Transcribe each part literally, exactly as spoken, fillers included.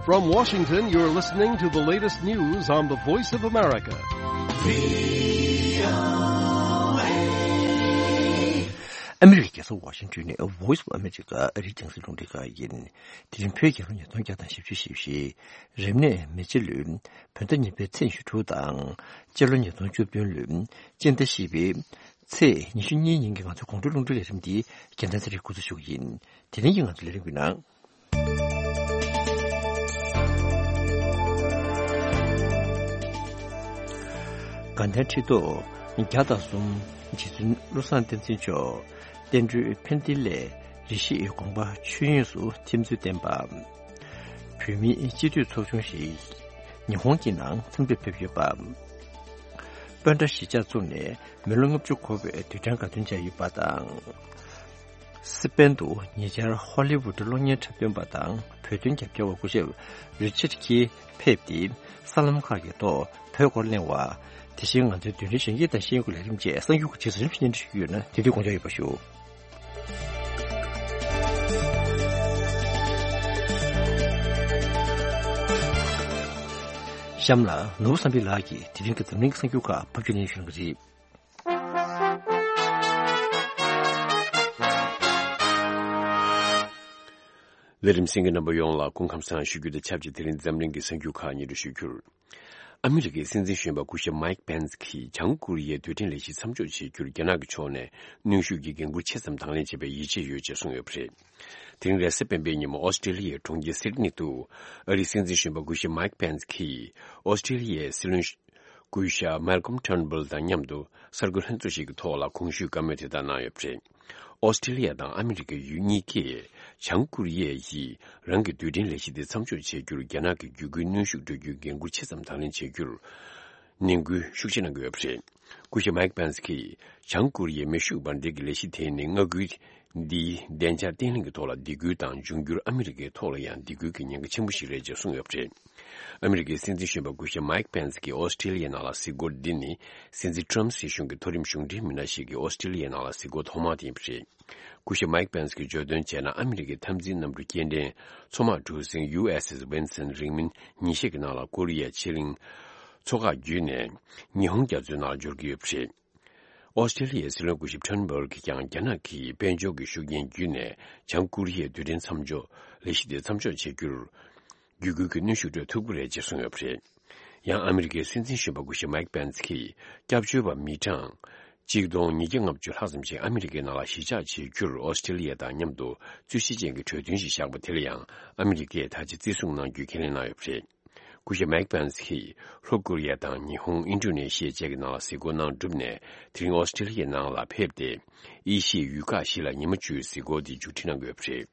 From Washington, you're listening to the latest news on the Voice of America. ཨ་མི་རི་ཀའི་རྒྱལ་ས་ཝ་ཤིང་ཏོན་ནས་Voice of America ཨ་རིའི་རྒྱང་སྲིང་རླུང་འཕྲིན་ཁང་ཡིན། དེ་རིང་བོད་རྒྱལ་ལོ་ཉིས་སྟོང་བརྒྱ་དང་བཞི་བཅུ་ཞེ་བཞི། རབ་གནས་མེ་བྱི་ལོའི་བོད་ཟླ་གཉིས་པའི་ཚེས་ཉི་ཤུ་དྲུག་དང་། སྤྱི་ལོ་ཉིས་སྟོང་བཅུ་བདུན་ལོའི་སྤྱི་ཟླ་བཞི་པའི་ཚེས་ཉི་ཤུ་གཉིས་ཉིན་གྱི་ང་ཚོའི་དགོང་དྲོའི་རླུང་འཕྲིན་ལས་རིམ་འདི་རྒྱལ་མཚན་ཚེ་རིང་འགོ་འཛུགས་ཞུ་གི་ཡིན། དེ་རིང་གི་ང་ཚོའི་ལས་རིམ་གྱི་ནང་། དགའ་ལྡན་ཁྲི་ཐོག་བརྒྱ་དང་གསུམ་རྗེ་བཙུན་བློ་བཟང་བསྟན་འཛིན་མཆོག་བསྟན་འགྲོའི་ཕན་བདེ་སླད་རེ་ཞིག་དགོངས་པ་ཆོས་དབྱིངས་སུ་ཐིམ་ཚུལ་བསྟན་པ། བོད་མིའི་སྤྱི་འཐུས་ཚོགས་ཆུང་ཞིག་ཉི་ཧོང་གི་ནང་འཚམས་འདྲིར་ཕེབས་ཡོད་པ། སྤོན་ཊ་གཞིས་ཆགས་བཙུགས་ནས་མི་ལོ་ལྔ་བཅུ་འཁོར་བའི་དུས་དྲན་དགའ་སྟོན་བྱས་ཡོད་པ་དང་། སི་པན་དུ་ཉེ་ཆར་ཧོ་ལི་ཝུད་གློག་བརྙན་འཁྲབ་སྟོན་པ་དང་བོད་དོན་རྒྱབ་སྐྱོར་བ་སྐུ་ཞབས་རི་ཆར་ཁི་ཕེབས་ཏེ་གསར་ལམ་ཁག་གི་ཐོག་བོད་སྐོར་གླེང་བ། དེ་བཞིན་ང་ཚོའི་རྡུལ་ཕྲན་གཞོན་སྐྱེས་དང་ཤེས་ཡོན་གྱི་ལས་རིམ་བཅས་གསར་འགྱུར་གྱི་རྗེས་སུ་རིམ་བཞིན་སྙན་སྒྲོན་ཞུ་གི་ཡོད་ན་དེ་དུས་དགོངས་འཇགས་ཡོད་པ་ཞུ། གཤམ་ལ་ནོར་བུ་བསམ་འཕེལ་ལགས་ཀྱིས་དེ་རིང་གི་འཛམ་གླིང་གི་གསར་འགྱུར་ཁག་ཕབ་སྒྱུར་སྙན་ཞུ་གནང་གི་རེད། ལས་རིམ་གསན་མཁན་རྣམ་པ་ཡོངས་ལ་སྐུ་ཁམས་བཟང་ཞུ་རྒྱུ་དང་ཆབས་ཅིག་དེ་རིང་འཛམ་གླིང་གི་གསར་འགྱུར་ཁག་སྙན་སྒྲོན་ཞུ་རྒྱུར། ཨ་མི་རི་ཀའི་སྲིད་འཛིན་གཞོན་པ་སྐུ་ཞབས་མའིག་པེན་སི་གིས་བྱང་ཀོ་རི་ཡའི་རྡུལ་ཕྲན་ལས་གཞི་མཚམས་འཇོག་བྱེད་རྒྱུར་རྒྱ་ནག་གི་ཕྱོགས་ནས་གནོན་ཤུགས་ཀྱི་འགན་འཁུར་ཆེ་ཙམ་དང་ལེན་བྱེད་པའི་ཡིད་ཆེས་ཡོད་ཅེས་གསུངས་ཡོད་པ་རེད། དེ་རིང་རེས་གཟའ་སྤེན་པའི་ཉིན་མོ་ཨོ་སི་ཀྲི་ལི་ཡའི་གྲོང་ཁྱེར་སིད་ནི་དུ་ཨ་རིའི་སྲིད་འཛིན་གཞོན་པ་སྐུ་ཞབས་མའིག་པེན་སི་གིས་ཨོ་སི་ཀྲི་ལི་ཡའི་སྲིད་བློན་སྐུ་ཞབས་མལ་ཀོམ་ཊརན་བྷོལ་དང་མཉམ་དུ་གསར་འགོད་ལྷན་ཚོགས་ཤིག་གི་ཐོག་ལ་གོང་ཞུས་བཀའ་མོལ་དེ་ལྟར་གནང་ཡོད་པ་རེད། ཨོ་སི་ཀྲི་ལི་ཡ་དང་ཨ་མི་རི་ཀའི་ཡུལ་གཉིས་ཀས་བྱང་ཀོ་རི་ཡས་ཀྱིས་རང་གི་རྡུལ་ཕྲན་ལས་གཞི་དེ་མཚམས་འཇོག་བྱེད་རྒྱུར་རྒྱ་ནག་གི་བརྒྱུད་སྐུལ་གནོན་ཤུགས་སྤྲོད་རྒྱུའི་འགན་འཁུར་ཆེ་ཙམ་དང་ལེན་བྱེད་རྒྱུར་ནན་སྐུལ་ཤུགས་ཆེ་གནང་གི་ཡོད་པ་རེད། སྐུ་ཞབས་མའིག་པེན་སི་གིས་བྱང་ཀོ་རི་ཡའི་མེ་ཤུགས་འབར་མདེལ་གྱི་ལས་གཞི་དེ་ནི་མངའ་ཁུལ་འདིའི་བདེ་འཇགས་བརྟན་ལྷིང་གི་ཐོག་ལ་སྡིགས་སྐུལ་དང་། འབྱུང་འགྱུར་ཨ་མི་རི་ཀའི་ཐོག་ལ་ཡང་སྡིགས་སྐུལ་གྱི་ཉེན་ཁ་ཆེན་པོ་ཞིག་རེད་ཅེས་གསུངས་ཡོད་པ་རེད། ཨ་མི་རི་ཀའི་སྲིད་འཛིན་གཞོན་པ་སྐུ་ཞབས་མའིག་པེན་སི་གིས་ཨོ་སི་ཀྲི་ལི་ཡའི་ནང་ལ་གཟིགས་སྐོར་འདི་ནི་སྲིད་འཛིན་ཊྲམ་སྲིད་གཞུང་གི་མཐོ་རིམ་གཞུང་འབྲེལ་མི་སྣ་ཞིག་གིས་ཨོ་སི་ཀྲི་ལི་ཡའི་ནང་ལ་གཟིགས་སྐོར་ཐོག་མ་དེ་ཡིན་པ་རེད། སྐུ་ཞབས་མའིག་པེན་སི་གིས་བརྗོད་དོན་བྱས་ན། ཨ་མི་རི་ཀའི་འཐབ་འཛིང་གནམ་གྲུ་སྐྱེལ་འདྲེན་མཚོ་དམག་གྲུ་གཟིངས་ཡུ་ཨེས་ཨེས་ཝིན་སན་རིང་མིན་ཉིན་ཤས་ཀྱི་ནང་ལ་ཀོ་རི་ཡའི་ཕྱེད་གླིང་མཚོ་འགག་བརྒྱུད་ནས་ཉི་ཧོང་རྒྱ་མཚོའི་ནང་འབྱོར་གྱི་ཡོད་པ་རེད། ཨོ་སི་ཀྲི་ལི་ཡའི་སྲིད་བློན་སྐུ་ཞབས་ཊརན་བྷོལ་གྱིས་ཀྱང་རྒྱ་ནག་གིས་དཔལ་འབྱོར་གྱི་ཤུགས་རྐྱེན་བརྒྱུད་ནས་བྱང་ཀོ་རི་ཡའི་རྡུལ་ཕྲན་མཚམས་འཇོག་ལས་གཞི་དེ་མཚམས་འཇོག་བྱེད་རྒྱུར་བརྒྱུད་སྐུལ་གྱི་གནོན་ཤུགས་སྤྲོད་ཐུབ་ཀྱི་རེད་ཅེས་གསུངས་ཡོད་པ་རེད། ཡང་ཨ་མི་རི་ཀའི་སྲིད་འཛིན་གཞོན་པ་སྐུ་ཞབས་མའིག་པེན་སི་གིས་སྐྱབས་བཅོལ་བ་མི་གྲངས་གཅིག་སྟོང་ཉིས་བརྒྱ་ལྔ་བཅུ་ལྷག་ཙམ་ཞིག་ཨ་མི་རི་ཀའི་ནང་ལ་གཞིས་ཆགས་བྱེད་རྒྱུར་ཨོ་སི་ཀྲི་ལི་ཡ་དང་མཉམ་དུ་རྩོད་གཞི་ཅན་གྱི་གྲོས་མཐུན་ཞིག་བཞག་པ་དེ་ལ་ཡང་ཨ་མི་རི་ཀས་ད་ཆ་བརྩི་སྲུང་གནང་རྒྱུའི་ཁས་ལེན་གནང་ཡོད་པ་རེད། སྐུ་ཞབས་མའིག་པེན་སི་གིས་ལྷོ་ཀོ་རི་ཡ་དང་ཉི་ཧོང་། ཨིན་ཌོ་ནེ་ཤི་ཡ་བཅས་ཀྱི་ནང་ལ་གཟིགས་སྐོར་གནང་གྲུབ་ནས། དེ་རིང་ཨོ་སི་ཀྲི་ལི་ཡའི་ནང་ལ་ཕེབས་ཏེ། ཨེ་ཤི་ཡའི་ཡུལ་ཁག་བཞི་ལ་ཉི་མ་བཅུའི་གཟིགས་སྐོར་དེ་མཇུག་སྒྲིལ་གནང་གི་ཡོད་པ་རེད།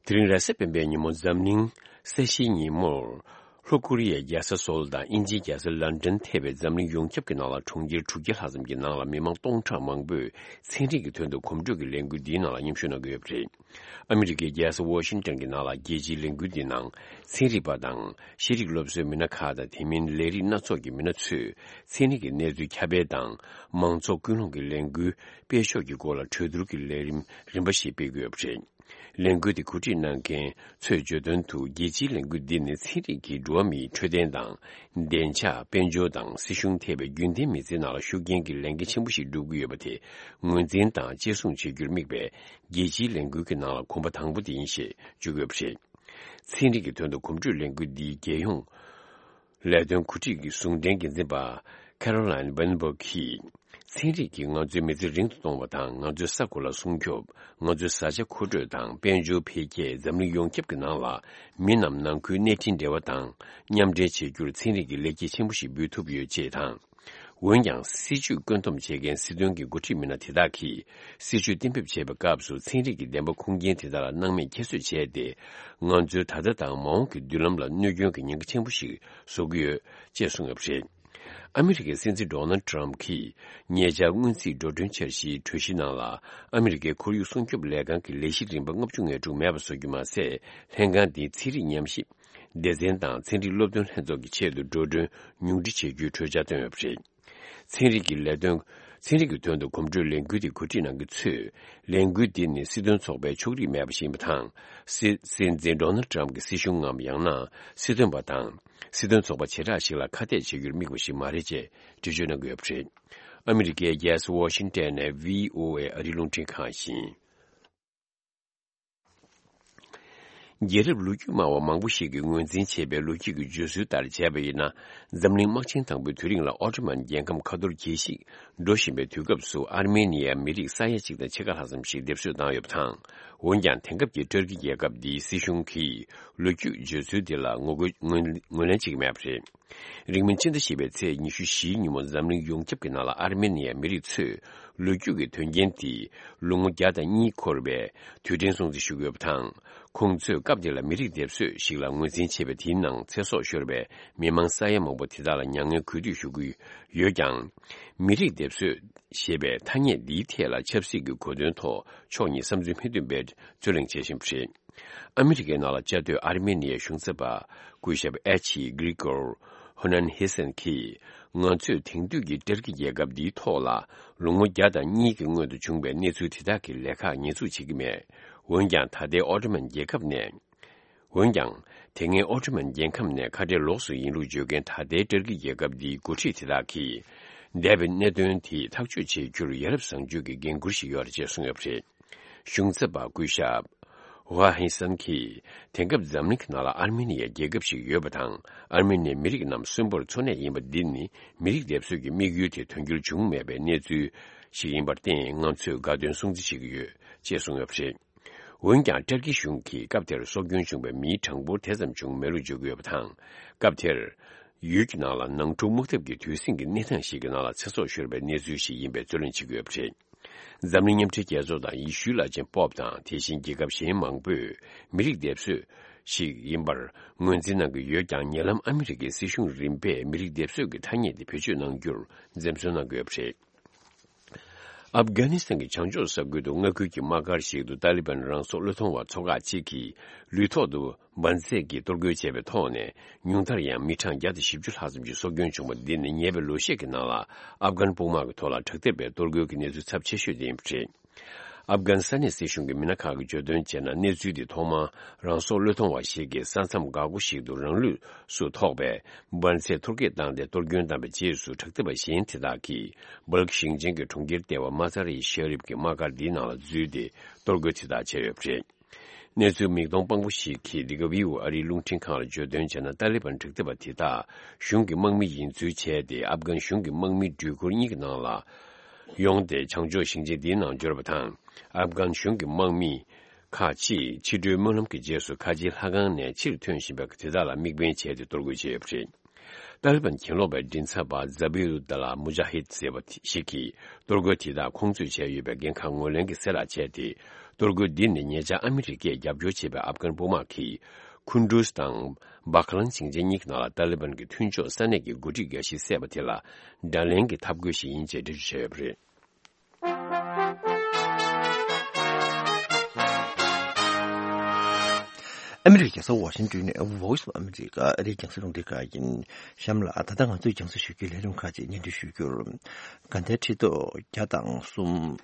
དེ་རིང་རེས་གཟའ་སྤེན་པའི་ཉིན་མོ་འཛམ་གླིང་གསལ་བཤད་ཉིན་མོར། ལྷོ་ཀོ་རི་ཡའི་རྒྱལ་ས་སོལ་དང་དབྱིན་ཇིའི་རྒྱལ་ས་ལན་ཀྲན་ཐེ་བའི་འཛམ་གླིང་ཡོངས་ཁྱབ་ཀྱི་ནང་ལ་གྲོང་ཁྱེར་དྲུག་བརྒྱ་ལྷག་ཙམ་གྱི་ནང་ལ་མི་མང་སྟོང་ཕྲག་མང་པོས་ཚན་རིག་གི་དོན་དུ་གོམ་བགྲོད་ཀྱི་ལས་འགུལ་འདིའི་ནང་ལ་མཉམ་ཞུགས་གནང་གི་ཡོད་པ་རེད། ཨ་མི་རི་ཀའི་རྒྱལ་ས་ཝ་ཤིང་ཏོན་གྱི་ནང་ལ་རྒྱལ་སྤྱིའི་ལས་འགུལ་འདིའི་ནང་ཚན་རིག་པ་དང་ཤེས་རིག་སློབ་གསོའི་མི་སྣ་ཁག་དང་། དེ་མིན་ལས་རིགས་སྣ་ཚོགས་ཀྱི་མི་སྣ་ཚོས་ཚན་རིག་གི་གནས་ཚུལ་ཁྱབ་སྤེལ་དང་། མང་ཚོགས་ཀུན་སློང་གི་ལས་འགུལ་སྤེལ་ཕྱོགས་ཀྱི་སྐོར་ལ་གྲོས་བསྡུར་གྱི་ལས་རིམ་རིམ་པ་ཞིག་སྤེལ་གྱི་ཡོད་པ་རེད། ལས་འགུལ་དེ་གོ་སྒྲིག་གནང་མཁན་ཚོས་བརྗོད་དོན་དུ། རྒྱལ་སྤྱིའི་ལས་འགུལ་འདི་ནི་ཚན་རིག་གིས་འགྲོ་བ་མིའི་འཕྲོད་བསྟེན་དང་། བདེ་འཇགས། དཔལ་འབྱོར་དང་སྲིད་གཞུང་ཐེ་བའི་རྒྱུན་ལྡན་མི་ཚེའི་ནང་ལ་ཤུགས་རྐྱེན་གྱི་ལས་འགན་ཆེན་པོ་ཞིག་སྒྲུབ་ཀྱི་ཡོད་པ་དེ་ངོས་འཛིན་དང་གཅེས་སྲུང་བྱེད་རྒྱུར་དམིགས་པའི་རྒྱལ་སྤྱིའི་ལས་འགུལ་གྱི་ནང་ལ་གོམ་པ་དང་པོ་དེ་ཡིན་ཞེས་བརྗོད་ཀྱི་ཡོད་པ་རེད། ཚན་རིག་གི་དོན་དུ་གོམ་བགྲོད་ལས་འགུལ་འདིའི་རྒྱལ་ཡོངས་ལས་དོན་གོ་སྒྲིག་གི་ཟུང་འབྲེལ་འགན་འཛིན་པ་ཁེ་རོ་ལན་ཝེན་སྦུག་གིས། ཚན་རིག་གིས་ང་ཚོའི་མི་ཚེ་རིང་དུ་གཏོང་བ་དང་། ང་ཚོའི་ས་གོ་ལ་སྲུང་སྐྱོབ། ང་ཚོའི་བཟའ་བཅའ་མཁོ་སྤྲོད་དང་། དཔལ་འབྱོར་འཕེལ་རྒྱས། འཛམ་གླིང་ཡོངས་ཁྱབ་ཀྱི་ནང་ལ་མི་རྣམས་ནང་ཁུལ་གནས་འཕྲིན་འབྲེལ་བ་དང་མཉམ་འབྲེལ་བྱེད་རྒྱུར་ཚན་རིག་གིས་ལེགས་སྐྱེས་ཆེན་པོ་ཞིག་འབུལ་ཐུབ་ཡོད་ཅེས་དང་། འོན་ཀྱང་། སྲིད་ཇུས་བཀོད་འདོམས་བྱེད་མཁན་སྲིད་དོན་གྱི་འགོ་ཁྲིད་མི་སྣ་དེ་དག་གིས་སྲིད་ཇུས་གཏན་འབེབས་བྱེད་པའི་སྐབས་སུ་ཚན་རིག་གི་བདེན་པ་ཁུངས་སྐྱེལ་དེ་དག་ལ་སྣང་མེད་ཁྱད་གསོད་བྱས་ཏེ། ང་ཚོའི་ད་ལྟ་དང་མ་འོངས་ཀྱི་མདུན་ལམ་ལ་གནོད་སྐྱོན་གྱི་ཉེན་ཁ་ཆེན་པོ་ཞིག་བཟོ་གི་ཡོད་ཅེས་གསུངས་ཡོད་པ་རེད། ཨ་མི་རི་ཀའི་སྲིད་འཛིན་ཌོ་ནལ་ཊམ་གྱིས་ཉེ་ཆར་སྔོན་རྩིས་འགྲོ་གྲོན་འཆར་གཞིའི་གྲོས་གཞི་ནང་ལ། ཨ་མི་རི་ཀའི་ཁོར་ཡུག་སྲུང་སྐྱོབ་ལས་ཁང་གི་ལས་གཞི་རིམ་པ་ལྔ་བཅུ་ང་དྲུག་མེད་པ་བཟོ་རྒྱུ་མ་ཟད། ལྷན་ཁང་འདིའི་ཚན་རིག་ཉམས་ཞིབ་སྡེ་ཚན་དང་ཚན་རིག་སློབ་སྟོན་ལྷན་ཚོགས་ཀྱི་ཆེད་དུ་འགྲོ་གྲོན་ཉུང་འཕྲི་བྱེད་རྒྱུའི་གྲོས་འཆར་བཏོན་ཡོད་པ་རེད། ཚན་རིག་གི་ལས་དོན། ཚན་རིག་གི་དོན་དུ་གོམ་བགྲོད་ལས་འགུལ་དེ་གོ་སྒྲིག་གནང་མཁན་ཚོས་ལས་འགུལ་འདི་ནི་སྲིད་དོན་ཚོགས་པའི་ཕྱོགས་རིས་མེད་པ་ཞིག་ཡིན་པ་དང་། སྲིད་སྲིད་འཛིན་ཌོ་ནལ་ཊམ་གྱི་སྲིད་གཞུང་ངམ་ཡང་ན་སྲིད་དོན་པ་དང་། སྲིད་དོན་ཚོགས་པ་བྱེ་བྲག་ཞིག་ལ་ཁ་གཏད་བྱེད་རྒྱུར་དམིགས་པ་ཞིག་མ་རེད་ཅེས་འགྲེལ་བརྗོད་གནང་གི་ཡོད་པ་རེད། ཨ་མི་རི་ཀའི་རྒྱལ་ས་ཝ་ཤིང་ཏན་ནས་བྷི་ཨོ་ཨེ་ཨ་རིའི་རླུང་འཕྲིན་ཁང་ཡིན། རྒྱལ་རབས་ལོ་རྒྱུས་སྨྲ་བ་མང་པོ་ཞིག་གིས་ངོས་འཛིན་བྱས་པའི་ལོ་རྒྱུས་ཀྱི་བརྗོད་སྲོལ་ལྟར་བྱས་པ་ཡིན་ན། འཛམ་གླིང་དམག་ཆེན་དང་པོའི་དུས་རིང་ལ་ཨོ་ཏོ་མན་རྒྱལ་ཁམས་ཁ་ཐོར་རྒྱས་ཤིང་འགྲོ་བཞིན་པའི་དུས་སྐབས་སུ། ཨར་མེ་ནི་ཡའི་མི་རིགས་ས་ཡ་གཅིག་དང་ཕྱེད་ཀ་ལྷག་ཙམ་ཞིག་སྡེབ་གསོད་བཏང་ཡོད་པ་དང་། འོན་ཀྱང་། དེང་སྐབས་ཀྱི་ཏུར་ཀི་རྒྱལ་ཁབ་འདིའི་སྲིད་གཞུང་གིས་ལོ་རྒྱུས་བརྗོད་ཚུལ་འདི་ལ་ངོ་རྒོལ་ངོས་ངོས་ལེན་བྱེད་ཀྱི་མེད་པ་རེད། རིང་མིན་ཕྱི་ཟླ་བཞི་པའི་ཚེས་ཉི་ཤུ་བཞིའི་ཉིན་མོ་འཛམ་གླིང་ཡོངས་ཁྱབ་ཀྱི་ནང་ལ་ཨར་མེ་ནི་ཡའི་མི་རིགས་ཚོས་ལོ་རྒྱུས་ཀྱི་དོན་རྐྱེན་དེ་ལོ་ངོ་བརྒྱ་དང་གཉིས་འཁོར་བའི་དུས་དྲན་སྲུང་བརྩི་ཞུ་གི་ཡོད་པ་དང་། ཁོང་ཚོས་སྐབས་དེ་ལ་མི་རིགས་སྡེབ་གསོད་ཞིག་ལ་ངོས་འཛིན་བྱས་པ་དེའི་ནང་ཚེ་སྲོག་ཤོར་བའི་མི་མང་ས་ཡ་མང་པོ་དེ་དག་ལ་མྱ་ངན་གུས་འདུད་ཞུ་གི་ཡོད་ཀྱང་། མི་རིགས་སྡེབ་གསོད་ཞེས་པའི་ཐ་སྙད་འདིའི་ཐད་ལ་ཆབ་སྲིད་ཀྱི་གོ་དོན་ཐོག་ཕྱོགས་གཉིས་བསམ་ཚུལ་མི་མཐུན་པའི་རྩོད་གླེང་བྱེད་བཞིན་པ་རེད། ཨ་མི་རི་ཀའི་ནང་ལ་བཅའ་སྡོད་ཨར་མེ་ནི་ཡའི་གཞུང་ཚབ་པ་སྐུ་ཞབས་ཨེ་ཆི་གྷི་རི་གོར་ཧོ་ནན་ཧེ་སན་གྱིས། ང་ཚོས་དེང་དུས་ཀྱི་ཏུར་ཀི་རྒྱལ་ཁབ་འདིའི་ཐོག་ལ་ལོ་ངོ་བརྒྱ་དང་གཉིས་ཀྱི་སྔོན་དུ་བྱུང་བའི་གནས་ཚུལ་དེ་དག་གི་ལས་ཁག་ཉེས་འཛུགས་བྱེད་ཀྱི་མེད། འོན་ཀྱང་། ད་ལྟའི་ཨོ་ཏོ་མན་རྒྱལ་ཁབ་ནས། འོན་ཀྱང་། དེ་སྔའི་ཨོ་ཏོ་མན་རྒྱལ་ཁབ་ནས་ཁ་བྲལ་ལོགས་སུ་ཡིན་ལུགས་བརྗོད་མཁན་ད་ལྟའི་ཏུར་ཀི་རྒྱལ་ཁབ་འདིའི་འགོ་ཁྲིད་དེ་དག་གིས། འདས་པའི་གནད་དོན་དེ་ཐག་གཅོད་བྱེད་རྒྱུར་ཡ་རབས་བཟང་སྤྱོད་ཀྱི་འགན་འཁུར་ཞིག་ཡོད་རེད་ཅེས་གསུངས་ཡོད་པ་རེད། གཞུང་ཚབ་པ་སྐུ་ཞབས་ཝ་ཧེ་སན་གྱིས། དེང་སྐབས་འཛམ་གླིང་གི་ནང་ལ་ཨར་མེ་ནི་ཡའི་རྒྱལ་ཁབ་ཞིག་ཡོད་པ་དང་། ཨར་མེ་ནི་ཡའི་མི་རིགས་རྣམས་གསོན་པོར་འཚོ་གནས་ཡིན་པ་འདི་ནི། མི་རིགས་སྡེབ་གསོད་ཀྱི་དམིགས་ཡུལ་དེ་དོན་འཁྱོལ་བྱུང་མེད་པའི་གནས་ཚུལ་ཞིག་ཡིན་པར་བརྟེན། ང་ཚོས་དགའ་སྟོན་སྲུང་བརྩི་བྱེད་ཀྱི་ཡོད་ཅེས་གསུངས་ཡོད་པ་རེད། འོན་ཀྱང་། ཏུར་ཀི་གཞུང་གིས་སྐབས་དེར་སྲོག་སྐྱོན་བྱུང་བའི་མིའི་གྲངས་འབོར་དེ་ཙམ་བྱུང་མེད་ལུགས་བརྗོད་ཀྱི་ཡོད་པ་དང་། སྐབས་དེར། ཡུལ་གྱི་ནང་ལ་ནང་འཁྲུག་དམག་འཐབ་ཀྱི་དུས་ཟིང་གི་གནས་སྟངས་ཤིག་གི་ནང་ལ་ཚེ་སྲོག་ཤོར་བའི་གནས་ཚུལ་ཞིག་ཡིན་པའི་རྩོད་གླེང་བྱེད་ཀྱི་ཡོད་པ་རེད། འཛམ་གླིང་མཉམ་འབྲེལ་རྒྱལ་ཚོགས་དང་ཡེ་ཤུའི་བླ་ཆེན་པོབ་དང་། དེ་བཞིན་རྒྱལ་ཁབ་གཞན་མང་པོས་མི་རིགས་སྡེབ་གསོད་ཞིག་ཡིན་པར་ངོས་འཛིན་གནང་གི་ཡོད་ཀྱང་། ཉེ་ལམ་ཨ་མི་རི་ཀའི་སྲིད་གཞུང་རིམ་པས་མི་རིགས་སྡེབ་གསོད་ཀྱི་ཐ་སྙད་དེ་བེད་སྤྱོད་གནང་རྒྱུར་འཛེམ་ཟོན་གནང་གི་ཡོད་པ་རེད། ཨབ་གྷ་ནི་སི་ཐན་གྱི་བྱང་ཕྱོགས་ས་ཁུལ་དུ་མངའ་ཁུལ་གྱི་དམག་སྒར་ཞིག་ཏུ་ཏཱ་ལི་བན་རང་སྲོག་བློས་གཏོང་བ་ཚོ་ཁག་ཅིག་གིས་ལུས་ཐོག་ཏུ་འབར་རྫས་ཀྱིས་གཏོར་རྒོལ་བྱས་པའི་ཐོག་ནས། ཉུང་མཐར་ཡང་མི་གྲངས་བརྒྱ་དང་བཞི་བཅུ་ལྷག་ཙམ་ཞིག་སྲོག་སྐྱོན་བྱུང་བ་འདི་ནི་ཉེ་བའི་ལོ་ཤས་ཀྱི་ནང་ལ་ཨབ་གྷན་དཔུང་དམག་གི་ཐོག་ལ་དྲག་འཐབ་པའི་གཏོར་རྒོལ་གྱི་གནས་ཚུལ་ཚབས་ཆེ་ཤོས་དེ་ཡིན་པ་རེད། ཨབ་གྷན་ས་གནས་སྲིད་གཞུང་གི་མི་སྣ་ཁག་གིས་བརྗོད་དོན་བྱས་ན། གནས་ཚུལ་འདི་ཐོག་མར་རང་སྲོག་བློས་གཏོང་བ་ཞིག་གིས་ས་མཚམས་འགག་སྒོ་ཞིག་ཏུ་རང་ལུས་སུ་ཐོགས་པའི་འབར་རྫས་གཏོར་བརྒྱབ་བཏང་སྟེ། གཏོར་སྐྱོན་བཏང་བའི་རྗེས་སུ། དྲག་འཐབ་པ་གཞན་དེ་དག་གིས་སྦལ་ཁི་ཞིང་ཆེན་གྱི་གྲོང་ཁྱེར་ལྟེ་བ་མ་ཛ་རི་ཤེ་རིབ་ཀྱི་དམག་སྒར་འདིའི་ནང་ལ་འཛུལ་ཏེ་གཏོར་རྒོལ་དེ་དག་བྱས་ཡོད་པ་རེད། གནས་ཚུལ་མིག་མཐོང་དཔང་པོ་ཞིག་གིས་འདི་ག་བྷི་ཨོ་ཨེ་ཨ་རིའི་རླུང་འཕྲིན་ཁང་ལ་བརྗོད་དོན་བྱས་ན། ཏཱ་ལི་བན་དྲག་འཐབ་པ་དེ་དག་གཞུང་གི་དམག་མི་ཡིན་ཚུལ་བྱས་ཏེ། ཨབ་གྷན་གཞུང་གི་དམག་མིའི་འགྲུལ་འཁོར་གཉིས་ཀྱི་ནང་ལ་ཡོང་སྟེ། བྱང་ཕྱོགས་ཞིང་ཆེན་འདིའི་ནང་འབྱོར་བ་དང་། ཨབ་གྷན་གཞུང་གི་དམག་མི་ཁག་ཅིག་ཕྱི་དྲོའི་སྨོན་ལམ་གྱི་རྗེས་སུ་ཁ་ཆེའི་ལྷ་ཁང་ནས་ཕྱིར་ཐོན་བཞིན་པའི་དེ་དག་ལ་དམིགས་འབེན་བྱས་ཏེ་གཏོར་རྒོལ་བྱས་ཡོད་པ་རེད། ཏཱ་ལི་བན་གྱེན་ལོག་པའི་མགྲིན་ཚབ་པ་ཛ་བྷི་ཨུ་དཱ་ལ་མུ་ཇཱ་ཧིད་ཟེར་བ་ཞིག་གིས། གཏོར་རྒོལ་དེ་དག་ཁོང་ཚོས་བྱས་ཡོད་པའི་འགན་ཁག་ངོས་ལེན་གྱི་གསལ་བསྒྲགས་བྱས་ཏེ། གཏོར་རྒོལ་འདི་ནི་ཉེ་ཆར་ཨ་མི་རི་ཀས་རྒྱབ་སྐྱོར་བྱས་པའི་ཨབ་གྷན་དཔུང་དམག་གིས། ཁུན་ཌུས་དང་བྷ་ཁ་ལང་ཞིང་ཆེན་གཉིས་ཀྱི་ནང་ལ་ཏཱ་ལི་བན་གྱི་མཐུན་ཕྱོགས་ས་གནས་ཀྱི་འགོ་ཁྲིད་འགའ་ཞིག་བསད་པ་དེ་ལ་དགྲ་ལན་གྱི་འཐབ་རྒོལ་ཞིག་ཡིན་ཅེས་འགྲེལ་བརྗོད་བྱས་ཡོད་པ་རེད། ཨ་མི་རི་ཀའི་རྒྱལ་ས་ཝ་ཤིང་ཏོན་ནས་Voice of America ཨ་རིའི་རྒྱང་སྲིང་རླུང་འཕྲིན་ཁང་ཡིན། གཤམ་ལ་ད་ལྟ་ང་ཚོས་རྒྱང་སྲིང་ཞུ་རྒྱུའི་ལས་རིམ་ཁག་ཅིག་སྙན་སྒྲོན་ཞུ་རྒྱུར། དགའ་ལྡན་ཁྲི་ཐོག་བརྒྱ་དང་གསུམ།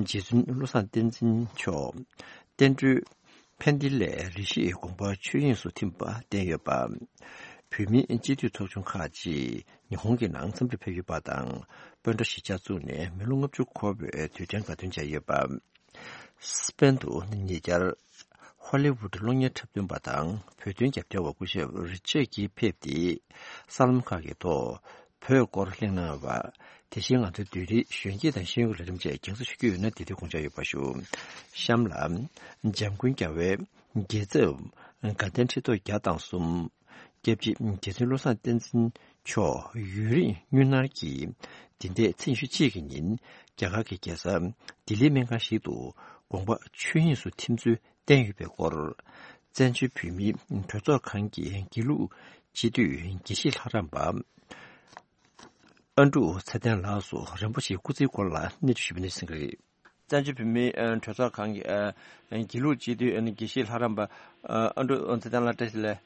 རྗེ་བཙུན་བློ་བཟང་བསྟན་འཛིན་མཆོག་བསྟན་སྒྲོན་ཕན་བདེ་ལས་རེ་ཞིག་དགོངས་པ་ཆོས་དབྱིངས་སུ་ཐིམ་པ་བསྟན་ཡོད་པ། བོད་མིའི་སྤྱི་འཐུས་ཚོགས་ཆུང་ཁག་ཅིག་ཉི་ཧོང་གི་ནང་འཚམས་འདྲིར་ཕེབས་ཡོད་པ་དང་། སྤོན་ཊ་གཞིས་ཆགས་བཙུགས་ནས་མི་ལོ་ལྔ་བཅུ་འཁོར་བའི་དུས་དྲན་དགའ་སྟོན་བྱས་ཡོད་པ། སྤེན་དུ་ཉེ་ཆར་ཧོ་ལི་ཝུད་གློག་བརྙན་འཁྲབ་སྟོན་པ་དང་བོད་དོན་རྒྱབ་སྐྱོར་བ་སྐུ་ཞབས་རི་ཅར་གྱིས་ཕེབས་ཏེ། གསར་ལམ་ཁག་གི་ཐོག་བོད་སྐོར་གླེང་གནང་བ། དེ་བཞིན་ང་ཚོའི་བསྡུས་རིས་གཞོན་སྐྱེས་དང་ཤེས་ཡོན་གྱི་ལས་རིམ་བཅས་རྒྱང་སྲིང་ཞུ་རྒྱུ་ཡོད་ན་དེ་དུས་དགོངས་འཇགས་ཡོད་པ་ཞུ། གཤམ་ལ། འཇམ་མགོན་རྒྱལ་བའི་རྒྱལ་ཚབ་དགའ་ལྡན་ཁྲི་ཐོག་བརྒྱ་དང་གསུམ། སྐྱབས་རྗེ་རྗེ་བཙུན་བློ་བཟང་བསྟན་འཛིན་མཆོག་ཡུན་རིང་དངུལ་ནར་གྱིས། འདི་ཟླའི་ཚེས་ཉི་ཤུ་གཅིག་གི་ཉིན་རྒྱ་གར་གྱི་རྒྱལ་ས་ལྡི་ལིའི་སྨན་ཁང་ཞིག་ཏུ་དགོངས་པ་ཆོས་དབྱིངས་སུ་ཐིམ་ཚུལ་བསྟན་ཡོད་པའི་སྐོར། བཙན་བྱོལ་བོད་མིའི་གྲོས་ཚོགས་ཁང་གི་དགེ་ལུགས་སྤྱི་འཐུས་དགེ་བཤེས་ལྷ་རམས་པ་ཨ་འབྲུག་ཚེ་བརྟན་ལགས་སུ་རིན་པོ་ཆེའི་སྐུ་ཚེའི་སྐོར་ལ་གནས་ཚུལ་ཞུས་པ་ནས་གསན་གྱི་རེད། བཙན་བྱོལ་བོད་མིའི་ཨ་གྲོས་ཚོགས་ཁང་གི་ཨ་དགེ་ལུགས་སྤྱི་འཐུས་ཨ་ནི་དགེ་བཤེས་ལྷ་རམས་པ་ཨ་འབྲུག་ཚེ་བརྟན་ལགས་བཀྲ་ཤིས་བདེ་ལེགས།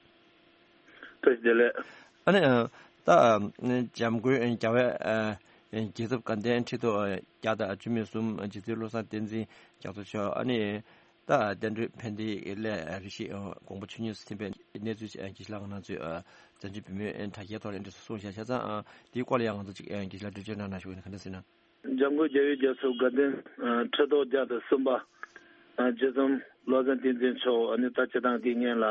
བཀྲ་ཤིས་བདེ་ལེགས། ཨ་ནི་ཨ་ད་ཨ་འཇམ་མགོན་རྒྱལ་བའི་ཨ་ རྒྱལ་ཚབ་དགའ་ལྡན་ཁྲི་ཐོག་བརྒྱ་དང་བཅུ་མེད་གསུམ་རྗེ་བཙུན་བློ་བཟང་བསྟན་འཛིན་རྒྱ་མཚོ་མཆོག་ཨ་ནི་ད་བསྟན་སྒྲོན་ཕན་བདེ་སླད་རེ་ཞིག་དགོངས་པ་ཆོས་ཉིད་སུ་ཐིམ་པའི་གནས་ཚུལ་ཅིག་དགེ་བཤེས་ལགས་ནང་ཚུད་བཙན་བྱོལ་བོད་མིའི་དྲ་རྒྱའི་ཐོག་ནས་འདྲ་སུ་གསུངས་བཞག་ཆ་ཚང་དེའི་སྐོར་ལ་ཡང་ང་ཚོ་ཅིག་དགེ་བཤེས་ལགས་འགྲེལ་བརྗོད་གནང་ན་ཞུ་གི་ཡིན། ག་འདྲ་ཟེར་ན། འཇམ་མགོན་རྒྱལ་བའི་རྒྱལ་ཚབ་དགའ་ལྡན་ཁྲི་ཐོག་བརྒྱ་དང་གསུམ་པ་རྗེ་བཙུན་བློ་བཟང་བསྟན་འཛིན་མཆོག་ཨ་ནི་ད་སྤྱི་བཏང་དེ་སྔོན་ལ་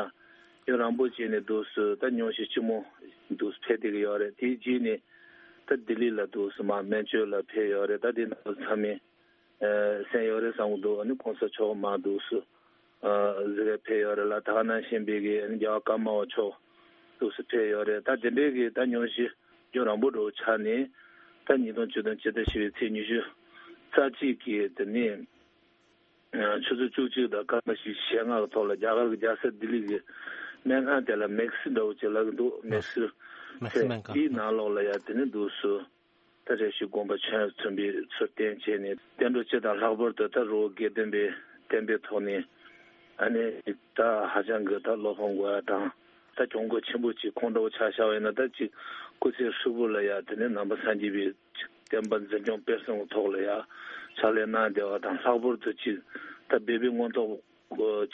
ཡུན་རིང་པོ་བྱས་ནས་འདུག་སུ་ད་ཉུང་ཤས་ཆེན་མོ་འདུག་སུ་ཕེབས་བསྡད་ཀྱི་ཡོད་རེད། དེའི་རྗེས་ནས་ད་ལྡི་ལི་ལ་འདུག་སུ་མར་སྨན་བཅོས་ལ་ཕེབས་ཡོད་རེད། ད་དེ་ནང་ཚང་མས་གསན་ཡོད་རེད་བསམ་གྱི་འདུག་ཨ་ནི་གོང་ས་མཆོག་མར་འདུག་སུ་གཟིགས་ཕེབས་ཡོད་རེད་ལ། ད་ག་ནང་བཞིན་པའི་གི་ཨ་ནི་རྒྱལ་བ་ཀརྨ་པ་མཆོག་འདུག་སུ་ཕེབས་ཡོད་རེད། ད་དེ་འདྲའི་གི་ད་ཉུང་ཤས་ཡུན་རིང་པོ་འགྲོ་ཆགས་ནས་ད་ཉིས་སྟོང་བཅུ་དང་ཕྱི་ཟླ་བཞི་པའི་ཚེས་ཉི་ཤུ་རྩ་གཅིག་གི་དེ་ནས་ཆུ་ཚོད་བཅུ་གཅིག་དང་སྐར་མ་བཞི་ཞེ་ལྔ་གི་ཐོག་ལ་རྒྱ་གར་གྱི་རྒྱལ་ས་ལྡི་ལི་གི་སྨན་ཁང་དེ་ལ་མེག་སི་འདྲ་བོ་ཅིག་ལབ་ཀྱི་འདུག་མེག་སི་མེག་སི་སྨན་ཁང་དེའི་ནང་ལོགས་ལ་ཡ་དེ་ནས་འདུག་སུ་ད་རེ་ཞིག་དགོངས་པ་ཆོས་མཐུན་པའི་ཚུལ་བསྟན་བྱས་ནས་བསྟན་འགྲོ་སྤྱི་དང་ལྷག་པར་དུ་ད་རི་བོ་དགེ་ལྡན་པའི་བསྟན་པའི་ཐོག་ནས་ཨ་ནི་ད་ཧ་ཅང་གི་ད་བློ་ཕམ་དགོས་ཡ་དང་ད་གྱོང་གུད་ཆེན་པོ་ཅིག་ཁོང་འདྲ་བོ་ཆ་བཞག་པ་ཡིན་ན་ད་ཅིག་སྐུ་ཚེ་ཧྲིལ་པོ་ལ་ཡ་དེ་ནས་ནང་པ་སངས་རྒྱས་པའི་བསྟན་པ་འཛིན་སྐྱོང་སྤེལ་གསུམ་གྱི་ཐོག་ལ་ཡ་ཕྱག་ལས་གནང་བསྡད་པ་དང་། ལྷག་པར་དུ་ཅིག་ད་སྦས་པའི་མངོན་རྟོགས་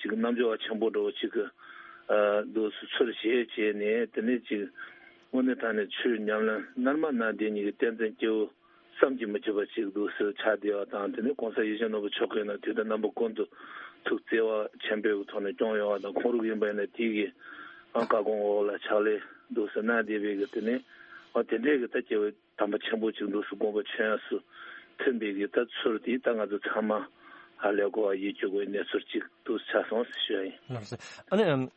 ཅིག་རྣལ་འབྱོར་པ་ཆེན་པོ་འདྲ་བོ་ཅིག་གི་འདུག་སུ་ཚུལ་བཞེས་བྱས་ནས་དེ་ནས་ཅིག་དངོས་གནས་དྲང་གནས་ཆོས་ཉམས་ལེན་རྣལ་མ་གནང་བསྡད་མཁན་གྱི་བསྟན་འཛིན་སྐྱེས་བུ་བསམ་གྱིས་མི་ཁྱབ་པ་ཅིག་འདུག་སུ་ཆགས་བསྡད་པ་དང་། དེ་ནས་གོང་ས་ཡིད་བཞིན་ནོར་བུ་མཆོག་གིས་ནི་དུས་དང་རྣམ་པ་ཀུན་ཏུ་ཐུགས་བརྩེ་བ་ཆེན་པོའི་ཐོག་ནས་སྐྱོང་ཡོང་བ་དང་། ཁོང་རང་ཡིན་པ་ཡིན་ན་དེ་གི་བཀའ་དགོངས་འོག་ལ་ཕྱག་ལས་འདུག་སུ་གནང་བསྡད་པའི་གི་དེ་ནས་འོ་དེ་འདྲའི་གི་ད་སྐྱེས་བུ་དམ་པ་ཆེན་པོ་ཅིག་འདུག་སུ་དགོངས་པ་ཆོས་སུ་མཐུན་པའི་གི་ད་ཚུལ་དེ་ད་ང་ཚོ་ཚང་མ་ཧ་ལས་གོ་བ་ཡིད་ཆེས་དགོས་གནས་ཚུལ་ཅིག་འདུག་སུ་ཆགས་སོང་ཟེར་ཞུ་ཡ་ཡིན། ལགས་སོ། ཨ་ནི་ཨམ།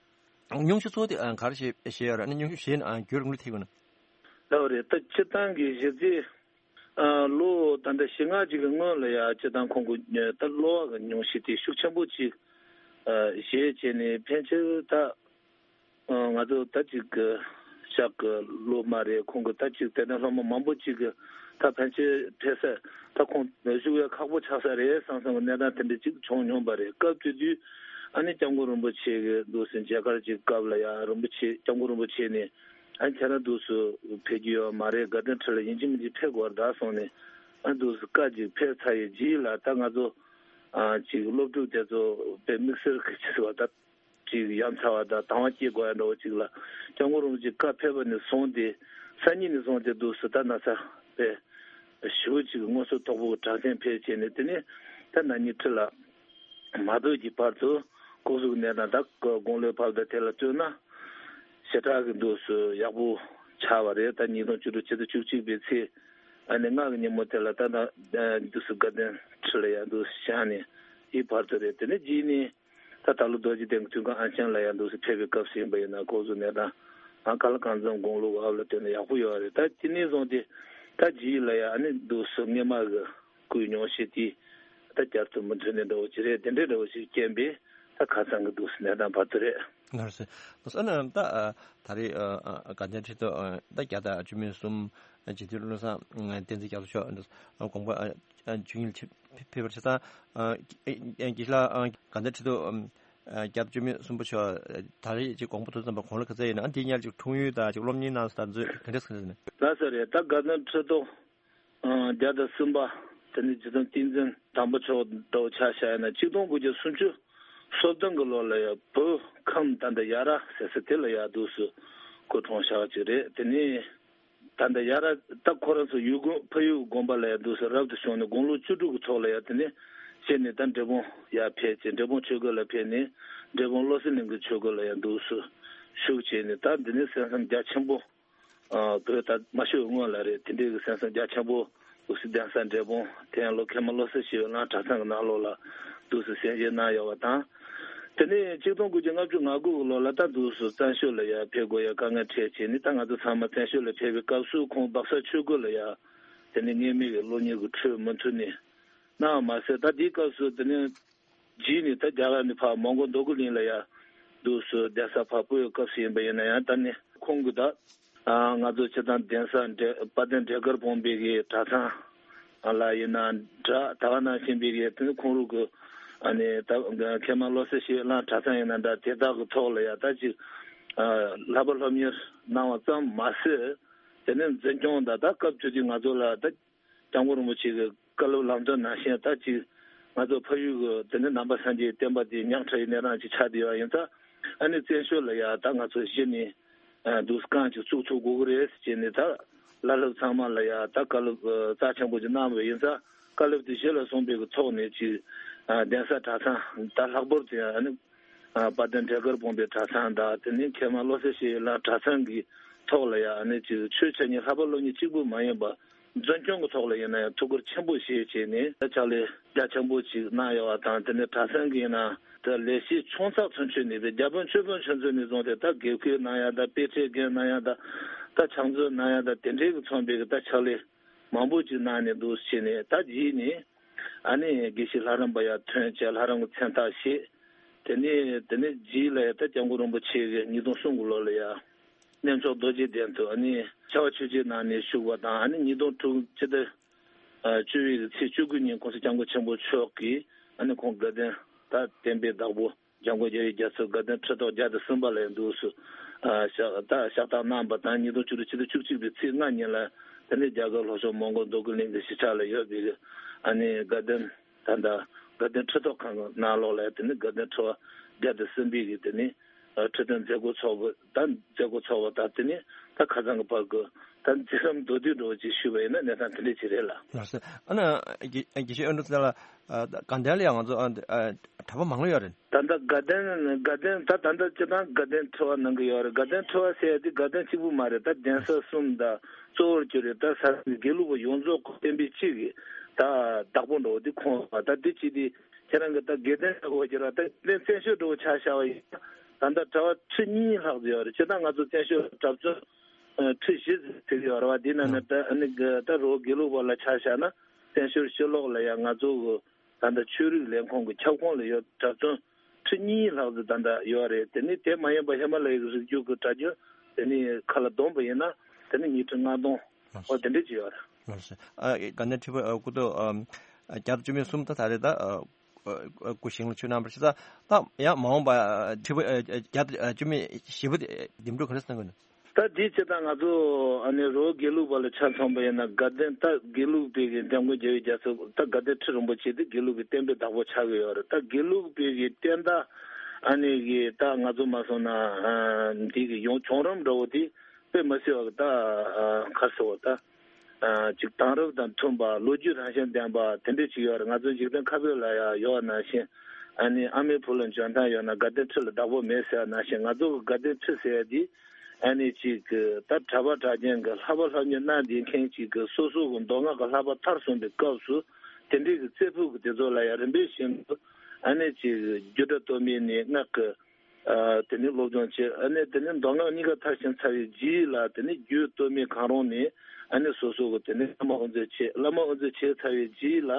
སྙུང་གཞི་གཙོ་བོ་དེ་ཨ་ག་རེ་བྱེད་བྱེད་ཡོད་རེད། ཨ་ནི་སྙུང་གཞི་བྱེད་ན་ཨ་རྒྱུན་རིང་ལུགས་ཐེག་དགོས་ན། ལགས་རེད། ད་སྤྱིར་བཏང་གི་གཞི་རྩའི་ཨ་ལོ་ད་ལྟ་བཞི་ལྔ་ཅིག་གི་སྔོན་ལ་ཡ་སྤྱིར་བཏང་ཁོང་གི་ད་གློ་བ་གི་སྙུང་གཞི་དེ་ཤུགས་ཆེན་པོ་ཅིག་ཨ་བཞེས་བྱས་ནས་ཕན་ཆེར་ད། ང་ཚོ་ད་ཅིག་གི་ཞག་གི་ལོ་མ་རེད། ཁོང་གི་ད་ཅིག་དད་ལྡན་སློབ་མ་མང་པོ་ཅིག་གི་ད་ཕན་ཆད་ཕེབས་ས་ད་ཁོང་བཞུགས་ཡ་ཁག་པོ་ཆགས་ས་རེད་བསམ་བསམ་གི་གནས་སྟངས་དེ་འདྲ་ཅིག་བྱུང་མྱོང་པ་རེད། སྐབས་དེ་དུས་ཨ་ནི་སྐྱབས་མགོན་རིན་པོ་ཆེ་གི་འདུག་སེ་མཇལ་ཁར་ཅིག་སྐབས་ལ་ཡ་རིན་པོ་ཆེ་སྐྱབས་མགོན་རིན་པོ་ཆེ་ནས་ཨ་ནི་ཁྱེད་རང་འདུག་སེ་ཕེབས་རྒྱུ་ཡོད་མ་རེད། དགའ་ལྡན་ཁྲི་ལ་ཡིན་གཅིག་མིན་གཅིག་ཕེབས་དགོས་རེད་ད་གསུངས་ནས་ཨ་ནི་འདུག་སེ་བཀའ་ཅིག་ཕེབས་ཚར་ཡི་རྗེས་ལ་ད་ང་ཚོ་ཨ་ཅིག་སློབ་ཕྲུག་དེ་ཚོ་དཔེ་དམིགས་བསལ་གི་ཅིག་བ་ད། ཅིག་ཡ་མཚར་བ་དང་དང་བ་སྐྱེ་དགོས་ཡ་འདྲ་བོ་ཅིག་ལ་སྐྱབས་མགོན་རིན་པོ་ཆེ་བཀའ་ཕེབས་པ་ནས་བཟུང་སྟེ་སང་ཉིན་ནས་བཟུང་སྟེ་འདུག་སེ་ད་ན་ཚ་དཔེ་ཞེ་པོ་ཅིག་སྔོ་ཚལ་དོག་པོ་གི་གྲགས་ཅན་ཕེབས་བྱས་ནས། དེ་ནས་ད་ན་ནིང་ཁྲི་ལ་མ་ཕེབས་ཀྱི་བར་དུ་སྐུ་གཟུགས་གནས་སྟངས་ད་དགུང་ལོའི་བབ་དང་དེ་ལ་ལྟོས་ན་ཞེ་དྲག་གི་འདུག་སེ་ཡག་པོ་ཆགས་པ་རེད། ད་ཉིས་སྟོང་བཅུ་དྲུག་ཕྱི་ཟླ་བཅུ་གཅིག་པའི་ཚེས་ཨ་ནི་ལྔ་གི་ཉིན་མོ་དེ་ལ་ད་ད་འདུག་སེ་དགའ་ལྡན་ཁྲི་ལ་ཡ་འདུག་སེ་བཞེངས་ནས་ཡི་བར་དུ་རེད། དེ་ནས་རྗེས་ནས། ད་ད་ལོ་རྡོ་རྗེ་གདན་གྱི་དུས་ཁང་ཨང་ཆེན་ལ་ཡང་འདུག་སེ་ཕེབས་པའི་སྐབས་སུ་ཡིན་པ་ཡིན་ན་སྐུ་གཟུགས་གནས་སྟངས་ཨ་ཀ་ལ་གང་འཚམ་དགུང་ལོ་བབ་ལ་བརྟེན་ནས་ཡག་པོ་ཡོད་རེད། ད་དེ་ནས་བཟུང་སྟེ་ད་རྗེས་ལ་ཡང་ཨ་ནི་འདུག་སེ་སྔས་མ་གི་སྐུའི་སྙུང་གཞི་དེ་ད་བསྐྱར་དུ་མུ་མཐུད་ནས་འདྲ་བོ་ཅིག་རེད། དེ་འདྲའི་འདྲ་བོ་ཞིག་རྐྱེན་པས་ད་ཁ་སང་གི་འདུག་སེ་གནས་སྟངས་བར་དུ་རེད། ལགས་སོ། ལགས་སོ། ཨ་ནི་ད་ཨ་ད་རེས་ཨ་ཨ་དགའ་ལྡན་ཁྲི་ཐོག་ཨ་ད་བརྒྱ་དང་བཅུ་མེད་གསུམ་རྗེ་བཙུན་བློ་བཟང་བསྟན་འཛིན་རྒྱ་མཚོ་མཆོག་དགོངས་པ་ཨ་ཆོས་ཉིད་ཆེ་ཕེབས་པར་ཆ་ཚང་། དགེ་བཤེས་ལགས་དགའ་ལྡན་ཁྲི་ཐོག་བརྒྱ་དང་བཅུ་མེད་གསུམ་པ་མཆོག་ད་རེས་ཅིག་དགོངས་པ་ཐོབ་ཙམ་པ་དགུང་ལོ་ག་ཚོད་ཡིན་ན། ཨ་འདི་ཉལ་ཅིག་འཁྲུངས་ཡུལ་དང་ཅིག་སློབ་གཉེར་གནང་ས་དང་ཚོད་ག་འདྲས་ག་འདྲས་ཡིན་ན། ལགས་སོ་རེད། ད་དགའ་ལྡན་ཁྲི་ཐོག་བརྒྱ་དང་གསུམ་པ་དེ་ནི་རྗེ་བཙུན་བསྟན་འཛིན་དམ་པ་མཆོག་འདྲ་བོ་ཆ་བཞག་ཡིན་ན་ཆིག་སྟོང་དགུ་བརྒྱ་སུམ་ཅུ་སོ་བདུན་གི་ལོ་ལ་ཡ་བོད་ཁམས་ད་ལྟ་ཡ་ར་ཟེར་ས་དེ་ལ་ཡ་འདུག་སེ་སྐུ་འཁྲུངས་བཞག་ཅིག་རེད། དེ་ནི། ད་ལྟ་ཡ་ར་ད་ཁོ་རང་ཚོ་ཡུལ་དགོན་ཕ་ཡུལ་དགོན་པ་ལ་ཡང་འདུག་སེ་རབ་ཏུ་བྱུང་ནས་དགུང་ལོ་བཅུ་དྲུག་གི་ཐོག་ལ་ཡང་དེ་ནས་བྱས་ནས་ད་འབྲས་སྤུངས་ཡར་ཕེབས་བྱས། འབྲས་སྤུངས་ཆོས་སྒར་ལ་ཕེབས་ནས་འབྲས་སྤུངས་བློ་གསལ་གླིང་གི་ཆོས་སྒར་ལ་ཡང་འདུག་སེ་བཞུགས་བྱས་ནས། ད་འདི་ནས་གསན་བསམ་རྒྱ་ཆེན་པོ་ཨ་བོད་ད་མ་ཤི་བའི་སྔོན་ལ་རེད། དེ་འདྲའི་གི་གསན་བསམ་རྒྱ་ཆེན་པོ་འདུག་སེ་གདན་ས་འབྲས་སྤུངས་དེ་ཡང་ལོ་མཁན་མ་བློ་གསལ་ཞི་བའི་གླིང་གྲྭ་ཚང་གི་ནང་ལོགས་ལ་འདུག་སེ་གསན་བཞེས་གནང་ཡོད་པ་དང་། དེ་ནས་ཆིག་སྟོང་དགུ་བརྒྱ་ལྔ་བཅུ་ང་དགུ་གི་ལོ་ལ་ད་འདུག་སེ་བཙན་བྱོལ་ལ་ཡར་ཕེབས་དགོས་ཡ་དཀའ་ངལ་འཕྲད་བྱས་ནས། ད་ང་ཚོ་ཚང་མ་བཙན་བྱོལ་ལ་ཕེབས་པའི་སྐབས་སུ་ཁོང་སྦག་ས་ཆོས་སྒར་ལ་ཡ་དེ་ནས་ངེས་མེད་ཀྱི་སློབ་གཉེར་གྱི་ཁྲོད་མུ་མཐུད་ནས་གནང་བ་མ་ཟད། ད་དེའི་སྐབས་སུ་དེ་ནས་རྗེས་ནས་ད་རྒྱ་གར་ནས་ཕར་མོན་གྷོ་འདོད་རྒུ་གླིང་ལ་ཡ་འདུག་སེ་གདན་ས་ཕར་སྤོས་པའི་སྐབས་སུ་ཡིན་པ་ཡིན་ན་ཡང་། ད་ནི་ཁོང་གིས་ད་ང་ཚོ་སྤྱིར་བཏང་གདན་ས་འབྲས་དཔལ་ལྡན་འབྲས་དཀར་སྤུངས་པའི་གི་གྲྭ་ཚང་ལ་ཡིན་ན་འདྲ། ད་ག་ནང་བཞིན་པའི་གི་དེ་ནི་ཁོང་རང་གི་ཨ་ནི་ད་མཁན་མ་བློ་གསལ་ཞི་བའི་གླིང་གྲྭ་ཚང་ཡིན་ན་འདྲ། དེ་དག་གི་ཐོག་ལ་ཡ་ད་ཅིག་བསླབ་པ་སློབ་གཉེར་གནང་བ་ཙམ་མ་ཟད། དེ་ནས་འཛིན་སྐྱོང་དང་ད་སྐབས་དེ་དུས་ང་ཚོ་ལ་ད་ སྐྱབས་མགོན་རིན་པོ་ཆེ་གི་བཀའ་སློབ་ལམ་སྟོན་ནང་བཞིན་ད་ཅིག་ང་ཚོ་ཕ་ཡུལ་གི་དེ་ནས་ནང་པ་སངས་རྒྱས་བསྟན་པ་དེ་ཉག་ཕྲ་བའི་གནས་སྟངས་ཅིག་ཆགས་བསྡད་ཡོད་ཡིན་ཙང་། ཨ་ནི་བཙན་བྱོལ་ལ་ཡ་ད་ང་ཚོ་གཞི་ནས་འདུག་སེ་རྐང་ཅིག་བཙུགས་ཐུབ་དགོས་ཀྱི་རེད་ཟེར་བྱས་ནས། ད་བླ་སློབ་ཚང་མ་ལ་ཡ་ད་བཀའ་སློབ་རྩ་ཆེན་པོ་ཅིག་གནང་བ་ཡིན་ཙང་། བཀའ་སློབ་དེ་གཞི་ལ་བཟུང་བའི་གི་ཐོག་ནས་ཅིག་གདན་ས་གྲྭ་ཚང་ད་ལྷག་པར་དུ་ཡང་ཨ་ནི་དཔལ་ལྡན་འབྲས་དཀར་སྤུངས་པའི་གྲྭ་ཚང་དང་། དེ་ནས་མཁལ་མ་བློ་གསལ་ཞིག་ལ་གྲྭ་ཚང་གི་ཐོག་ལ་ཡང་ཨ་ནི་ཅིག་ཆོས་འཆད་ཉན་ལྷག་པར་སློབ་གཉེར་གཅིག་པུ་མ་ཡིན་པ། འཛིན་སྐྱོང་གི་ཐོག་ལ་ཡིན་ན་ཡང་ཐུགས་ཁུར་ཆེན་པོ་བཞེས་བྱས་ནས་ཕྱག་ལས་རྒྱ་ཆེན་པོ་ཅིག་གནང་ཡོད་པ་དང་། དེ་ནས་གྲྭ་ཚང་གི་ཡིན་ན་ད་ལས་བྱེད་ཆུང་ཚགས་ཚུན་ཆད་ནས་རེད། བརྒྱ་དཔོན་ཆོས་དཔོན་ཆུང་ཚོ་ནས་བཟུང་སྟེ་ད་དགེ་བསྐོས་གནང་ཡ་དང་། དཔེ་ཁྲིད་འགན་གནང་ཡ་དང་། ད་ཕྱག་མཛོད་གནང་ཡ་དང་། དེ་འདྲའི་གི་མཚོན་པའི་གི་ད་ཕྱག་ལས་མང་པོ་ཅིག་གནང་ནས་འདུག་བྱས་ནས། ད་རྗེས་ནས་ཨ་ནི་དགེ་བཤེས་ལྷ་རམས་པ་ཡར་ཐོན་བྱས། ལྷ་རམས་ཀྱི་མཚན་རྟགས་བཞེས། དེ་ནས་དེ་ནས་རྗེས་ལ་ཡ་ད་སྐྱབས་མགོན་རིན་པོ་ཆེ་གི་ཉིས་སྟོང་གསུམ་གི་ལོ་ལ་ཡ་གནས་མཆོག་རྡོ་རྗེ་གདན་དུ་ཨ་ནི་ཕྱག་དབང་ཆོས་རྗེ་གནང་ནས་བཞུགས་པ་དང་། ཨ་ནི་ཉིས་སྟོང་དྲུག་སྤྱི་ཟླ་བཅུ་པའི་ཚེས་བཅུ་དགུ་ཉིན་༸གོང་ས་༸སྐྱབས་མགོན་ཆེན་པོ་མཆོག་གིས་ཨ་ནི་ཁོང་དགའ་ལྡན་ད་བསྟན་པའི་བདག་པོ་འཇམ་མགོན་རྒྱལ་བའི་རྒྱ་མཚོ་དགའ་ལྡན་ཁྲི་ཐོག་བརྒྱ་དང་གསུམ་པ་ལ་ཡང་འདུག་སེ་ཕྱག་ད་ཕྱག་རྟགས་གནང་བ་དང་། ཉིས་སྟོང་བཅུ་དྲུག་ཕྱི་ཟླ་བཅུ་གཅིག་པའི་ཚེས་ལྔ་ཉིན་ལ་དེ་ནས་རྒྱ་གར་ལྷོ་ཕྱོགས་མོན་གྷོ་རྡོ་སྐུ་གླིང་གི་གཞིས་ཆགས་ལ་ཡོད་པའི་ཨ་ནི་དགའ་ལྡན་ད་ལྟ་དགའ་ལྡན་ཁྲི་ཐོག་ཁང་གི་ནང་ལོགས་ལ་དེ་ནས་དགའ་ལྡན་ཁྲི་པ་བརྒྱ་དང་གསུམ་པའི་གི་དེ་ནས་ཁྲི་སྟོན་མཛད་སྒོ་ཚོགས་པ་དང་། མཛད་སྒོ་ཚོགས་པ་དང་། དེ་ནས་ད་ཁ་སང་གི་བར་གི་ད་མཛད་རིམ་མདོར་བསྡུས་འདྲ་བོ་ཅིག་ཞུས་པ་ཡིན་ན་གནས་སྟངས་དེ་འདྲ་ཅིག་རེད་ལགས། ལགས་སོ། ཨ་ནི་དགེ་དགེ་བཤེས་ཨ་འབྲུག་ཚེ་ལགས། དགའ་ལྡན་ལ་ཡང་ང་ཚོ་གྲྭ་པ་མང་ལོས་ཡོད་རེད། ད་ལྟ་དགའ་ལྡན་དགའ་ལྡན་ད་ད་ལྟ་སྤྱིར་བཏང་དགའ་ལྡན་ཁྲི་པ་གནང་གི་ཡོད་རེད། དགའ་ལྡན་ཁྲི་པ་ཟེར་ཡ་དེ་དགའ་ལྡན་གཅིག་པུ་མ་རེད། ད་གདན་ས་གསུམ་ད་གཙོ་བོར་གྱུར་རེད། ད་ས་དགེ་ལུགས་པ་ཡོངས་རྫོགས་བསྟན་པའི་སྤྱི་གི་ད་བདག་པོ་འདྲ་བོ་དེ་ཁོང་རེད་པ། ད་དེ་ཅི་དེ་ཁྱེད་རང་གི་ད་དགེ་ལྡན་འདྲ་བོ་གྱུར་བ། ད་དགེ་ལྡན་བཙན་བྱོལ་འདྲ་བོ་ཆ་བཞག་པ་ཡིན་ན། ད་ལྟ་གྲྭ་པ་ཁྲི་གཉིས་ལྷག་ཙམ་ཡོད་རེད། སྤྱིར་བཏང་ང་ཚོ་བཙན་བྱོལ་གྲྭ་བཙུན་ཁྲི་བཞི་ཙམ་ཡོད་རེད་པ། དེ་ནང་ནས་ད་ཨ་ནི་ད་རོ་དགེ་ལུགས་པ་ལ་ཆ་བཞག་ན་བཙན་བྱོལ་ཕྱི་ལོགས་ལ་ཡང་ང་ཚོ་གི་ད་ལྟ་ཆོས་རིག་ལས་ཁུངས་ཀྱི་ཁྱབ་ཁོངས་ལ་ཡོད་གྲྭ་བཙུན་ཁྲི་གཉིས་ལྷག་ཙམ་ད་ལྟ་ཡོད་རེད། དེ་ནི་དེ་མ་ཡིན་པ་ཧི་མ་ལ་ཡའི་རི་རྒྱུད་ཀྱི་གྲྭ་རྒྱུན་དེ་ནི་ཁ་ལ་བསྡོམས་པ་ཡིན་ན་དེ་ནི་ཉིས་ཁྲི་ལྔ་སྟོང་འོ་དེ་འདྲ་ཅིག་ཡོད་རེད། ལགས་སོ། ཨ་དགའ་ལྡན་ཁྲི་པ་ཨ་སྐུ་ཐོག་ཨ་བརྒྱ་དང་བཅུ་མེད་གསུམ་ད་ད་རེད། ད་ཨ་སྐུ་ཞིང་ལ་ཆོས་གནང་བར་ཞུ། ད་ད་ཡང་མ་འོངས་པ་ཁྲི་པ་ཨ་བརྒྱ་དང་བཅུ་མེད་བཞི་པོ་དེ་འདེམས་སྒྲུག་ག་རེ་གནང་དགོས་ན། ད་དེ་སྤྱིར་བཏང་ང་ཚོ་ཨ་ནི་རོ་དགེ་ལུགས་པ་ལ་ཆ་མཚོན་པ་ཡིན་ན་དགའ་ལྡན་ད་དགེ་ལུགས་པའི་གི་འཇམ་མགོན་རྒྱལ་བའི་རྒྱ་མཚོ་ད་དགའ་ལྡན་ཁྲི་རིན་པོ་ཆེ་དེ་དགེ་ལུགས་པའི་བསྟན་པའི་བདག་པོ་ཆགས་ཀྱི་ཡོད་རེད། ད་དགེ་ལུགས་པའི་གི་བསྟན་བདག་ཨ་ནི་གི་ད་ང་ཚོ་མ་སོང་ན་འདི་གི་ཡོང་བྱུང་རིམ་འདྲ་བོ་དེ་དཔེ་མི་སྲིད་པ་གི་ད་ག་རེ་ཟེར་བ་ད་ཅིག་དེང་རབས་དང་མཐུན་པ་ལོ་རྒྱུས་རང་བཞིན་ལྡན་པ་དེ་འདྲ་ཅིག་ཡོད་རེད། ང་ཚོ་འཇིག་རྟེན་ཁ་བོད་ལ་ཡང་ཡོད་པ་ནང་བཞིན་ཨ་ནི་ཨ་མའི་བུ་ལ་འཇོན་ཐང་ཡོད་ན་དགའ་ལྡན་ཁྲི་ལ་བདག་པོ་མེད་ཟེར་བ་ནང་བཞིན། ང་ཚོ་གི་དགའ་ལྡན་ཁྲི་ཟེར་ཡ་འདི་ཨ་ནི་ཅིག་གི་ད་གྲྭ་པ་གྲྭ་རྒན་གི་ལྷ་པ་ལྷ་མྱི་གནང་བསྡད་མཁན་ཅིག་གི་སོ་སོ་གི་མདོ་སྔགས་ཀྱི་བསླབ་པ་མཐར་སོན་པའི་སྐབས་སུ་དེ་འདྲའི་གི་རྩེ་ཕུད་ཀྱི་དེ་ཚོ་ལ་ཡང་རིམ་པས་བཞིན་དུ་ཨ་ནི་ཅིག་རྒྱུད་གྲྭ་སྟོད་སྨད་ནས་སྔགས་ཀྱི་ཨ་དེ་ནས་སློབ་སྦྱོང་བྱས། ཨ་ནི་དེ་ནས་མདོ་སྔགས་གཉིས་ཀ་མཐར་ཕྱིན་ཚར་བའི་རྗེས་ལ་དེ་ནས་རྒྱུད་སྟོད་སྨད་གང་རུང་ནས་ཨ་ནི་སོ་སོ་གི་དེ་ནས་བླ་མ་དབུ་མཛད་བྱས། བླ་མ་དབུ་མཛད་བྱས་ཚར་བའི་རྗེས་ལ་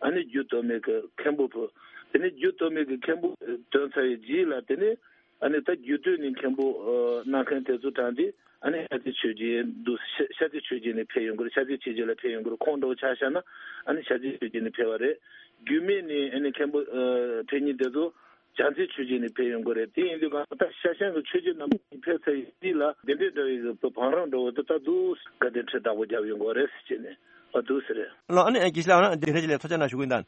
ཨ་ནི་རྒྱུད་སྟོད་སྨད་ཀྱི་མཁན་པོ་ཕུལ། དེ་ནས་རྒྱུད་སྟོད་སྨད་ཀྱི་མཁན་པོ་ཐོན་ཚར་བའི་རྗེས་ལ་དེ་ནས་ཨ་ནི་ད་རྒྱུད་སྟོད་ནས་མཁན་པོ་ཨ་གནང་མཁན་དེ་ཚོ་དྲངས་ཏེ་ཨ་ནི་ཤཱཀྱ་ཆོས་རྗེ་འདུག་ཤཱཀྱ་ཆོས་རྗེ་ནས་ཕེབས་ཡོང་གི་རེད། ཤཱཀྱ་ཆོས་རྗེ་ལ་ཕེབས་ཡོང་གི་རེད། ཁོང་འདྲ་བོ་ཆ་བཞག་ན་ཨ་ནི་ཤཱཀྱ་ཆོས་རྗེ་ནས་ཕེབས་པ་རེད། རྒྱུད་སྨད་ནས་ཨ་ནི་མཁན་པོ་ཨ་ཕེབས་མཁན་དེ་ཚོ་བྱང་རྩེ་ཆོས་རྗེ་ནས་ཕེབས་ཡོང་གི་རེད། དེ་ཡིན་དུས་གང་ལྟར་ཤར་ཤང་གི་ཆོས་རྗེ་རྣམ་པ་གཉིས་ཕེབས་ཚར་བའི་རྗེས་ལ་དེ་འདྲའི་འདྲ་བའི་གི་བང་རིམ་འདྲ་བོ་དེ་ད་འདུག་དགའ་ལྡན་ཁྲི་བདག་པོ་རྒྱབ་ཡོང་གི་རེད་ཟེར་བྱས་ནས་ཨ་འདུག་ཟེར་རེད། ལགས་སོ། ཨ་ནི་དགེ་བཤེས་ལགས་ཨ་ནི་དེ་འདྲ་ཅིག་ལ་ཐུགས་རྗེ་གནང་ཞུ་གི་ཡིན་ད།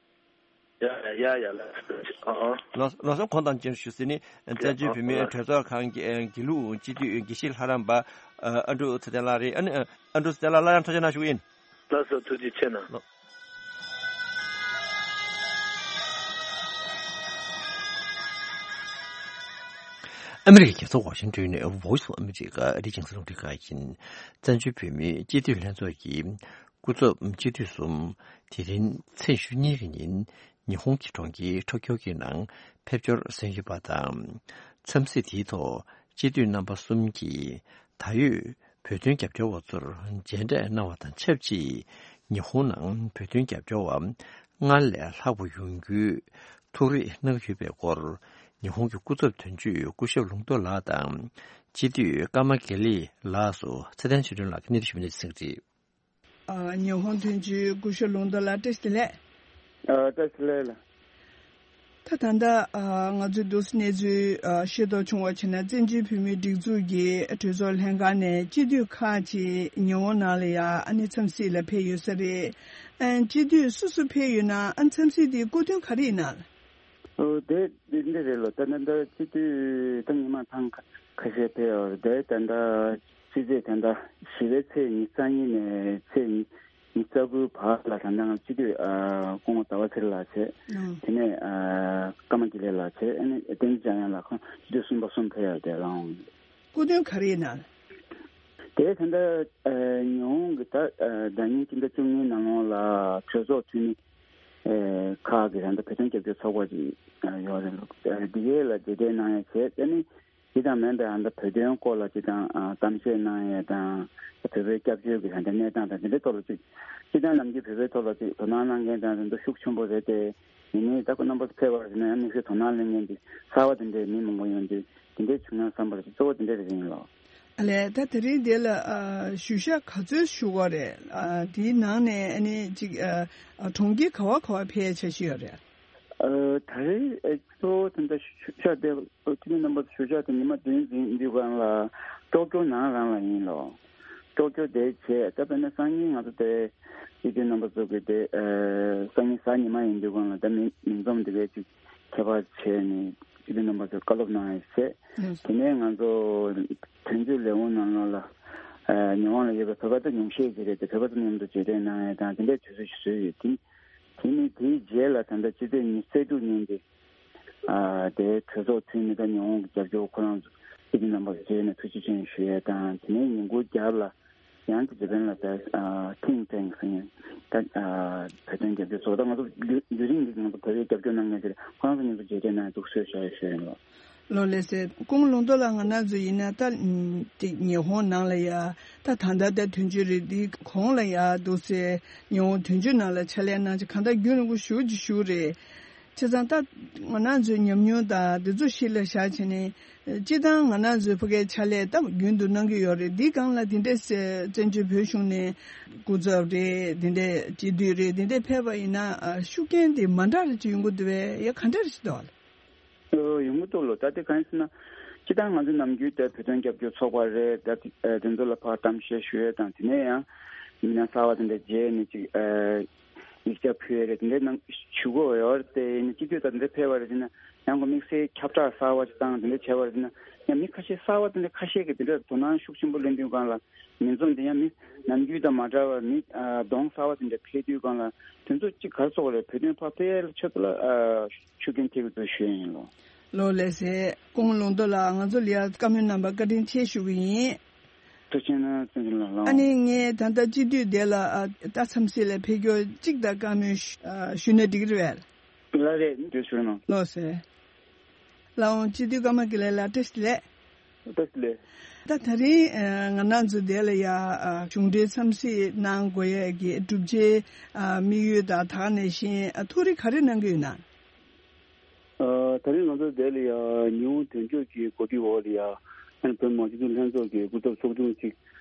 ཡ་ཡ་ཡ་ལགས། ཨ་ཨ། ལགས་ལགས་སོ། གོང་དང་མཇལ་ཞུ་ཟེར་ནི་བཙན་བྱོལ་བོད་མིའི་གྲོས་ཚོགས་ཁང་གི་དགེ་ལུགས་སྤྱི་འཐུས་དགེ་བཤེས་ལྷ་རམས་པ་ཨ་འབྲུག་ཚེ་བརྟན་ལགས་རེད། ཨ་ནི་ཨ་འབྲུག་ཚེ་བརྟན་ལགས་སླར་ཡང་ཐུགས་རྗེ་གནང་ཞུ་གི་ཡིན། ལགས་སོ། ཐུགས་རྗེ་ཆེ་གནང་། ཨ་མི་རི་ཀའི་རྒྱལ་ས་ཝ་ཤིང་ཏོན་ནས་Voice of America ཨ་རིའི་རྒྱང་སྲིང་རླུང་འཕྲིན་ཁང་ཡིན། བཙན་བྱོལ་བོད་མིའི་སྤྱི་འཐུས་ལྷན་ཚོགས་ཀྱི་སྐུ་ཚབ་སྤྱི་འཐུས་གསུམ་དེ་རིང་ཚེས་ཉི་ཤུ་གཉིས་ཀྱི་ཉིན་ཉི་ཧོང་གི་གྲོང་ཁྱེར་ཊོ་ཀྱོ་གི་ནང་ཕེབས་འབྱོར་གསན་ཡོད་པ་དང་། འཚམས་གཟིགས་དེའི་ཐོག་སྤྱི་འཐུས་རྣམ་པ་གསུམ་གྱིས་ད་ཡོད་བོད་དོན་རྒྱབ་སྐྱོར་བ་ཚོར་མཇལ་འཕྲད་གནང་བ་དང་ཆབས་ཅིག་ཉི་ཧོང་ནང་བོད་དོན་རྒྱབ་སྐྱོར་བ་སྔར་ལས་ལྷག་པ་ཡོང་རྒྱུའི་ཐུགས་རེ་གནང་གི་ཡོད་པའི་སྐོར་ཉི་ཧོང་གི་སྐུ་ཚབ་དོན་གཅོད་སྐུ་ཞབས་ལུང་རྟོགས་ལགས་དང་སྤྱི་འཐུས་ཀརྨ་དགེ་ལེགས་ལགས་སུ་ཚེ་བརྟན་ཆོས་སྒྲོན་ལགས་ཀྱིས་གནས་དུ་ཞུ་བ་ནས་གསན་གྱི་རེད། ཨ། ཉི་ཧོང་དོན་གཅོད་སྐུ་ཞབས་ལུང་རྟོགས་ལགས་བཀྲ་ཤིས་བདེ་ལེགས། ཨ། བཀྲ་ཤིས་བདེ་ལེགས་ལགས། ད་ད་ལྟ་ཨ་ང་ཚོས་འདུག་སེ་གནས་ཚུལ་ཨ་ཤེས་རྟོགས་བྱུང་བ་བྱས་ན། བཙན་བྱོལ་བོད་མིའི་སྒྲིག་འཛུགས་ཀྱི་གྲོས་ཚོགས་ལྷན་ཁང་ནས་སྤྱི་འཐུས་ཁག་ཅིག་ཉི་ཧོང་ནང་ལ་ཡ་ཨ་ནི་འཚམས་གཟིགས་ལ་ཕེབས་ཡོད་ས་རེད། ཨ་སྤྱི་འཐུས་སུ་སུ་ཕེབས་ཡོད་ན། ཨ་འཚམས་གཟིགས་དེའི་སྐུ་དོན་ག་རེ་ཡིན་ན། ཨོ་དེ་འདི་འདི་རེད་ལོ། ད་ད་ད་སྤྱི་འཐུས་ད་ཉི་མ་ཐེངས་ཁ་ཁ་ཤས་ཕེབས་ཡོད་རེད། དེ་ད་ད་ཕྱི་ཚེས་ད་ད་བཞི་པའི་ཚེས་ཉི་ཤུ་རྩ་གཉིས་ནས་ཚེས་ཉི་ཉི་ཤུ་རྩ་དགུའི་བར་ལ་ད་ལྟ་ང་སྤྱི་འཐུས་ཨ་སྐུ་ངོ་ཟླ་བ་ཚེ་རིང་ལགས་བྱས། ཨང་། དེ་ནས་ཨ་ཀརྨ་དགེ་ལེགས་ལགས་བྱས། ཨ་ནི་བསྟན་འཛིན་འཇམ་དབྱངས་ལགས། ཁོང་སྤྱི་འཐུས་གསུམ་པ་གསུམ་ཕེབས་ཡོད་དེ་ལའང་། སྐུ་དོན་ག་རེ་ཡིན་ན། དེ་ད་ལྟ་ཨ་ཉི་ཧོང་གི་ད་ཨ་ཟླ་ཉིན་སྤྱི་ཟླ་བཅུ་གཉིས་ནང་ལོགས་ལ་གྲོས་ཚོགས་འཐུས་མི་ཨ་ཁག་གི་ད་ལྟ་བོད་དོན་རྒྱབ་སྐྱོར་ཚོགས་པ་ཅིག་ཨ་ཡོད་རེད་ལོ། ཨ་འདི་གའི་ལ་མཇལ་འཕྲད་གནང་ཡ་བྱས། ཨ་ནི་དེ་དང་མིན་པའི་ཨ་ད་བོད་དོན་སྐོར་ལ་ཅིག་དང་ཨ་གཏམ་བཤད་གནང་ཡས་དང་། བོད་པའི་སྐྱབས་བཅོལ་གྱི་ད་ལྟ་གནས་སྟངས་དང་དེ་འདྲའི་ཐོག་ལ་ཅིག་སྤྱིར་བཏང་ནམ་རྒྱུན་བོད་པའི་ཐོག་ལ་ཅིག་དོ་སྣང་གནང་མཁན་དང་དེ་ཚོ་ཤུགས་ཆེན་པོ་རེད་དེ། ཡིན་ནའི་ད་ཁོ་རྣམ་པ་ཚོ་ཕེབས་པ་ཡིན་ན་ཡང་དམིགས་བསལ་དོ་སྣང་གནང་མཁན་དེ་གསར་པ་དེ་འདྲའི་མི་མང་པོ་ཡོང་དུས་དེ་འདྲའི་བྱུང་ན་བསམ་པ་རེད། གཙོ་བོ་དེ་འདྲ་རེད་ཡིན་ལོ། ཨ་ལས། ད་དེ་རིང་འདི་ལ་ཨ་ཞུ་ཤག་ག་ཚོད་ཞུ་དགོས་རེད། ཨ་དེའི་ནང་ནས་ཨ་ནི་ཅིག་ཨ་ཨ་གྲོང་ཁྱེར་ག་བ་ག་བ་ཕེབས་འཆར་གཞི་ཡོད་རེད། ཨ་ད་རེས་ཨ་གཙོ་བོ་དེ་འདྲ་ཞུ་ཤག་དེ་ཁྱེད་རྣམ་པ་ཚོ་ཞུ་ཤག་དེ་ཉི་མ་བདུན་ཟིན་དུས་སྒང་ལ་ཀྲོ་ཀྱོ་ནང་རང་ལ་ཡིན་ལོ། ཀྲོ་ཀྱོ་དེ་བྱས། ད་དཔེར་ན་སང་ཉིན་ང་ཚོ་དེ་སྤྱི་འཐུས་རྣམ་པ་ཚོ་གི་དེ་ཨ་སང་ཉིན་གཟའ་ཉི་མ་ཡིན་དུས་སྒང་ལ་ད་མི་མི་འཛོམས་དེ་གའི་ཅིག་ཁྱད་པར་བྱས་ནས་སྤྱི་འཐུས་རྣམ་པ་ཚོས་བཀའ་སློབ་གནང་ཡ་བྱས། ཨང་། དེ་ནས་ང་ཚོ་དོན་གཅོད་ལས་ཁུངས་ནང་ལོགས་ལ་ཨ་ཉི་ཧོང་ལ་ཡོད་པའི་བོད་པ་ཚོ་ཉུང་ཤས་ཅིག་རེད་དེ། བོད་པ་ཚོ་མཉམ་དུ་མཇལ་འཕྲད་གནང་ཡ་དང་དེ་འདྲའི་དུས་ཚོད་ཞིག་བཟོས་ཡོད། དེ་དེ་ནས་དེའི་རྗེས་ལ་ད་ལྟ་སྤྱི་ཚེས་ཉི་ཤུ་རྩ་དྲུག་ཉིན་དེ་ཨ་དེའི་གྲོས་ཚོགས་འཐུས་མི་དང་ཉི་ཧོང་གི་རྒྱབ་སྐྱོར་ཁོ་རང་ཚོ་སྤྱི་འཐུས་རྣམ་པ་མཇལ་ནས་ཐུགས་རྗེ་ཆེ་ཞུ་ཡ་དང་། དེ་ནས་ཉིན་གུང་རྒྱབ་ལ་ཡང་ཅི་ཇེ་པན་ལ་ད་ཨ་ཐིང་ཊེང་ཟེར་ཡ་ད་ཨ་བོད་དོན་རྒྱབ་སྐྱོར་ཚོགས། ད་ང་ཚོ་ཡུན་རིང་གི་ང་ཚོ་བོད་པའི་རྒྱབ་སྐྱོར་གནང་མཁན་དེ་ཁོ་རང་ཚོ་མཉམ་དུ་མཇལ་འཕྲད་གནང་ཡ་འདུག་ཟེར་ཞུ་ཡ་ཞུ་ཡ་ཡིན་ལོ། ལོ་ལེགས་སེ། སྐུ་ངོ་ལུང་རྟོགས་ལགས། ང་རང་ཚོ་ཡིན་ན་ད་ཨམ་ཅིག་ཉི་ཧོང་ནང་ལ་ཡ་ད་ད་ལྟ་ད་དོན་གཅོད་རེད། འདི་གོང་ལ་ཡ་འདུག་སེ་ཉི་ཧོང་དོན་གཅོད་ནང་ལ་ཕྱག་ལས་གནང་ཅིག་གང་ལྟར་རྒྱུན་རིང་པོ་ཞེ་པོ་ཅིག་བཞུགས་རེད། བྱས་ཙང་ད་ང་རང་ཚོའི་ཉམས་མྱོང་དང་འདི་ཚོ་གཞི་ལ་བཞག་བྱས་ནས། སྤྱིར་བཏང་ང་རང་ཚོའི་ཕ་གིའི་ཕྱག་ལས་ད་རྒྱུན་དུ་གནང་གི་ཡོད་རེད། འདིའི་སྒང་ལ་འདི་འདྲའི་བཙན་བྱོལ་བོད་གཞུང་ནས་སྐུ་ཚབ་རེད། འདི་འདྲའི་སྤྱི་འཐུས་རེད། འདི་འདྲའི་ཕེབས་པ་ཡིན་ན་ཨ་ཤུགས་རྐྱེན་དེ་མ་འདྲ་རེ་ཅིག་ཡོང་གི་འདུག་པས། ཡ་ག་འདྲ་རེ་ཞིག་འདུག་ཨ་ལ། ཨོ་ཡོང་གི་འདུག་ལོ། ད་དེ་གང་ཡིན་ཟེར་ན། སྤྱིར་བཏང་ང་ཚོ་ནམ་རྒྱུན་དེ་བོད་དོན་རྒྱབ་སྐྱོར་ཚོགས་པ་རེད། ད་དེ་ཨ་དེ་ཚོ་ལ་ཕར་གཏམ་བཤད་ཞུ་ཡས་དང་། དེ་ནས་ཡང་མི་སྣ་གསར་པ་དེ་འདྲ་མཇལ་ནས་ཅིག་ཨ་ཡིག་ཆ་ཕུལ་ཡས་རེད། དེ་འདྲའི་ནང་ཞུ་དགོས་ཡོད་རེད་དེ། ཡིན་ན་སྤྱི་འཐུས་དང་དེ་འདྲ་ཕེབས་པ་རེད་ཟེར་ན་ཡང་ཁོ་དམིགས་བསལ་ཁྱབ་བསྒྲགས་གསར་པ་ཅིག་བཏང་། དེ་འདྲ་བྱས་པ་རེད་ཟེར་ན་ཡང་མི་ཁ་ཤས་གསར་པ་དེ་འདྲ་ཁ་ཤས་ཀྱིས་དེ་འདྲ་དོ་སྣང་ཤུགས་ཆེན་པོ་ལེན་དུས་སྒང་ལ། མི་འཛོམས་དེ་ཡང་མི་ནམ་རྒྱུན་དང་མ་འདྲ་བར་མི་ཨ་གདོང་གསར་པ་དེ་འདྲ་ཕེབས་དུས་སྒང་ལ་དེ་ཚོ་གཅིག་ག་རེ་ཟེར་དགོས་རེད། བོད་དོན་ཕར་སྤེལ་ཡས་ལ་ཆེད་དུ་ལ་ཨ་ཤུགས་རྐྱེན་ཐེབས་ཀྱི་འདུག་ཞུ་ཡས་ཡིན་ལོ། ལོ་ལེགས་སེ། སྐུ་ངོ་ལུང་རྟོགས་ལགས། ང་ཚོ་ལ་ཡ་བཀའ་མོལ་གནང་བར་བཀའ་དྲིན་ཆེ་ཞུ་གི་ཡིན། ཐུགས་རྗེ་ཆེ་གནང་། བཙན་བྱོལ་ལ་ལགས། ཨ་ནི་ངས་ད་ལྟ་སྤྱི་འཐུས་དེ་ལ་ཨ་ད་འཚམས་གཟིགས་ལ་ཕེབས་སྐྱོར་གཅིག་དང་བཀའ་མོལ་ཞུ་ཨ་ཞུས་ན་འགྲིག་གི་རེད་པས། ལགས་རེད། འདི་ཞུ་གནང་། ལགས་སོ། ལགས་འོང་། སྤྱི་འཐུས་ཀརྨ་དགེ་ལེགས་ལགས་བཀྲ་ཤིས་བདེ་ལེགས། བཀྲ་ཤིས་བདེ་ལེགས། ད་ད་རིང་ཨ་ང་རང་ཚོ་འདི་ལ་ཡ་ཨ་གཞུང་འབྲེལ་འཚམས་གཟིགས་གནང་དགོས་ཡས་ཀྱི་བསྒྲུབ་བྱའི་ཨ་དམིགས་ཡུལ་དང་། ད་ག་ནང་བཞིན་ཨ་ཐུགས་རེ་ག་རེ་གནང་གི་ཡོད་ན། ཨ་ད་རིང་ང་ཚོ་འདི་ལ་ཡ་ཉི་ཧོང་དོན་གཅོད་ཀྱི་གོ་སྒྲིག་འོག་ལ་ཡ་ཨ་ནི་བོད་མི་མང་སྤྱི་འཐུས་ལྷན་ཚོགས་ཀྱི་སྐུ་ཚབ་ཚོགས་ཆུང་གཅིག་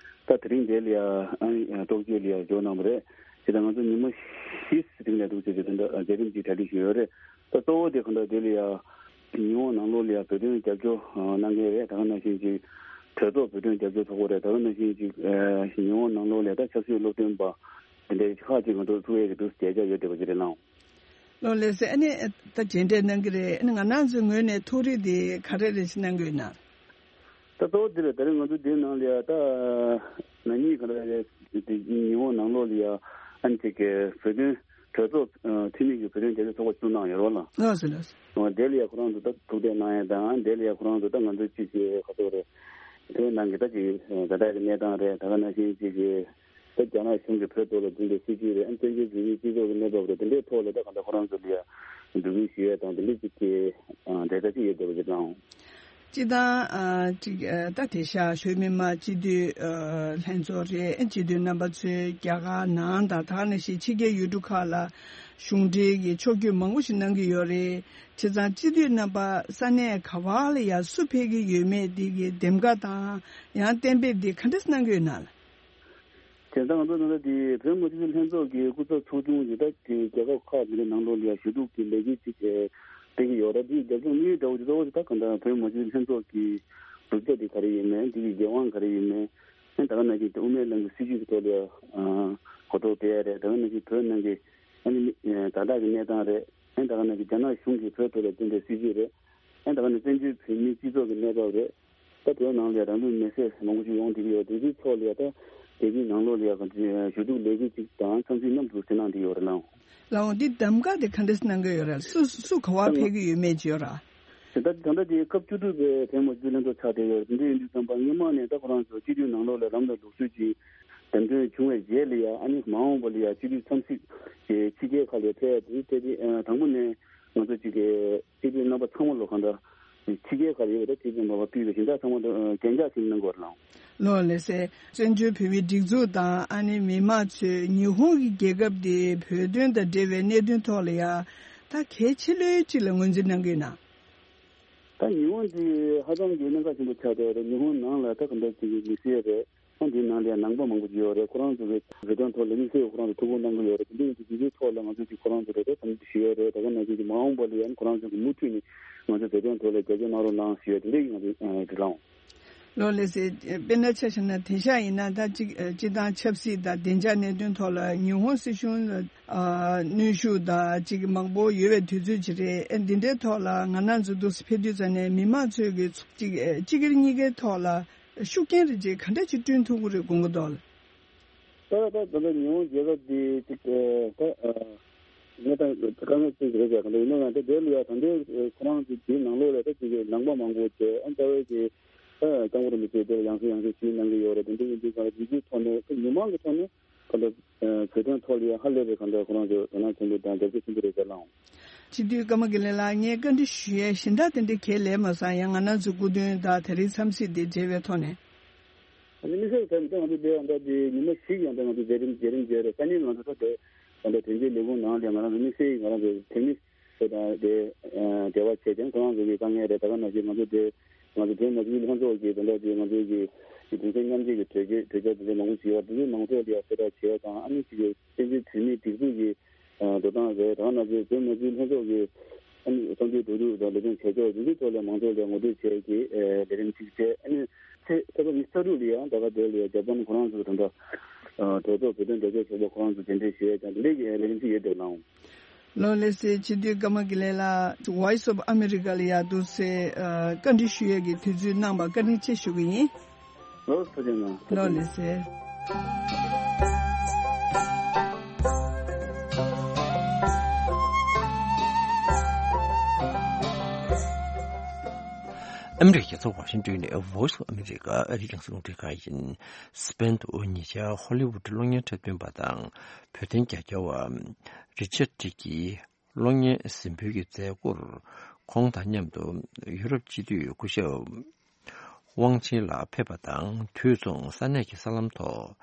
ད་དེ་རིང་འདི་ལ་ཡ་ཨ་ནི་རྟོག་དཔྱོད་ལ་ཡ་འབྱོར་གནང་བ་རེད། དེ་དང་ང་ཚོ་ཉི་མ་བཞི་རིང་ལ་འདུག་ཅེས་ཀྱི་དེ་འདྲ་མཛད་རིམ་ཅིག་གྲ་སྒྲིག་ཞུས་ཡོད་རེད། ད་གཙོ་བོ་དེ་གང་ལྟར་དེ་ལ་ཡ་ཉི་ཧོང་ནང་ལོགས་ལ་ཡ་བོད་དོན་རྒྱབ་སྐྱོར་གནང་མཁན་རེད། ད་ག་ནང་བཞིན་ཅིག་གྲོས་ཚོགས་བོད་དོན་རྒྱབ་སྐྱོར་ཚོགས་པ་རེད། ད་ག་ནང་བཞིན་ཅིག་ཉི་ཧོང་ནང་ལོགས་ལ་ཡ་ད་ཆབ་སྲིད་སློབ་སྟོན་པ་དེ་འདྲའི་ཁག་ཅིག་ང་ཚོ་ཐུག་ཡས་ཀྱི་འདུག་མཇལ་འཆར་ཡོད་བསྡད་པ་ཅིག་རེད་ལགས། ལགས་ལགས་སེ། ཨ་ནི་ད་མཇལ་འཕྲད་གནང་གི་རེད། ཨ་ནི་ང་རང་ཚོའི་ངོས་ནས་ཐུགས་རེ་དེ་ག་རེ་རེ་ཞིག་གནང་གི་ཡོད་ན། ད་གཙོ་བོ་དེ་རེད། ད་རེས་ང་ཚོ་འདིའི་ནང་ལ་ཡ་ད་ན་ནིང་ག་ལ་རེད། དེ་ཉི་ཧོང་ནང་ལོགས་ལ་ཡ་ཨ་ནི་ཅིག་གི་བོད་དོན་གྲོས་ཚོགས་ཨ་འཐུས་མི་གི་བོད་དོན་རྒྱབ་སྐྱོར་ཚོགས་པ་བཙུགས་གནང་ཡོད་རེད་ལགས། ལགས་སོ་ལགས་སོ། ཨ་དེ་ལ་ཡ་ཁོ་རང་ཚོ་ད་ཐུག་འཕྲད་གནང་ཡ་དང་། དེ་ལ་ཡ་ཁོ་རང་ཚོ་ད་ང་ཚོ་ཅིག་གི་ག་ཚོད་རེད། བོད་ནང་གི་ད་ཅིག་ད་ལྟ་གི་གནས་སྟངས་རེད། ད་ག་ནང་བཞིན་ཅིག་གི་ད་རྒྱ་ནག་གཞུང་གིས་བོད་ཐོག་ལ་འཛིན་པའི་སྲིད་བྱུས་རེད། ཨ་ནི་བཙན་བྱོལ་བོད་མིའི་སྤྱི་ཚོགས་ཀྱི་གནས་བབ་རེད། དེ་འདྲའི་ཐོག་ལ་ད་གང་ལྟར་ཁོ་རང་ཚོ་ལ་ཡ་འབོད་སྐུལ་ཞུ་ཡས་དང་དེ་འདྲའི་ཅིག་གི་ཨ་གྲོས་ཐག་ཅིག་ཡོད་བསྡད་པ་ཅིག་དང་། སྤྱིར་བཏང་ཨ་ཅིག་ཨ་ད་དེང་སང་བོད་མི་མང་སྤྱི་འཐུས་ཨ་ལྷན་ཚོགས་རེད། སྤྱི་འཐུས་རྣམ་པ་ཚོས་རྒྱ་གར་ནང་དང་ད་ག་ནང་བཞིན་ཕྱི་རྒྱལ་ཡུལ་གྲུ་ཁག་ལ་གཞུང་འབྲེལ་གྱི་ཕྱོགས་བསྐྱོད་མང་པོ་ཞིག་གནང་གི་ཡོད་རེད། བྱས་ཙང་སྤྱི་འཐུས་རྣམ་པ་ས་གནས་ག་བ་ལ་ཡ་སུ་ཕེབས་ཀྱི་ཡོད་མེད་འདི་གི་འདེམས་ཀ་དང་ཡང་གཏན་འབེབས་འདི་ག་འདྲས་གནང་གི་ཡོད་ན་ལགས། དེ་ལྟར་ང་ཚོ་ད་ལྟ་དེ་བོད་མི་སྒེར་གྱི་ལྷན་ཚོགས་ཀྱི་སྐུ་ཚབ་ཚོགས་ཆུང་གི་ད་དེ་རྒྱལ་ཁབ་ཁག་དེ་འདྲའི་ནང་ལོགས་ལ་ཡང་ཞུ་གཏུག་གི་ལས་འགུལ་ཅིག་སྤེལ་གྱི་ཡོད་རེད། དེའི་རྒྱབ་ལྗོངས་དམིགས་ཡུལ་འདྲ་བོ་ཅིག་གཙོ་བོ་ཅིག་ད་གང་ལྟར་བོད་མི་སྒེར་གྱི་ལྷན་ཚོགས་ཀྱི་གྲུབ་ཆ་དེ་ག་རེ་ཡིན་མིན། དེ་གི་འགན་དབང་ག་རེ་ཡིན་མིན། ཨ་ནི་ད་ག་ནང་བཞིན་དབུ་མའི་ལམ་གྱི་སྲིད་བྱུས་ཀྱི་ཐོག་ལ་ཡང་གོ་རྟོགས་སྤེལ་ཡ་རེད། ད་ག་ནང་བཞིན་བོད་ནང་གི་ཨ་ནི་ད་ལྟ་གི་གནས་སྟངས་རེད། ཨ་ནི་ད་ག་ནང་བཞིན་རྒྱ་ནག་གཞུང་གིས་བོད་ཐོག་ལ་བཏིང་བའི་སྲིད་བྱུས་རེད། ཨ་ནི་ད་ག་ནང་བཙན་བྱོལ་བོད་མིའི་སྤྱི་ཚོགས་ཀྱི་གནས་བབ་རེད། ད་བོད་ནང་ལ་རང་ལུས་མེར་སྲེག་མང་པོ་ཞིག་ཡོང་བསྡད་ཀྱི་ཡོད། དེ་ཚོའི་ཐོག་ལ་ཡང་ད་རྒྱལ་སྤྱིའི་ནང་ལོགས་ལ་ཡང་ཞུ་གཏུག་ལས་འགུལ་ཅིག་དང་འཚམས་གཟིགས་མཉམ་དུ་བྱེད་གནང་བསྡད་ཡོད་རེད་ལགས། ལགས་འོང་། འདི་གདམ་ག་དེ་ག་འདྲས་གནང་གི་ཡོད་རེད། སུ་སུ་ག་པར་ཕེབས་ཀྱི་ཡོད་མེད་ཅིག་ཡོད་རེད། དེ་ལྟར་ད་ལྟ་དེ་སྐབས་བཅུ་དྲུག་པའི་བོད་མི་སྒེར་གྱི་ལྷན་ཚོགས་ཆགས་བསྡད་ཡོད་རེད། དེ་འདྲ་ཡིན་དུས་ཙམ་པ་སྔོན་མ་ནས་ད་ཁོ་རང་ཚོ་སྤྱི་འཐུས་ནང་ལོགས་ལ་ལམ་ལ་ལུགས་སྲོལ་གྱི་འདེམས་ཐོན་བྱུང་བའི་རྗེས་ལ་ཡང་ཨ་ནི་མ་འོངས་པ་ལ་ཡང་སྤྱི་འཐུས་འཚམས་གཟིགས་ཀྱི་ཕྱི་རྒྱལ་ཁག་ལ་ཕེབས་ཡ་དེ་དེ་དེ་དང་པོ་ནས་ང་ཚོ་གཅིག་གི་སྤྱི་འཐུས་རྣམ་པ་ཚང་མ་ལོ་གང་འདྲ་ཕྱི་རྒྱལ་ཁག་ལ་ཡོད་པ་དེ་ཁྲིད་ཀྱི་མ་པ་ཕུལ་བའི་ཞིང་ཁ་ཚང་མ་དང་གན་རྒྱ་ཞིག་གནང་དགོས་རེད་ལགས། ལགས་ལགས་སེ། བཙན་བྱོལ་བོད་མིའི་སྒྲིག་འཛུགས་དང་ཨ་ནི་མི་མང་ཚོས་ཉི་ཧོང་གི་རྒྱལ་ཁབ་དེ་བོད་དོན་དང་འབྲེལ་བའི་གནད་དོན་ཐོག་ལ་ཡང་ད་གལ་ཆེ་ལོས་གཅིག་ལ་ངོས་འཛིན་གནང་གི་ཡོད་ན། ད་ཉི་ཧོང་དེ་ཧ་ཅང་གི་གནད་འགག་ཆེན་པོ་ཆགས་བསྡད་ཡོད་རེད། ཉི་ཧོང་ནང་ལ་ད་ག་འདྲ་ཅིག་གི་མི་སེར་རེད། ཨ་འདིའི་ནང་ལ་ཡང་ནང་པ་མང་པོ་ཅིག་ཡོད་རེད། ཁོ་རང་ཚོ་གི་བོད་དོན་ཐོག་ལ་དམིགས་བསལ་ཁོ་རང་ཚོ་ཐུགས་ཁུར་གནང་གི་ཡོད་རེད། དེ་འདྲ་ཡིན་དུས་དེ་ཚོའི་ཐོག་ལ་ང་ཚོས་ཅིག་ཁོ་རང་ཚོ་ལ་ད་དམ་ཚིག་ཞུས་ཡོད་རེད། ད་ག་ནང་བཞིན་གྱི་མ་འོངས་པ་ལ་ཡང་ཁོ་རང་ཚོ་གི་མུ་མཐུད་ནས་ང་ཚོ་བོད་དོན་ཐོག་ལ་རྒྱབ་སྐྱོར་གནང་རོགས་གནང་ཞུས་ཡོད། དེ་འདྲ་ཡིན་ང་ཚོ་འགྲིག་ལགས། ལགས་ལགས་སེ། དཔེར་ན་ཆ་བཞག་ན་དེང་སང་ཡིན་ན་ད་སྤྱི་སྤྱི་བཏང་ཆབ་སྲིད་དང་བདེ་འཇགས་གནད་དོན་ཐོག་ལ་ཉི་ཧོང་སྲིད་གཞུང་ལ་ཨ་གནོན་ཤུགས་དང་ཅིག་མང་པོ་ཡོད་པའི་དུས་ཚོད་ཅིག་རེད། ཨ་འདི་འདྲའི་ཐོག་ལ་ང་རང་ཚོ་འདུག་སེ་ཕེབས་དུས་ཙམ་ནས་མི་མང་ཚོས་ཀྱི་ཅིག་སྤྱི་སྒེར་གཉིས་ཀའི་ཐོག་ལ་ཤུགས་རྐྱེན་རེ་ཅིག་ག་འདྲ་ཅིག་བསྐྲུན་ཐུབ་ཀྱི་རེད་དགོངས་ཀྱི་འདུག་ལགས། ད་ད་ད་ད་ཉི་ཧོང་རྒྱལ་ཁབ་འདི་ཅིག་ད་གནས་སྟངས་དཀའ་ངལ་ཅན་ཅིག་རེད་ཟེར་ག་འདྲ་ཡིན་ན་ཡང་ད་དེ་ལ་ཡང་ད་ལྟའི་ཁོ་རང་ཚོ་དེའི་ནང་ལོགས་ལ་ད་ཅིག་ནང་པ་མང་པོ་བྱས། ཨ་རྩ་བའི་གི་ད་སྐྱབས་མགོན་རིན་པོ་ཆེ་དེར་ཡང་སེ་ཡང་སེ་ཞུས་གནང་གི་ཡོད་རེད། དེ་འདྲ་ཡིན་དུས་ཙང་དེ་ཚོའི་ཐོག་ནས་ད་མི་མང་གི་ཐོག་ནས་ག་འདྲ་བོད་དོན་ཐོག་ལ་ཡང་ཧ་ལས་པའི་ག་འདྲ་ཁོ་རང་ཚོ་དོ་སྣང་ཆེན་པོ་དང་རྒྱབ་སྐྱོར་ཆེན་པོ་རེད་ཟེར་ལགས། སྤྱི་འཐུས་ཀརྨ་དགེ་ལེགས་ལགས། ངས་བཀའ་འདྲི་ཞུ་ཡས་གཞན་དག་དེ་འདྲ་གང་ཡང་ལས་མ་སོང་། ཡང་ང་རང་ཚོའི་སྐུ་མདུན་དང་དེ་རིང་འཚམས་གཟིགས་དེ་འབྲེལ་བའི་ཐོག་ནས། ཨ་ནི་དམིགས་བསལ་གྱི་ཐད་ནས་ང་ཚོ་དེ་ཡང་ད་དེ་ཉི་མ་བཞི་ཡང་ད་ང་ཚོ་མཛད་རིམ་མཛད་རིམ་བྱས་རེད། ས་གནས་ང་ཚོ་ད་དེ་ད་ལྟ་དོན་གཅོད་ལས་ཁུངས་ནང་ལ་ང་རང་ཚོ་དམིགས་བསལ་ང་རང་ཚོ་དེ་མི་ཚོ་དང་དེ་འབྲེལ་བ་བྱས་ཏེ་ཁོ་རང་ཚོ་གི་དཀའ་ངལ་རེད། ད་ག་ནང་བཞིན་ང་ཚོ་དེ་ང་ཚོ་བོད་མི་སྒེར་ལྷན་ཚོགས་ཀྱི་ད་ལྟ་དེ་ང་ཚོ་གི་གདུང་སེམས་མཉམ་སྐྱེད་ཀྱི་གྲོས་ཆོད་གྲོས་འཆར་དེ་འདྲ་མང་པོ་ཞིག་ཡོད་རེད། དེ་ཚོའི་ནང་ཚོགས་ལ་གསལ་བསྒྲགས་བྱས་དང་ཨ་ནི་ཅིག་གི་བཙན་བྱོལ་བོད་མིའི་སྒྲིག་འཛུགས་ཀྱི་འགྲོ་སྟངས་རེད། ད་ག་ནང་བཞིན་བོད་མི་སྒེར་ལྷན་ཚོགས་ཀྱི་ཨ་ནི་བསམ་ཚུལ་གྲོས་བསྡུར་དང་ལས་དོན་བྱེད་ཕྱོགས་དེ་ཚོའི་ཐོག་ལ་མང་ཚོགས་ལ་ངོ་སྤྲོད་བྱས་ཀྱི་ལས་རིམ་གཅིག་བྱས། ཨ་ནི་ཚེས་ཚེས་པ་ཉི་ཤུ་རྩ་དྲུག་ལ་ཡང་ད་ག་དེ་ལ་ཡང་འཇར་པན་ཁོ་རང་ཚོ་དང་འདྲ་གྲོས་ཚོགས་བོད་དོན་གྲོས་ཚོགས་ཚོགས་པ་ཁོ་རང་ཚོ་གདན་འདྲེན་ཞུ་ཡས་ཀྱང་དེ་འདྲའི་ལས་རིམ་གཅིག་ཡོད་འདུག་ལགས། ལགས་ལགས་སེ། སྤྱི་འཐུས་ཀརྨ་དགེ་ལེགས་ལགས། Voice of America ལ་ཡར་འདུག་སེ་བཀའ་འདྲི་ཞུ་ཡས་ཀྱི་དུས་ཚོད་གནང་བར་བཀའ་དྲིན་ཆེ་ཞུ་གི་ཡིན། ལགས་ཐུགས་རྗེ་གནང་། ལགས་ལགས་སེ། ཨ་མི་རི་ཀའི་རྒྱལ་ས་ཝ་ཤིང་ཏོན་ནས་Voice of America ཨ་རིའི་རྒྱང་སྲིང་རླུང་འཕྲིན་ཁང་ཡིན། སི་པེན་དུ་ཉེ་ཆར་ཧོ་ལི་ཝུད་གློག་བརྙན་འཁྲབ་སྟོན་པ་དང་བོད་དོན་རྒྱབ་སྐྱོར་བ་རི་ཆར་ཏི་གིས་གློག་བརྙན་གཟིགས་འབུལ་གྱི་མཛད་སྒོར་ཁོང་དང་མཉམ་དུ་ཡུ་རོབ་སྤྱི་འཐུས་སྐུ་ཞབས་དབང་ཆེན་ལགས་ཕེབས་པ་དང་། དུས་མཚུངས་ས་གནས་ཀྱི་གསར་ལམ་ཐོག་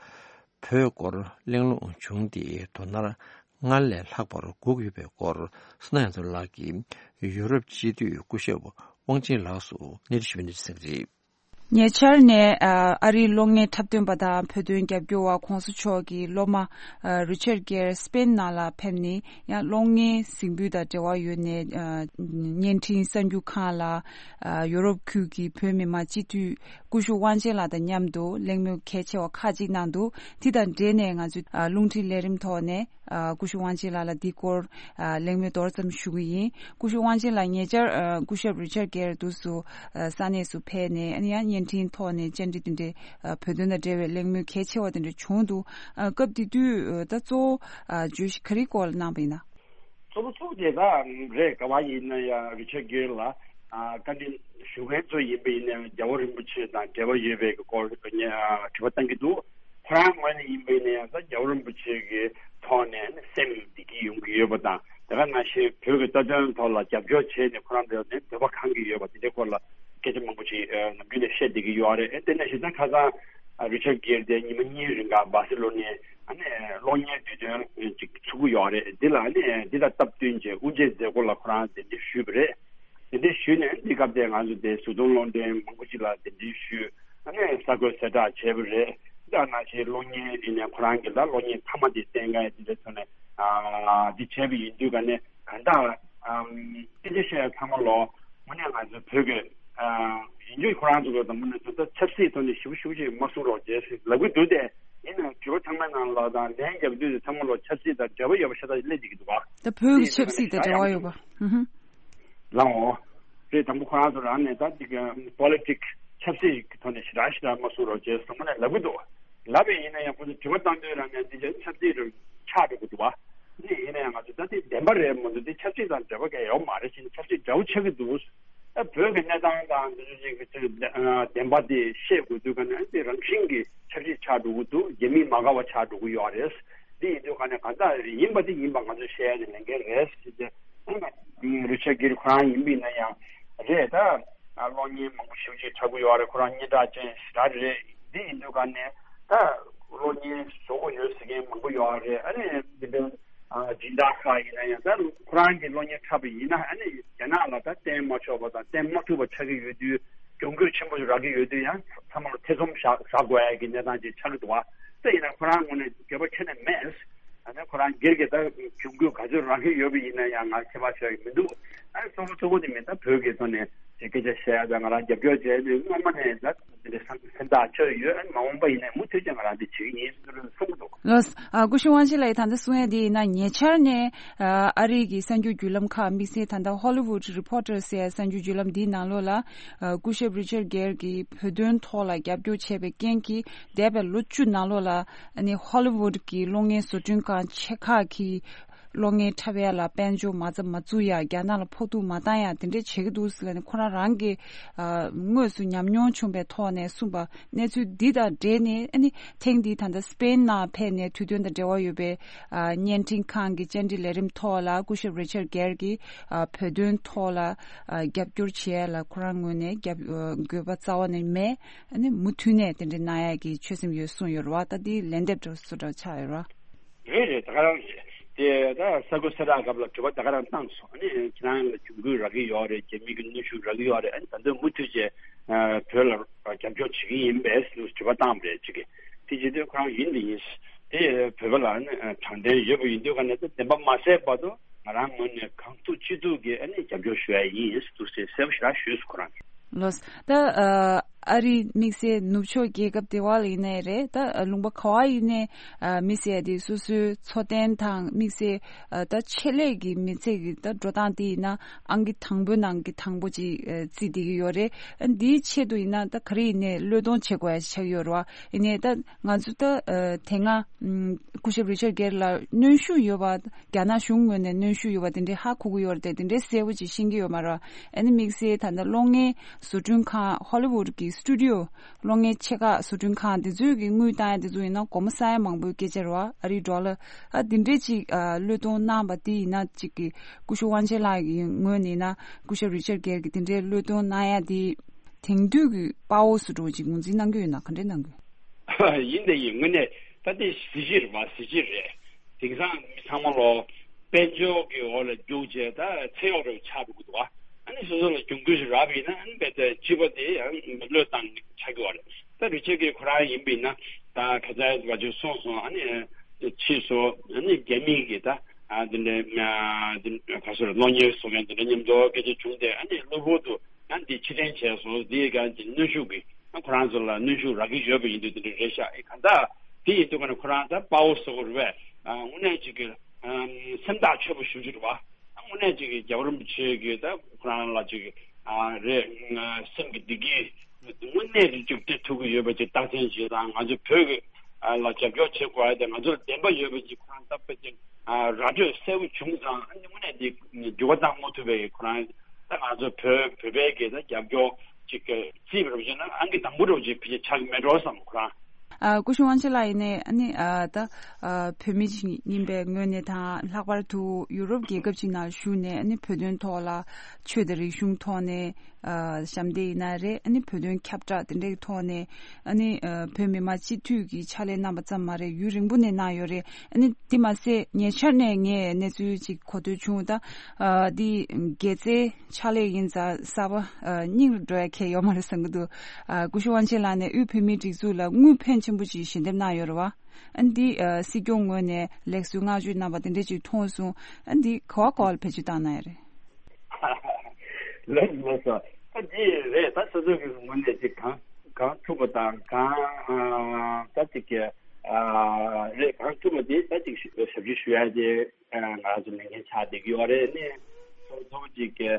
བོད་སྐོར་གླེང་སློང་བྱུང་སྟེ། དོ་སྣང་སྔར་ལས་ལྷག་པར་སྒུག་ཡོད་པའི་སྐོར་བསོད་ནམས་ཡར་འཛོམས་ལགས་ཀྱིས་ཡུ་རོབ་སྤྱི་འཐུས་སྐུ་ཞབས་དབང་ཆེན་ལགས་སུ་གནས་འདྲི་ཞུས་པའི་གནས་ཚུལ་གསན་གྱི་རེད། ཉེ་ཆར་ནས་ཨ་རིའི་གློག་བརྙན་འཁྲབ་སྟོན་པ་དང་བོད་དོན་རྒྱབ་སྐྱོར་བ་གོང་ས་མཆོག་གི་སློབ་མ་རི་ཆར་གེར་སི་པེན་ནང་ལ་ཕེབས་ནས། ཡང་གློག་བརྙན་གཟིགས་འབུལ་དང་འབྲེལ་བ་ཡོད་ནས། བརྙན་འཕྲིན་གསར་འགྱུར་ཁང་ལ་ཡུ་རོབ་ཁུལ་གྱི་བོད་མི་མང་སྤྱི་འཐུས་སྐུ་ཞབས་དབང་ཆེན་ལགས་དང་མཉམ་དུ་གླེང་མོལ་གལ་ཆེ་བ་ཁག་ཅིག་གནང་འདུག་དེ་དང་འབྲེལ་ནས་ང་ཚོས་རླུང་འཕྲིན་ལས་རིམ་ཐོག་ནས་སྐུ་ཞབས་དབང་ཆེན་ལགས་ལ་འདི་སྐོར་གླེང་མོལ་མདོར་ཙམ་ཞུ་གི་ཡིན། སྐུ་ཞབས་དབང་ཆེན་ལགས་ཉེ་ཆར་སྐུ་ཞབས་རི་ཆར་གེར་འདུག་སུ་ས་གནས་སུ་ཕེབས་ནས། ཨ་ནི་ཡང་བརྙན་འཕྲིན་ཐོག་ནས་བཅར་འདྲི་དེ་འདྲའི་བོད་དོན་དང་འབྲེལ་བའི་གླེང་མོལ་གལ་ཆེ་བ་དེ་འདྲ་བྱུང་འདུག་སྐབས་དེ་དུས་ད་གཙོ་བོ་བརྗོད་གཞི་ག་རེའི་སྐོར་ལ་གནང་བ་ཡིན་ན། གཙོ་བོ་གཙོ་བོ་དེ་ག་རེད། ག་བ་ཡིན་ན་ཡང་རི་ཆར་གེར་ལ་བཀའ་འདྲི་ཞུ་མཁན་ཚོ་ཡིན་པ་ཡིན་ན་ཡང་རྒྱལ་བ་རིན་པོ་ཆེ་དང་འབྲེལ་བ་ཡོད་པའི་སྐོར་དྲི་བ་བཏང་གི་འདུག་ཁོ་རང་ངོས་ནས་ཡིན་པ་ཡིན་ན་ཡང་ད་རྒྱལ་བ་རིན་པོ་ཆེ་གི་ཐོག་ནས་སེམས་བདེ་སྐྱིད་ཡོང་གི་ཡོད་པ་དང་། དེ་ག་ནང་བཞིན་བོད་ཀྱི་རྩ་དོན་ཐོག་ལ་རྒྱབ་སྐྱོར་བྱས་ནས་ཁོ་རང་ཚོ་ནས་འདོད་པ་ཁེངས་ཀྱི་ཡོད་པ་དེ་འདྲའི་སྐོར་ལ་སྐད་ཆ་མང་པོ་ཞིག་ནམ་རྒྱུན་ནས་བཤད་བསྡད་ཀྱི་ཡོད་རེད། དེ་ནང་བཞིན་ད་ཁ་སང་རི་ཆར་གེར་དེ་ཉི་མ་གཉིས་རིང་ག་སྦར་སེ་ལོ་ནས་ཨ་ནི་གློག་བརྙན་དུས་སྟོན་ཅིག་ཚུགས་ཀྱི་ཡོད་རེད། འདི་ལ་ཨ་ནི་འདི་དང་སྟབས་བསྟུན་བྱས་དབུ་འབྱེད་མཛད་སྒོ་ལ་ཁོ་རང་གདན་འདྲེན་ཞུས་པ་རེད། གདན་འདྲེན་ཞུས་ནས་འདི་སྐབས་དེ་ང་ཚོ་དེ་གཟུགས་མཐོང་གློག་འདྲེན་མང་པོ་ཅིག་ལ་གདན་འདྲེན་ཞུས། ཨ་ནི་གསར་འགོད་གསལ་བསྒྲགས་བྱས་པ་རེད། ད་ནང་བཞིན་གློག་བརྙན་ཡིན་ནའི་ཁོ་རང་གི་ད་གློག་བརྙན་མཐའ་མ་དེ་བསྟན་མཁན་དེ་འདྲའི་ཐོག་ནས་ཨ་འདི་བྱས་པ་ཡིན་དུས་ག་ནས་གང་ལྟར་ཨམ་སྐད་ཆ་བཤད་ཡ་ཚང་མ་ལོ་དངོས་གནས་ང་ཚོ་བོད་ཀྱི་ཨ་ཡིན་རྒྱུ་ཁོ་རང་ཚོ་གི་དང་མི་ནས་ད་ཆབ་སྲིད་ཐོག་ནས་ཞིབ་ཞིབ་ཅིག་མ་གསུང་རོགས་བྱས་ཟེར་ལབ་གི་འདུག་སྟེ། ཡིན་ནའང་དྲི་བ་ཚང་མའི་ནང་ལ་དང་ལན་རྒྱབ་དུས་དེ་ཚང་མ་ལོ་ཆབ་སྲིད་དང་འབྲེལ་བ་ཡོད་པ་ཤ་སྟག་སླེབས་བསྡད་ཀྱི་འདུག་བ། ད་བོད་ཀྱི་ཆབ་སྲིད་དང་འབྲེལ་བ་ཡོད་པ། ཧུམ་ཧུམ། ལའོ། རེད། དང་པོ་ཁོ་རང་ཚོ་རང་ནས་ད་འདི་ག་པོ་ལི་ཊིག་ཆབ་སྲིད་ཀྱི་ཐོག་ནས་ཞེ་དྲག་ཞེ་དྲག་མ་གསུང་རོགས་བྱས་ཟེར་མ་ནས་ལབ་གི་འདུག་ལབ་པས་ཡིན་ན་ཡང་ཁོ་ཚོ་དྲི་བ་བཏང་དུས་རང་ནས་འདི་ཆབ་སྲིད་རུ་ཆགས་འགྲོ་གི་འདུག་བ། འདི་ཡིན་ན་ཡང་ང་ཚོ་ད་འདི་བདེན་པ་རེད་མ་གཏོགས་འདི་ཆབ་སྲིད་དང་འབྲེལ་བ་གང་ཡང་ཡོད་མ་རེད་ཟེར་ནས་ཆབ་སྲིད་འདྲ་བོ་ཆགས་ཀྱི་འདུག་ད་བོད་ཀྱི་གནས་སྟངས་དང་འདི་ཚོ་ཅིག་གི་ཚོད་བདེན་པ་འདི་ཤེས་དགོས་དུས་ག་ནས་འདི་རང་བཞིན་གྱི་ཆབ་སྲིད་ཆགས་འགྲོ་གི་འདུག་རྒྱ་མི་མ་དགའ་བ་ཆགས་འགྲོ་གི་ཡོད་རེད། འདི་ཡིན་དུས་ག་ནས་གང་ལྟར་ཡིན་པ་འདི་ཡིན་པ་ང་ཚོས་བཤད་ཡ་དེ་ལས་འགན་རེད་ཟེར་ཏེ། རི་ཆར་གྷིར་ཁོ་རང་ཡིན་པ་ཡིན་ན་ཡང་རེད་ད། གློག་བརྙན་མང་པོ་ཞེ་པོ་ཅིག་འཁྲབ་གི་ཡོད་རེད། ཁོ་རང་སྙན་གྲགས་ཅན་ཞེ་དྲག་རེད། འདི་ཡིན་དུས་ག་ནས་ད་གློག་བརྙན་བཟོ་དགོས་ཡོད་ཟེར་མཁན་མང་པོ་ཡོད་རེད། ཨ་ནི་འདི་འདྲའི་སྦྱིན་བདག་ཁག་ཡིན་ན་ཡང་ད་ཁོ་རང་གི་གློག་བརྙན་འཁྲབ་པ་ཡིན་ན་ཨ་ནི་རྒྱ་ནག་ལ་ད་བསྟན་མ་ཆོག་པ་དང་བསྟན་མ་ཐུབ་པ་ཆགས་ཀྱི་ཡོད་དུས་གྱོང་གུད་ཆེན་པོ་ཞིག་རག་གི་ཡོད་དུས་ཡང་ཚང་མ་ལ་ཐེ་ཚོམ་བཞག་བཞག་དགོས་ཡ་གི་གནས་སྟངས་ཅིག་ཆགས་ཀྱི་འདུག་བ། ད་ཡིན་ན་ཁོ་རང་ངོས་ནས་འགྱོད་པ་ཁྱོན་ནས་མེད། ཨ་ནི་ཁོ་རང་སྒེར་གྱི་ད་གྱོང་གུད་ག་ཚོད་རག་གི་ཡོད་པ་ཡིན་ན་ཡང་ང་ཁྱད་པར་ཤོར་ཡི་མི་འདུག་ཨ་ནི་གཙོ་བོ་གཙོ་བོ་དེ་མིན་ད་བོད་ཀྱི་ཐོག་ནས་དེ་སྐད་ཆ་བཤད་ཡ་ད་ང་རང་རྒྱབ་སྐྱོར་བྱས་ནས་སྔོན་མ་ནས་ད་དེ་འདྲ་སེམས་སེམས་ཐག་ཆོད་ཡོད། ཨ་ནི་མ་འོངས་པ་ཡིན་ནའི་མུ་མཐུད་ཀྱིས་ང་རང་འདི་བྱེད་ཀྱི་ཡིན་ཟེར་གསུང་གི་འདུག་ལགས། ཨ་སྐུ་ཞབས་དབང་ཆེན་ལགས་ཡིས་ད་ལྟ་གསུང་ཡ་དེ་ཡིན་ན་ཉེ་ཆར་ནས་ཨ་རིའི་གི་གསར་འགྱུར་བརྒྱུད་ལམ་ཁག་དམིགས་བསལ་ད་ལྟ་Hollywood Reporter ཟེར་ཡ་གསར་འགྱུར་བརྒྱུད་ལམ་འདིའི་ནང་ལོགས་ལ་ཨ་སྐུ་ཞབས་རི་ཆར་གྷེར་གྱིས་བོད་དོན་ཐོག་ལ་རྒྱབ་སྐྱོར་བྱས་པའི་རྐྱེན་གྱིས་འདས་པའི་ལོ་བཅུ་ནང་ལོགས་ལ། ཨ་ནི་ཧོ་ལི་ཝུད་ཀྱི་གློག་བརྙན་བཟོ་སྐྲུན་ཁང་ཆེ་ཁག་གིས་གློག་བརྙན་འཁྲབ་ཡ་ལ་དཔལ་འབྱོར་མ་རྩ་མ་བཙུགས་ཡ། རྒྱ་ནག་ལ་ཕོག་ཐུག་མ་བཏང་ཡ་དེ་འདྲ་བྱེད་ཀྱི་འདུག་ཟེར་ལབ་ནས་ཁོ་རང་རང་གི་ཨ་དངོས་སུ་ཉམས་མྱོང་བྱུང་བའི་ཐོག་ནས་གསུངས་པ། གནས་ཚུལ་འདི་དང་འབྲེལ་ནས་ཨ་ནི་ཐེངས་འདིའི་ད་ལྟ་སི་པེན་ནང་ཕེབས་ནས་དུས་སྟོན་དང་འབྲེལ་བ་ཡོད་པའི་ཨ་བརྙན་འཕྲིན་ཁང་གི་བཅར་འདྲི་ལས་རིམ་ཐོག་ལ་སྐུ་ཞབས་རི་ཆར་གྷེར་གྱིས་ཨ་བོད་དོན་ཐོག་ལ་ཨ་རྒྱབ་སྐྱོར་བྱེད་ཡ་ལ་ཁོ་རང་ངོས་ནས་རྒྱབ་ཨ་དགོས་པ་རྩ་བ་ནས་མེད། ཨ་ནི་མུ་མཐུད་ནས་དེ་འདྲ་གནང་ཡག་གི་ཆོད་སེམས་ཡོད་གསུངས་ཡོད་རེད་བ། ད་འདི་ལན་འདེབས་འདྲ་བོ་ཆགས་ཡོད་རེད་བ། རེད་རེད། ད་ག་རང་རེད། དེ་ད་ས་ཁུལ་གསལ་བསྒྲགས་སྐབས་ལ་དྲི་བ་ད་ག་རང་བཏང་སོང་། ཨ་ནི་ཁྱེད་རང་ལ་གྱོང་གུད་རག་གི་ཡོད་རེད། རྒྱ་མི་གི་གནོན་ཤུགས་རག་གི་ཡོད་རེད། ཨ་ནི་ད་དུང་མུ་མཐུད་བྱས་བོད་ལ་རྒྱབ་སྐྱོར་བྱེད་ཀྱི་ཡིན་པས་དྲི་བ་བཏང་བ་རེད་ཅིག་དེ་བྱེད་དུས་ཁོ་རང་ཡིན་དེ་ཡིན། དེ་བོད་པ་ལ་ཨ་ནི་དྲང་བདེན་ཡོད་པ་ཡིན་དུས་ག་ནས་ད་བདེན་པ་མ་གསལ་བར་དུ་ང་རང་ངོས་ནས་གང་ཐུབ་ཅི་ཐུབ་ཀྱིས་ཨ་ནི་རྒྱབ་སྐྱོར་ཞུ་ཡ་ཡིན་ཟེར་དུ་ཟེར་གསལ་པོ་ཞེ་དྲག་ཞུས་སོང་ཁོ་རང་གིས། ལགས། ད་ཨ་རིའི་དམིགས་བསལ་ནུབ་ཕྱོགས་རྒྱལ་ཁབ་དེ་བ་ལ་ཡིན་ནའི་རེད། ད་ལུང་པ་ག་བ་ཡིན་ནའི་དམིགས་བསལ་དེ་སོ་སོའི་འཚོ་རྟེན་དང་དམིགས་བསལ་ད་ཆེད་ལས་ཀྱི་མི་ཚེ་གི་ད་འགྲོ་སྟངས་དེ་ཡིན་ན་ཨང་ཀི་དང་པོའི་ནང་གི་དང་པོ་ཅིག་བརྩིས་བསྡད་ཀྱི་ཡོད་རེད། འདིའི་ཆེད་དུ་ཡིན་ན་ད་ག་རེ་ཡིན་ནའི་བློས་གཏོང་བྱེད་དགོས་ཡ་ཆགས་ཀྱི་ཡོད་རེད་བ། ཡིན་ནའི་ད་ང་ཚོ་ད་དེ་སྔ་སྐུ་ཞབས་རི་ཆར་གྷེར་ལ་གནོན་ཤུགས་ཡོད་པ། རྒྱ་ནག་གཞུང་ངོས་ནས་གནོན་ཤུགས་ཡོད་པ་དེ་འདྲའི་ཧ་གོ་གི་ཡོད་རེད་དེ། དེ་འདྲའི་གསལ་པོ་ཅིག་ཤེས་ཀྱི་ཡོད་མ་རེད། ཨ་ནི་དམིགས་བསལ་ད་ལྟ་གློག་བརྙན་བཟོ་སྐྲུན་ཁང་ཧོ་ལི་ཝུད་ཀྱི་སི་ཊུ་ཌི་ཡོ་གློག་བརྙན་ཆེ་ཁག་བཟོ་སྐྲུན་ཁང་དེ་ཚོས་ཀྱི་དངུལ་བཏང་ཡ་དེ་ཚོ་ཡིན་ན་སྒོར་མོ་ས་ཡ་མང་པོའི་སྐད་ཆ་རེད་བ། ཨ་རིའི་ཌོ་ལར། ཨ་དེ་འདྲའི་ཅིག་ཨ་བློས་གཏོང་གནང་བ་དེ་ཡིན་ན་ཅིག་གི་སྐུ་ཞབས་དབང་ཆེན་ལགས་ཀྱི་ངོས་ནས་ཡིན་ན་སྐུ་ཞབས་རི་ཆར་གྷེར་གྱི་དེ་འདྲའི་བློས་གཏོང་གནང་ཡ་དེ་དེང་དུས་ཀྱི་དཔའ་བོ་བཟོ་འདྲ་ཅིག་ངོས་འཛིན་གནང་གི་ཡོད་ན་ག་འདྲས་གནང་གི་ཡོད། ཡིན་དེ་ཡིན། དངོས་གནས་ད་དེ་གཟི་བརྗིད་རེད་བ། གཟི་བརྗིད་རེད། དེང་སང་མི་ཚང་མ་ལོ་དཔལ་འབྱོར་གྱི་འོག་ལ་རྒྱུགས་བྱས་ད་ཚེ་གཡོག་རེ་ཆགས་འགྲོ་གི་འདུག་བ། ཨ་ནི་སོ་སོ་ལ་གྱོང་གུད་ཞིག་རག་པ་ཡིན་ན་ཨ་ནི་རྦད་དེ་སྤྱི་པ་དེ་ཡང་བློས་བཏང་ཆགས་ཀྱི་བ་རེད། ད་རི་ཆར་གྷེར་ཁོ་རང་ཡིན་པ་ཡིན་ན་ད་ཁ་ཚ་བ་ཅིག་གསུངས་སོང་། ཨ་ནི་ཕྱིས་སུ་ཨ་ནི་རྒྱ་མི་གི་ད་ཨ་དེ་འདྲའི་ཨ་དེ་ག་ཚོད་གློག་བརྙན་བཟོ་མཁན་དེ་འདྲ་མཉམ་དུ་སྐད་ཆ་བྱུང་སྟེ་ཨ་ནི་གློ་བུར་དུ་ཡང་འདི་ཕྱིར་དྲན་བྱས་སོང་། འདི་ག་འདི་གནོན་ཤུགས་ཀྱི་ཁོ་རང་ཚོ་ལ་གནོན་ཤུགས་རག་གི་ཡོད་པ་ཡིན་དུས་དེ་འདྲ་རེད་ཤག་ཨེ་གང་ལྟར་དེ་ཡིན་དུས་ཀ་ནས་ཁོ་རང་ད་དཔའ་བོ་བཟོ་དགོས་རེད་པས། ཨ་དངོས་གནས་ཅིག་གི་ཨམ་སེམས་ཐག་ཆོད་པོ་ཞེ་པོ་ཅིག་རེད་པ། ཨ་དངོས་གནས་ཅིག་གི་རྒྱལ་བ་རིན་པོ་ཆེ་གི་ད་ཁོ་རང་ལ་ཅིག་ཨ་རེད་སེམས་ཀྱི་བདེ་སྐྱིད་དངོས་གནས་ཅིག་སྤྲད་ཐུབ་ཀྱི་ཡོད་པ་ཅིག་རྟགས་མཚན་ཅིག་དང་ང་ཚོ་བོད་ཀྱི་ཨ་ལ་རྒྱབ་སྐྱོར་བྱེད་དགོས་ཡ་དེ་ང་ཚོ་ལ་བདེན་པ་ཡོད་པ་ཅིག་ཁོ་རང་ད་དཔེ་ཅིག་ཨ་ར་སྤྲོད་གསལ་པོ་བྱུང་ཙང་ཨ་ནི་དངོས་གནས་འདི་འགྱུར་བ་བཏང་མ་ཐུབ་པའི་ཁོ་རང་ད་ང་ཚོ་བོད་བོད་པའི་གི་ད་རྒྱབ་སྐྱོར་ཅིག་གི་རྩིས་པ་རུ་བྱས་ན་ཨང་ཀི་དང་པོ་རུ་ཅིག་ཕལ་ཆེར་ཆགས་ཀྱི་མེད་འགྲོ་བསམ་ཁོ་རང་། ཨ་སྐུ་ཞབས་དབང་ཆེན་ལགས་ཡིན་ནའི་ཨ་ནི་ཨ་ད་ཨ་བོད་མི་ཅིག་ཡིན་པའི་ངོས་ནས་དང་ལྷག་པར་དུ་ཡུ་རོབ་རྒྱལ་ཁབ་ཅིག་ནང་བཞུགས་ནས་ཨ་ནི་བོད་དོན་ཐོག་ལ་ཆོས་དང་རིག་གཞུང་ཐོག་ནས་ཨ་ཞབས་འདེགས་ཡིན་ན་རེད། ཨ་ནི་བོད་དོན་ཁྱབ་བསྒྲགས་དེ་འདྲའི་ཐོག་ནས་ཨ་ནི་ཨ་བོད་མི་མང་སྤྱི་འཐུས་ཀྱི་ཕྱག་ལས་གནང་བ་ཙམ་མ་རེད། ཡུན་རིང་པོ་ནས་གནང་ཡོད་རེད། ཨ་ནི་དེ་མ་ཟད་ཉེ་ཆར་ནས་ངས་གནས་ཚུལ་ཅིག་གོ་ཐོས་བྱུང་། ད་ཨ་འདི་དགེ་རྩའི་ཕྱག་ལས་ཡིན་ཙང་གསར་པ་ཨ་སྙིང་རུ་འགྲོ་ཡ་གང་ཡང་ཡོད་མ་རེད་བསམ་གྱི་འདུག་ཨ་སྐུ་ཞབས་དབང་ཆེན་ལགས་ནས་དབུས་བོད་མིའི་སྒྲིག་འཛུགས་ལ་དངུལ་ཕོན་ཆེ་ ཆེན་པོ་ཅིག་ཞལ་འདེབས་གནང་ཡོད་རེད་བ། ཨ་ནི་འདི་ཨ་སྲིད་སྐྱོང་ངོས་ནས་ལེགས་གསོལ་བསྔགས་བརྗོད་གནང་བ་དེ་འདྲ་ཅིག་མཐོང་སོང་། ཨ་ནི་འདི་ག་བ་ག་བ་ལ་བེད་སྤྱོད་བཏང་གནང་ཡོད་རེད། ལགས་ལགས་སོ། ད་འདི་རེད། ད་སོ་སོ་གི་ངོས་ནས་ཅིག་གང་གང་ཐུབ་པ་དང་གང་ཨ་ད་ཅིག་གི་ཨ་རེད། གང་ཐུབ་པ་དེ་ད་ཅིག་ཞབས་ཕྱི་ཞུ་ཡ་དེ། ང་ཚོ་ལས་འགན་ཆགས་བསྡད་ཀྱི་ཡོད་རེད། ནས་སོ་སོ་ཅིག་གི་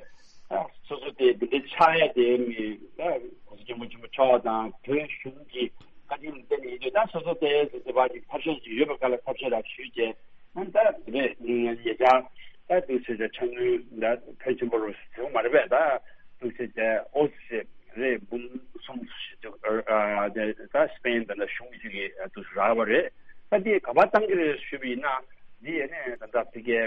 ཨ་སོ་སོ་དེ་འདི་འདྲ་ཆགས་ཡ་དེ་མི་ཨ་གོང་ས་སྐྱབས་མགོན་ཆེན་པོ་མཆོག་དང་བོད་གཞུང་གི་བཀའ་དྲིན་བརྟེན་ནས་ཡིན་དུས། ད་སོ་སོ་དེ་དེ་བ་ཅིག་ཐབས་ཤེས་ཅིག་ཡོད་པ་ག་ལ་ཐབས་ཤེས་ལ་ཞུས་བྱས། ཨ་ད་རེད། ཉེ་ཆར་ད་དུས་ཚོད་ད་ཆ་སྣུན་ད་ཕལ་ཆེན་པོ་རུ་ཟེར་བ་མ་རེད་པས། ད་དུས་ཚོད་ད་ཨོ་སི་རེད། འབུམ་གསུམ་ཞིག་ཨ་ད་སི་པེན་ད་ད་གཞུང་གཅིག་གི་དུས་སུ་རག་པ་རེད། ད་དེ་ག་པར་བཏང་གི་རེད་ཞུས་པ་ཡིན་ན། འདི་ཡས་ནས་ད་ལྟ་ཕ་གིའི་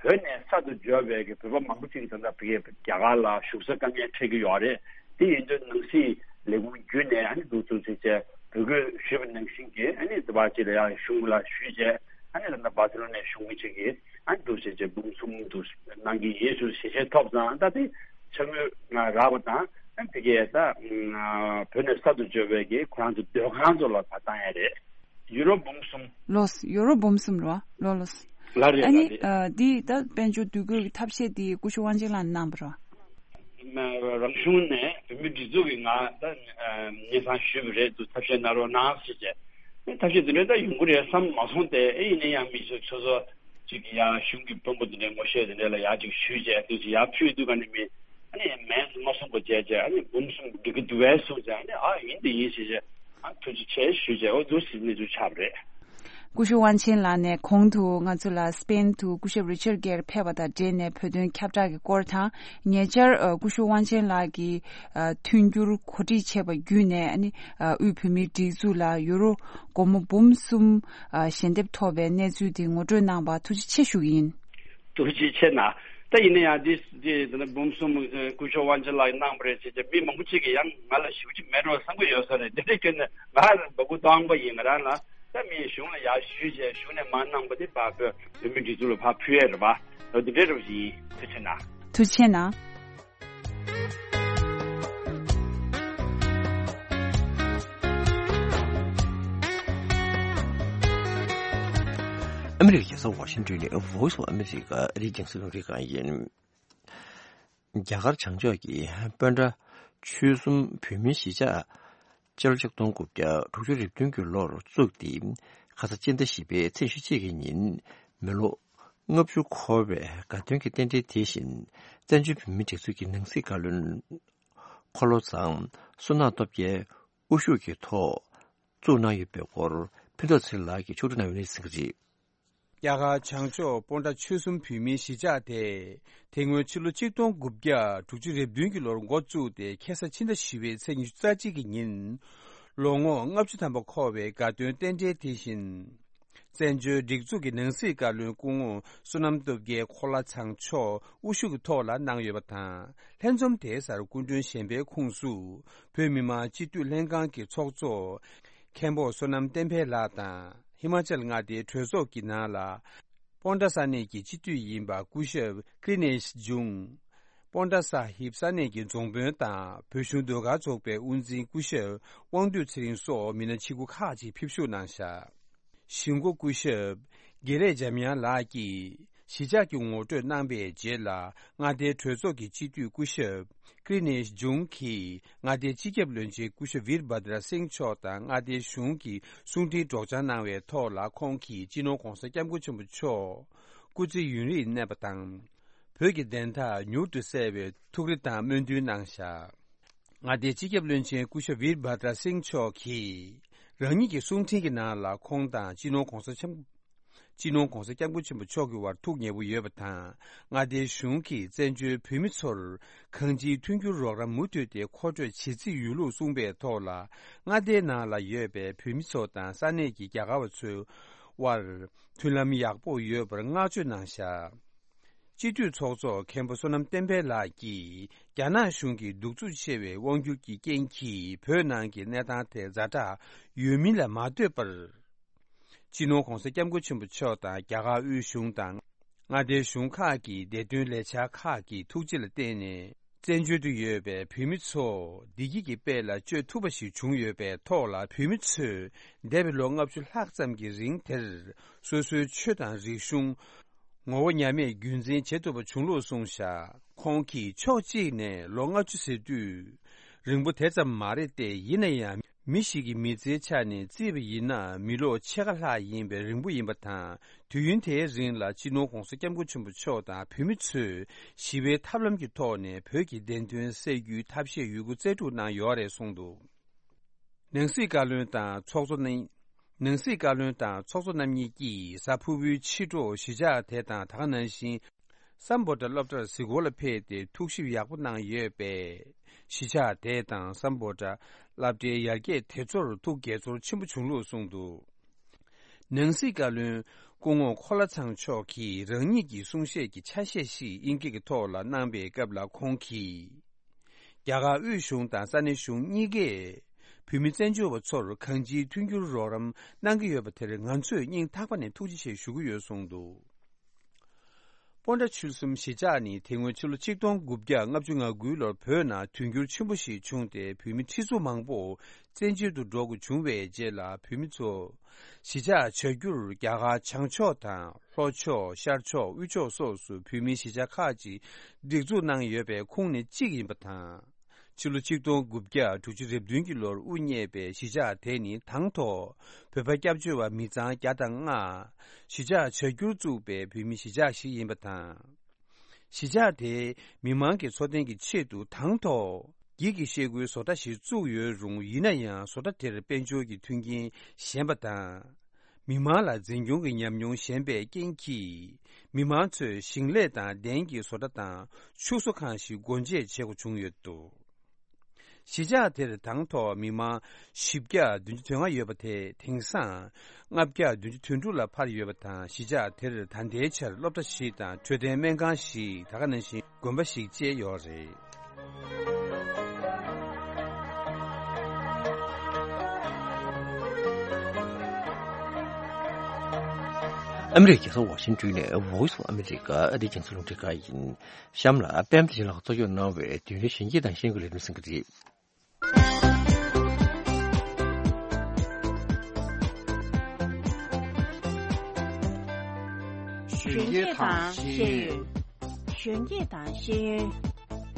བོད་ནས་གསར་དུ་འབྱོར་བའི་གི་བོད་པ་མང་པོ་ཅིག་ད་ལྟ་ཕ་གིའི་རྒྱ་གར་ལ་བཞུགས་ས་དཀའ་ངལ་འཕྲད་ཀྱི་ཡོད་རེད། དེ་ཡིན་དུས་ནང་སྲིད་ལས་ཁུངས་བརྒྱུད་ནས་ཨ་ནི་འདུག་ཚུལ་ཚིག་བཅས་བོད་སྐད་ཞུས་པ་ནང་བཞིན་གྱི་ཨ་ནི་ད་བར་ཅིག་ལ་ཡང་གཞུང་ལ་ཞུས་བྱས། ཨ་ནི་ད་ལྟ་བ་སི་ལོ་ནའི་གཞུང་མི་ཅིག་གིས་ཨ་ནི་འདུག་བྱས་བྱས་འབུམ་གསུམ་འདུག་གནང་གི་ཡིན་ཞུ་ཞལ་བཞེས་ཐོབ་ཙང་། ད་དེ་ཕྱག་དངུལ་རག་པ་དང་། ཨ་ནི་ཕ་གིའི་ད་བོད་ནས་གསར་དུ་འབྱོར་བའི་གི་ཁོ་རང་ཚོ་སྡོད་ཁང་ཚོ་ལ་ཕར་བཏང་ཡ་རེད། ཡུ་རོ་འབུམ་གསུམ། ལགས་སོ། ཡུ་རོ་འབུམ་གསུམ་རེད་བ། ལགས་ལགས་སོ། ལགས་རེད། ཨ་ནི་ལགས་རེད། ཨ་འདི་ད་དཔལ་འབྱོར་འདུ་འགོད་ཀྱི་ཐབས་ཤེས་འདི་སྐུ་ཞབས་དབང་ཆེན་ལགས་གནང་བ་རེད་བ། མ་རང་གཞུང་ནས་བོད་མིའི་སྒྲིག་འཛུགས་ཀྱིས་ང་ད་སྙན་སེང་ཞུས་པ་རེད། འདུག་ཐབས་ཤེས་གནང་རོགས་གནང་ཟེར་བྱས། ཨེ་ཐབས་ཤེས་འདི་འདྲ་ད་ཡོང་གི་རེད་བསམ་མ་སོང་སྟེ། ཨེ་ཡིན་ན་ཡང་མི་སོ་སོ་སོ་ཅིག་ཡང་གཞུང་གི་དཔོན་པོ་འདི་འདྲའི་ངོ་ཤེས་འདི་འདྲ་ལ་ཡར་ཅིག་ཞུས་བྱས། འདུག་ཅིག་ཡར་ཕུལ་དུས་ག་ནས་མི་ཨ་ནི་མིང་མ་གསུངས་པ་བྱས་བྱས། ཨ་ནི་འབུམ་གསུམ་འགྲིག་གི་འདུག་པས་གསུངས་བྱས། ཨ་ནི་ཨ་ཡིན་དེ་ཡིན་ཞེས་བྱས། ཨ་ཐུགས་རྗེ་ཆེ་ཞུས་བྱས། འོ་འདུག་ཟེར་གནས་ཚུལ་ཆགས་པ་རེད། སྐུ་ཞབས་དབང་ཆེན་ལགས་ནས་གོང་དུ་ང་ཚོ་ལ་སི་པེན་དུ་སྐུ་ཞབས་རི་ཆར་གྷེར་ཕེབས་པ་དང་འབྲེལ་ནས་བོད་དོན་ཁྱབ་བསྒྲགས་ཀྱི་སྐོར་དང་། ཉེ་ཆར་ཨ་སྐུ་ཞབས་དབང་ཆེན་ལགས་ཀྱིས་ཨ་མཐུན་འགྱུར་གོ་སྒྲིག་བྱས་པ་བརྒྱུད་ནས། ཨ་ནི་ཨ་དབུས་བོད་མིའི་སྒྲིག་འཛུགས་ལ་ཡུ་རོ་སྒོར་མོ་འབུམ་གསུམ་ཨ་ཞལ་འདེབས་ཐོབ་པའི་གནས་ཚུལ་དེ་ངོ་སྤྲོད་གནང་བར་ཐུགས་རྗེ་ཆེ་ཞུ་གི་ཡིན། ཐུགས་རྗེ་ཆེ་གནང་། ད་ཡིན་ན་ཡང་འདི་འདི་ད་ལྟ་འབུམ་གསུམ་ཨ་སྐུ་ཞབས་དབང་ཆེན་ལགས་ཀྱིས་གནང་བ་རེད་ཟེར་བྱས། མི་མང་པོ་ཅིག་གིས་ཡང་ང་ལ་ཞུ་རྒྱུ་མེད་འགྲོ་བསམ་གྱི་ཡོད་ས་རེད། འདི་འདྲའི་སྐྱོན་ནས་ང་ལ་འབོད་སྐུལ་གཏོང་པ་ཡིན། ང་རང་ལ་ད་མི་གཞུང་ལ་ཡར་ཞུས་བྱས། གཞུང་ནས་མར་གནང་པ་དེ་ཕར་བོད་བོད་མི་སྒྲིག་འཛུགས་ལ་ཕར་ཕུལ་ཡས་རེད་པ། འོ་འདི་འདྲའི་རེད་པ་ཡིན། ཐུགས་རྗེ་གནང་། ཐུགས་རྗེ་གནང་། ཨ་མི་རི་ཀའི་རྒྱལ་ས་ཝ་ཤིང་ཏོན་ནས་Voice of America ཨ་རིའི་རྒྱང་སྲིང་རླུང་འཕྲིན་ཁང་ཡིན། རྒྱ་གར་བྱང་ཕྱོགས་ཀྱི་སྤོན་ཊ་ཆོལ་གསུམ་བོད་མིའི་གཞིས་ཆགས་སྤྱི་ལོ་ཆིག་སྟོང་དགུ་བརྒྱ་དྲུག་ཅུ་རེ་བདུན་གྱི་ལོར་བཙུགས་ཏེ། ཁ་ས་སྤྱི་ཟླ་བཞི་པའི་ཚེས་ཉི་ཤུ་གཅིག་གི་ཉིན་མི་ལོ་ལྔ་བཅུ་འཁོར་བའི་དགའ་སྟོན་གྱི་རྟེན་འབྲེལ་དེ་བཞིན། བཙན་བྱོལ་བོད་མིའི་སྒྲིག་འཛུགས་ཀྱི་ནང་སྲིད་བཀའ་བློན་འཁོར་ལོ་ཚང་བསོད་ནམས་སྟོབས་རྒྱལ་དབུ་བཞུགས་ཀྱི་ཐོག་བཙུགས་གནང་ཡོད་པའི་སྐོར་ཕུན་ཚོགས་ཚེ་རིང་ལགས་ཀྱིས་ཕྱོགས་སྒྲིག་གནང་ཡོད་པ་གསན་གྱི་རེད། རྒྱ་གར་བྱང་ཕྱོགས་སྤོན་ཊ་ཆོལ་གསུམ་བོད་མིའི་གཞིས་ཆགས་དེ། དེ་སྔོན་ཕྱི་ལོ་ཆིག་སྟོང་དགུ་བརྒྱ་དྲུག་ཅུ་རེ་བདུན་གྱི་ལོར་འགོ་བཙུགས་ཏེ། ཁ་ས་ཕྱི་ཟླ་བཞི་པའི་ཚེས་ཉི་ཤུ་རྩ་གཅིག་གི་ཉིན། ལོ་ངོ་ལྔ་བཅུ་ཐམ་པ་འཁོར་བའི་དགའ་སྟོན་རྟེན་འབྲེལ་དེ་བཞིན། བཙན་བྱོལ་སྒྲིག་འཛུགས་ཀྱི་ནང་སྲིད་བཀའ་བློན་སྐུ་ངོ་བསོད་ནམས་སྟོབས་རྒྱལ་འཁོར་ལོ་ཚང་མཆོག་དབུ་བཞུགས་ཀྱི་ཐོག་ལ་གནང་ཡོད་པ་དང་། ལྷན་འཛོམས་དེའི་སར་སྐུ་མགྲོན་གཞན་པའི་ཁོངས་སུ། བོད་མི་མང་སྤྱི་འཐུས་ལྷན་ཁང་གི་ཚོགས་གཙོ་མཁན་པོ་བསོད་ནམས་བསྟན་འཕེལ་ལགས་དང་། ཧི་མ་ཅལ་མངའ་སྡེའི་གྲོས་ཚོགས་ཀྱི་ནང་ལ། སྤོན་ཊ་ས་གནས་ཀྱི་སྤྱི་འཐུས་ཡིན་པ་སྐུ་ཞབས་ཀྲི་ནེཤ་ཇུང་། སྤོན་ཊ་ས་ཧིབ་ས་གནས་ཀྱི་རྫོང་དཔོན་དང་། བོད་གཞུང་ཟློས་གར་ཚོགས་པའི་དབུ་འཛིན་སྐུ་ཞབས་དབང་འདུས་ཚེ་རིང་སོགས་མི་སྣ་ཆེ་ཁག་ཅིག་ཕེབས་ཞུགས་གནང་བཞག་གཞིས་འགོ་སྐུ་ཞབས་དགེ་ལེགས་འཇམ་དབྱངས་ལགས་ཀྱིས་གཞིས་ཆགས་ཀྱི་ངོ་སྤྲོད་གནང་པའི་རྗེས་ལ། མངའ་སྡེའི་གྲོས་ཚོགས་ཀྱི་སྤྱི་འཐུས་སྐུ་ཞབས་ཀྲི་ནེཤ་ཇུང་གིས་མངའ་སྡེའི་སྤྱི་ཁྱབ་བློན་ཆེན་སྐུ་ཞབས་ཝིར་བྷ་དྲ་སིང་མཆོག་དང་། མངའ་སྡེའི་གཞུང་གི་གསུང་འཕྲིན་སྒྲོག་སྦྱང་གནང་བའི་ཐོག་ལ། ཁོང་གིས་སྤྱི་ནོར་༧གོང་ས་༧སྐྱབས་མགོན་ཆེན་པོ་མཆོག་སྐུ་ཚེ་ཡུན་རིང་གནས་པ་དང་། བོད་ཀྱི་བདེན་མཐའ་མྱུར་དུ་གསལ་བའི་ཐུགས་རེ་དང་སྨོན་འདུན་གནང་བཞག་མངའ་སྡེའི་སྤྱི་ཁྱབ་བློན་ཆེན་སྐུ་ཞབས་ཝིར་བྷ་དྲ་སིང་མཆོག་གིས། རང་ཉིད་ཀྱི་གསུང་འཕྲིན་གྱི་ནང་ལ། ཁོང་དང་སྤྱི་ནོར་༧གོང་ས་༧སྐྱབས་སྤྱི་ནོར་༧གོང་ས་༧སྐྱབས་མགོན་ཆེན་པོ་མཆོག་གི་བར་ཐུགས་མཉེས་པོ་ཡོད་པ་དང་། མངའ་སྡེའི་གཞུང་གིས་བཙན་བྱོལ་བོད་མི་ཚོར་གང་ཅིའི་མཐུན་འགྱུར་རོགས་རམ་མུ་མཐུད་དེ་མཁོ་སྤྲོད་བྱེད་རྩིས་ཡོད་ལུགས་གསུངས་པའི་ཐོག་ལ། མངའ་སྡེའི་ནང་ལ་ཡོད་པའི་བོད་མི་ཚོ་དང་ས་གནས་ཀྱི་རྒྱ་གར་བ་ཚོའི་དབར་མཐུན་ལམ་ཡག་པོ་ཡོད་པར་བསྔགས་བརྗོད་གནང་བཞག་སྤྱི་འཐུས་ཚོགས་གཙོ་མཁན་པོ་བསོད་ནམས་བསྟན་འཕེལ་ལགས་ཀྱིས། རྒྱ་ནག་གཞུང་གིས་གདུག་རྩུབ་ཆེ་བའི་དབང་སྒྱུར་གྱི་རྐྱེན་གྱིས། བོད་ནང་གི་གནས་སྟངས་དེ་ཛ་དྲག་ཡོད་མིན་ལ་མ་ལྟོས་པར། སྤྱི་ནོར་༧གོང་ས་༧སྐྱབས་མགོན་ཆེན་པོ་མཆོག་དང་། རྒྱ་གར་དབུས་གཞུང་དང་། མངའ་སྡེའི་གཞུང་ཁག་གི་བདེ་དོན་ལས་འཆར་ཁག་གི་ཐུགས་རྗེ་ལ་བརྟེན་ནས། བཙན་བྱོལ་དུ་ཡོད་པའི་བོད་མི་ཚོ་བདེ་སྐྱིད་ཀྱི་དཔལ་ལ་སྤྱོད་ཐུབ་པ་ཞིག་བྱུང་ཡོད་པའི་ཐོག་ལ། བོད་མི་ཚོས་འདས་པའི་ལོ་ལྔ་བཅུ་ལྷག་ཙམ་གྱི་རིང་དེར་སོ་སོའི་ཆོས་དང་རིག་གཞུང་ངོ་བོ་ཉམས་མེད་རྒྱུན་འཛིན་བྱེད་ཐུབ་པ་བྱུང་ལུགས་གསུངས་བཞག་ཁོང་གིས་ཕྱོགས་གཅིག་ནས་ལོ་ལྔ་བཅུ་ཟེར་དུས་རིང་པོ་དེ་ཙམ་མ་རེད་དེ། ཡིན་ན་ཡང་མི་ཞིག་གི་མི་ཚེའི་ཆ་ནས་བརྩིས་པ་ཡིན་ན་མི་ལོ་ཕྱེད་ཀ་ལྷག་ཡིན་པའི་རིང་པོ་ཡིན་པ་དང་། དུས་ཡུན་དེའི་རིང་ལ་སྤྱི་ནོར་༧གོང་ས་༧སྐྱབས་མགོན་ཆེན་པོ་མཆོག་དང་བོད་མི་ཚོས་ཞི་བའི་ཐབས་ལམ་གྱི་ཐོག་ནས་བོད་ཀྱི་བདེན་དོན་གསལ་རྒྱུའི་ཐབས་ཤེས་ཡོད་རྒུ་རྩལ་སྤྲུགས་གནང་ཡོད་རེད་གསུངས་འདུག་ནང་སྲིད་བཀའ་བློན་དང་ཚོགས་གཙོ་རྣམ། ནང་སྲིད་བཀའ་བློན་དང་ཚོགས་གཙོ་རྣམ་གཉིས་ཀྱིས་གཟའ་ཕུར་བུའི་ཕྱི་དྲོ་གཞིས་ཆགས་དེ་དང་། ད་ག་ནང་བཞིན་སམ་བྷོ་ཊ་སློབ་གྲྭར་གཟིགས་སྐོར་ལ་ཕེབས་ཏེ་ཐུགས་ཞིབ་ཡག་པོ་གནང་ཡོད་པས། གཞིས་ཆགས་དེ་དང་སམ་བྷོ་ཊ་སློབ་གྲྭའི་ཡར་རྒྱས་དེ་ཚོར་ཐུགས་དགྱེས་ཚོར་ཆེན་པོ་བྱུང་ལུགས་གསུངས་འདུག་ནང་སྲིད་བཀའ་བློན་སྐུ་ངོ་ཁོ་ལ་ཚང་མཆོག་གིས་རང་ཉིད་ཀྱི་གསུང་བཤད་ཀྱི་ཆ་ཤས་ཤིག་དབྱིན་སྐད་ཀྱི་ཐོག་ལ་གནང་པའི་སྐབས་ལ། ཁོང་གིས། རྒྱ་གར་དབུས་གཞུང་དང་ས་གནས་གཞུང་གཉིས་ཀས་བོད་མི་བཙན་བྱོལ་བ་ཚོར་གང་ཅིའི་མཐུན་འགྱུར་རོགས་རམ་གནང་གི་ཡོད་པ་དེར་ང་ཚོས་སྙིང་ཐག་པ་ནས་ཐུགས་རྗེ་ཆེ་ཞུ་གི་ཡོད་གསུངས་འདུག་སྤོན་ཊ་ཆུ་གསུམ་གཞིས་ཆགས་ནི་དེ་སྔོན་ཕྱི་ལོ་ཆིག་སྟོང་དགུ་བརྒྱ་ལྔ་བཅུ་ང་དགུའི་ལོར་བོད་ནང་དུས་འགྱུར་ཆེན་པོ་ཞིག་བྱུང་སྟེ། བོད་མི་ཁྲི་ཚོ་མང་པོ་བཙན་བྱོལ་དུ་འགྲོ་དགོས་བྱུང་བའི་རྗེས་ལ། བོད་མི་ཚོ་གཞིས་ཆགས་བྱ་རྒྱུར་རྒྱ་གར་བྱང་ཕྱོགས་དང་། ལྷོ་ཕྱོགས། ཤར་ཕྱོགས། དབུས་ཕྱོགས་སོགས་སུ་བོད་མིའི་གཞིས་ཆགས་ཁག་ཅིག་སྒྲིག་འཛུགས་གནང་ཡོད་པའི་ཁོངས་ནས་གཅིག་ཡིན་པ་དང་། ཕྱི་ལོ་ཆིག་སྟོང་དགུ་བརྒྱ་དྲུག་ཅུ་རེ་བདུན་གྱི་ལོར་དབུ་བརྙེས་པའི་གཞིས་ཆགས་དེ་ནི་དང་ཐོག་བོད་པ་སྐྱབས་བཅོལ་བ་མི་ཚང་བརྒྱ་དང་ལྔ་གཞིས་ཆགས་བྱ་རྒྱུར་བཙུགས་པའི་བོད་མིའི་གཞིས་ཆགས་ཤིག་ཡིན་པ་དང་། གཞིས་ཆགས་དེའི་མི་མང་གི་འཚོ་རྟེན་གྱི་ཆེད་དུ་དང་ཐོག་འགྱིག་གི་ཤེལ་སྒོའི་བཟོ་གྲྭ་ཞིག་བཙུགས་ཡོད་རུང་། ཡིན་ན་ཡང་བཟོ་གྲྭ་དེར་དཔལ་འབྱོར་གྱི་མཐུན་རྐྱེན་ཞན་པ་དང་། མི་མང་ལ་འཛིན་སྐྱོང་གི་ཉམས་མྱོང་ཞན་པའི་རྐྱེན་གྱིས། མི་མང་ཚོས་ཞིང་ལས་དང་གདན་གྱི་བཟོ་གྲྭ་དང་ཕྱུགས་གསོ་ཁང་ཞིག་སྒོ་འབྱེད་བྱེད་དགོས་བྱུང་ཡོད་འདུག་གཞིས་ཆགས་དེར་དང་ཐོག་མི་མང་བཞི་བརྒྱ་བདུན་ཅུ་དོན་ལྔ་ཡོད་པ་དེ་དེང་སང་ལྔ་བརྒྱ་བདུན་ཅུ་དོན་དྲུག་ལ་འཕར་ཡོད་པ་དང་། གཞིས་ཆགས་དེར་ད་ལྟའི་ཆར་སློབ་གྲྭ་ཞིག་དང་འཕྲོད་བསྟེན་སྨན་ཁང་ཞིག་ད་ག་ནང་བཞིན་དགོན་པ་ཞིག་བཅས་ཡོད་རེད། ཨ་མི་རི་ཀའི་རྒྱལ་ས་ཝ་ཤིང་ཏོན་ནས་Voice of America ཨ་རིའི་རྒྱང་སྲིང་རླུང་འཕྲིན་ཁང་ཡིན། གཤམ་ལ་པད་མ་བདེ་ཆེན་ལགས་གཙོ་སྐྱོང་གནང་བའི་དུས་ཡུན་གཞོན་སྐྱེས་དང་ཤེས་ཡོན་གྱི་ལས་རིམ་གསན་གྱི་རེད། གཞོན་སྐྱེས་དང་ཤེས་ཡོན། གཞོན་སྐྱེས་དང་ཤེས་ཡོན།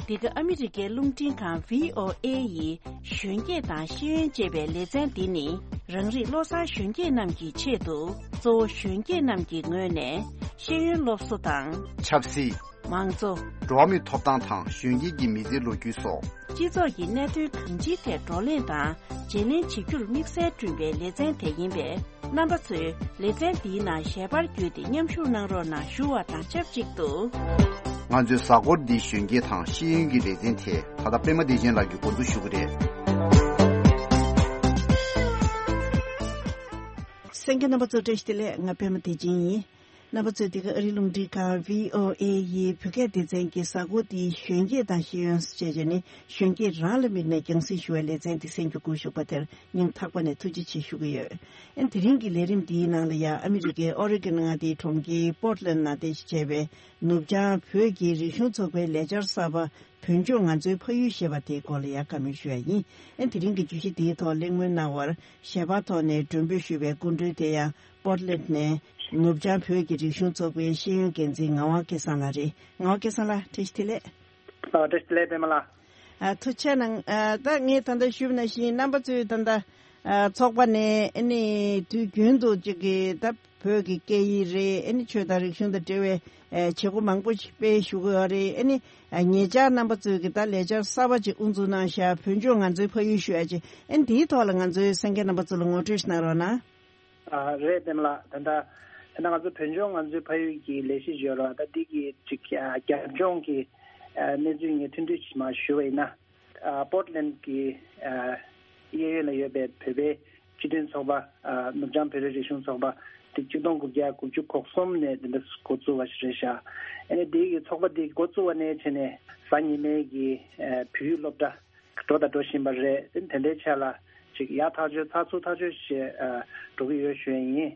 འདི་ག་ཨ་མི་རི་ཀའི་རླུང་འཕྲིན་ཁང་V O A ཡི་གཞོན་སྐྱེས་དང་ཤེས་ཡོན་ཅེས་པའི་ལེ་ཚན་འདི་ནི། རང་རིགས་བློ་བཟང་གཞོན་སྐྱེས་རྣམས་ཀྱི་ཆེད་དུ། གཙོ་བོ་གཞོན་སྐྱེས་རྣམས་ཀྱི་ངོས་ནས་ཤེས་ཡོན་སློབ་གསོ་དང་། ཆབ་སྲིད། མང་གཙོ། འགྲོ་བ་མིའི་ཐོབ་ཐང་དང་གཞོན་སྐྱེས་ཀྱི་མི་ཚེའི་ལོ་རྒྱུས་སོགས། སྤྱི་ཚོགས་ཀྱི་གནད་དོན་གང་ཅིའི་ཐད་བགྲོ་གླེང་དང་བརྗེ་ལེན་བྱེད་རྒྱུར་དམིགས་བསལ་བསྐྲུན་པའི་ལེ་ཚན་དེ་ཡིན་པས། རྣམ་པ་ཚོས་ལེ་ཚན་འདིའི་ནང་ཞལ་པར་བརྒྱུད་དེ་མཉམ་ཞུགས་གནང་རོགས་གནང་ཞུ་བ་དང་ཆབས་ཅིག་ཏུ། ང་ཚོའི་གཟའ་འཁོར་འདིའི་གཞོན་སྐྱེས་དང་ཤེས་ཡོན་གྱི་ལེ་ཚན་དེ་ད་ལྟ་པད་མ་བདེ་ཆེན་ལགས་ཀྱིས་འགོ་འཛུགས་ཞུ་གི་རེད། གསན་མཁན་རྣམ་པ་ཚོ་བཀྲ་ཤིས་བདེ་ལེགས། ང་པད་མ་བདེ་ཆེན་ཡིན། རྣམ་པ་ཚོས་འདི་ག་ཨ་རིའི་རླུང་འཕྲིན་ཁང་V O A ཡི་བོད་སྐད་སྡེ་ཚན་གྱི་གཟའ་འཁོར་འདིའི་གཞོན་སྐྱེས་དང་ཤེས་ཡོན་ཞེས་བྱས་ནས་གཞོན་སྐྱེས་རང་ལ་དམིགས་ནས་རྒྱང་སྲིང་ཞུ་བའི་ལེ་ཚན་འདི་གསན་རྒྱུ་སྒུག་བཞུགས་པ་དེར་སྙིང་ཐག་པ་ནས་ཐུགས་རྗེ་ཆེ་ཞུ་གི་ཡོད། ཨ་ནི་དེ་རིང་གི་ལས་རིམ་འདིའི་ནང་ལ་ཡང་ཨ་མི་རི་ཀའི་ཨོ་རི་གོན་མངའ་སྡེའི་གྲོང་ཁྱེར་པོར་ཊ་ལེན་ནང་རྟེན་གཞི་བྱས་པའི་ནུབ་བྱང་བོད་ཀྱི་རིག་གཞུང་ཚོགས་པའི་ལས་འཆར་གསར་པ། བོད་ལྗོངས་ང་ཚོའི་ཕ་ཡུལ་ཞེས་པ་དེའི་སྐོར་ལ་ཡང་བཀའ་མོལ་ཞུ་ཡ་ཡིན། ཨ་ནི་དེ་རིང་གི་བརྗོད་གཞི་འདིའི་ཐོག་གླེང་མོལ་གནང་བར་ཞལ་པར་ཐོག་ནས་མགྲོན་འབོད་ཞུས་པའི་སྐུ་མགྲོན་དེ་ཡང་པོར་ཊ་ལེན་ཊ་ནས་ནུབ་བྱང་བོད་ཀྱི་རིག་གཞུང་ཚོགས་པའི་ཤེས་ཡོན་འགན་འཛིན་ངག་དབང་སྐལ་བཟང་ལགས་རེད། ངག་དབང་སྐལ་བཟང་ལགས་བཀྲ་ཤིས་བདེ་ལེགས། ཨ། བཀྲ་ཤིས་བདེ་ལེགས་པད་མ་ལགས། ཨ། ཐུགས་རྗེ་གནང་། ཨ། ད་ངས་ད་ལྟ་ཞུས་པ་ནང་བཞིན་རྣམ་པ་ཚོས་ད་ལྟ་ཨ། ཚོགས་པ་ནས་ཨ་ནི་དུས་རྒྱུན་དུ་ཅིག་གི་ད་བོད་ཀྱི་སྐད་ཡིག་རེད། ཨ་ནི་ཆོས་དང་རིག་གཞུང་དང་འབྲེལ་བའི་ཨ། བྱེད་སྒོ་མང་པོ་ཞིག་སྤེལ་བཞུགས་ཀྱི་ཡོད་རེད། ཨ་ནི་ཨ། ཉེ་ཆར་རྣམ་པ་ཚོས་ཀྱི་ད་ལས་འཆར་གསར་པ་ཅིག་དབུ་འཛུགས་གནང་བཞག་བོད་ལྗོངས་ང་ཚོའི་ཕ་ཡུལ་ཞུ་ཡ་ཅིག་ཨ་ནི་དེའི་ཐོག་ལ་ང་ཚོའི་གསན་མཁན་རྣམ་པ་ཚོ་ལ་ངོ་སྤྲོད་ཞིག་གནང་རོགས་གནང་། ཨ། རེད། པད་མ་ལགས། ད་ལྟ་ད་ལྟ་ང་ཚོ་བོད་ལྗོངས་ང་ཚོའི་ཕ་ཡུལ་གྱི་ལས་གཞི་ཞིག་ཡོད་རེད་པ། ད་འདི་གི་ཅིག་ཨ། རྒྱབ་ལྗོངས་ཀྱི་ཨ། གནས་ཚུལ་ངས་ཐུང་ཐུང་ཞིག་མར་ཞུ་བ་ཡིན་ན། ཨ། པོར་ཊ་ལེན་ཊ་གི་ཨ། གཡས་གཡོན་ལ་ཡོད་པའི་བོད་པའི་སྤྱི་མཐུན་ཚོགས་པ། ཨ། ནུབ་བྱང་བོད་པའི་རིག་གཞུང་ཚོགས་པ་དེ་ཆིག་སྟོང་དགུ་བརྒྱ་དགུ་བཅུ་གོ་གསུམ་ནས་དེ་འདྲ་འགོ་བཙུགས་པ་ཞིག་རེད་ཤག་ཨ་ནི་དེ་གི་ཚོགས་པ་དེ་འགོ་བཙུགས་པ་ནས་བྱས་ནས་གཟའ་ཉི་མའི་གི་ཨ། བོད་ཡིག་སློབ་གྲྭ་འགྲོ་དང་འགྲོ་བཞིན་པ་རེད། དེ་འདྲའི་ཆ་ལ་ཅིག་ཡག་ཐག་ཆོད་ཚགས་ཚུད་ཐག་ཆོད་བྱས་ཨ། འགྲོ་གི་ཡོད་ཞུ་ཡ་ཡིན།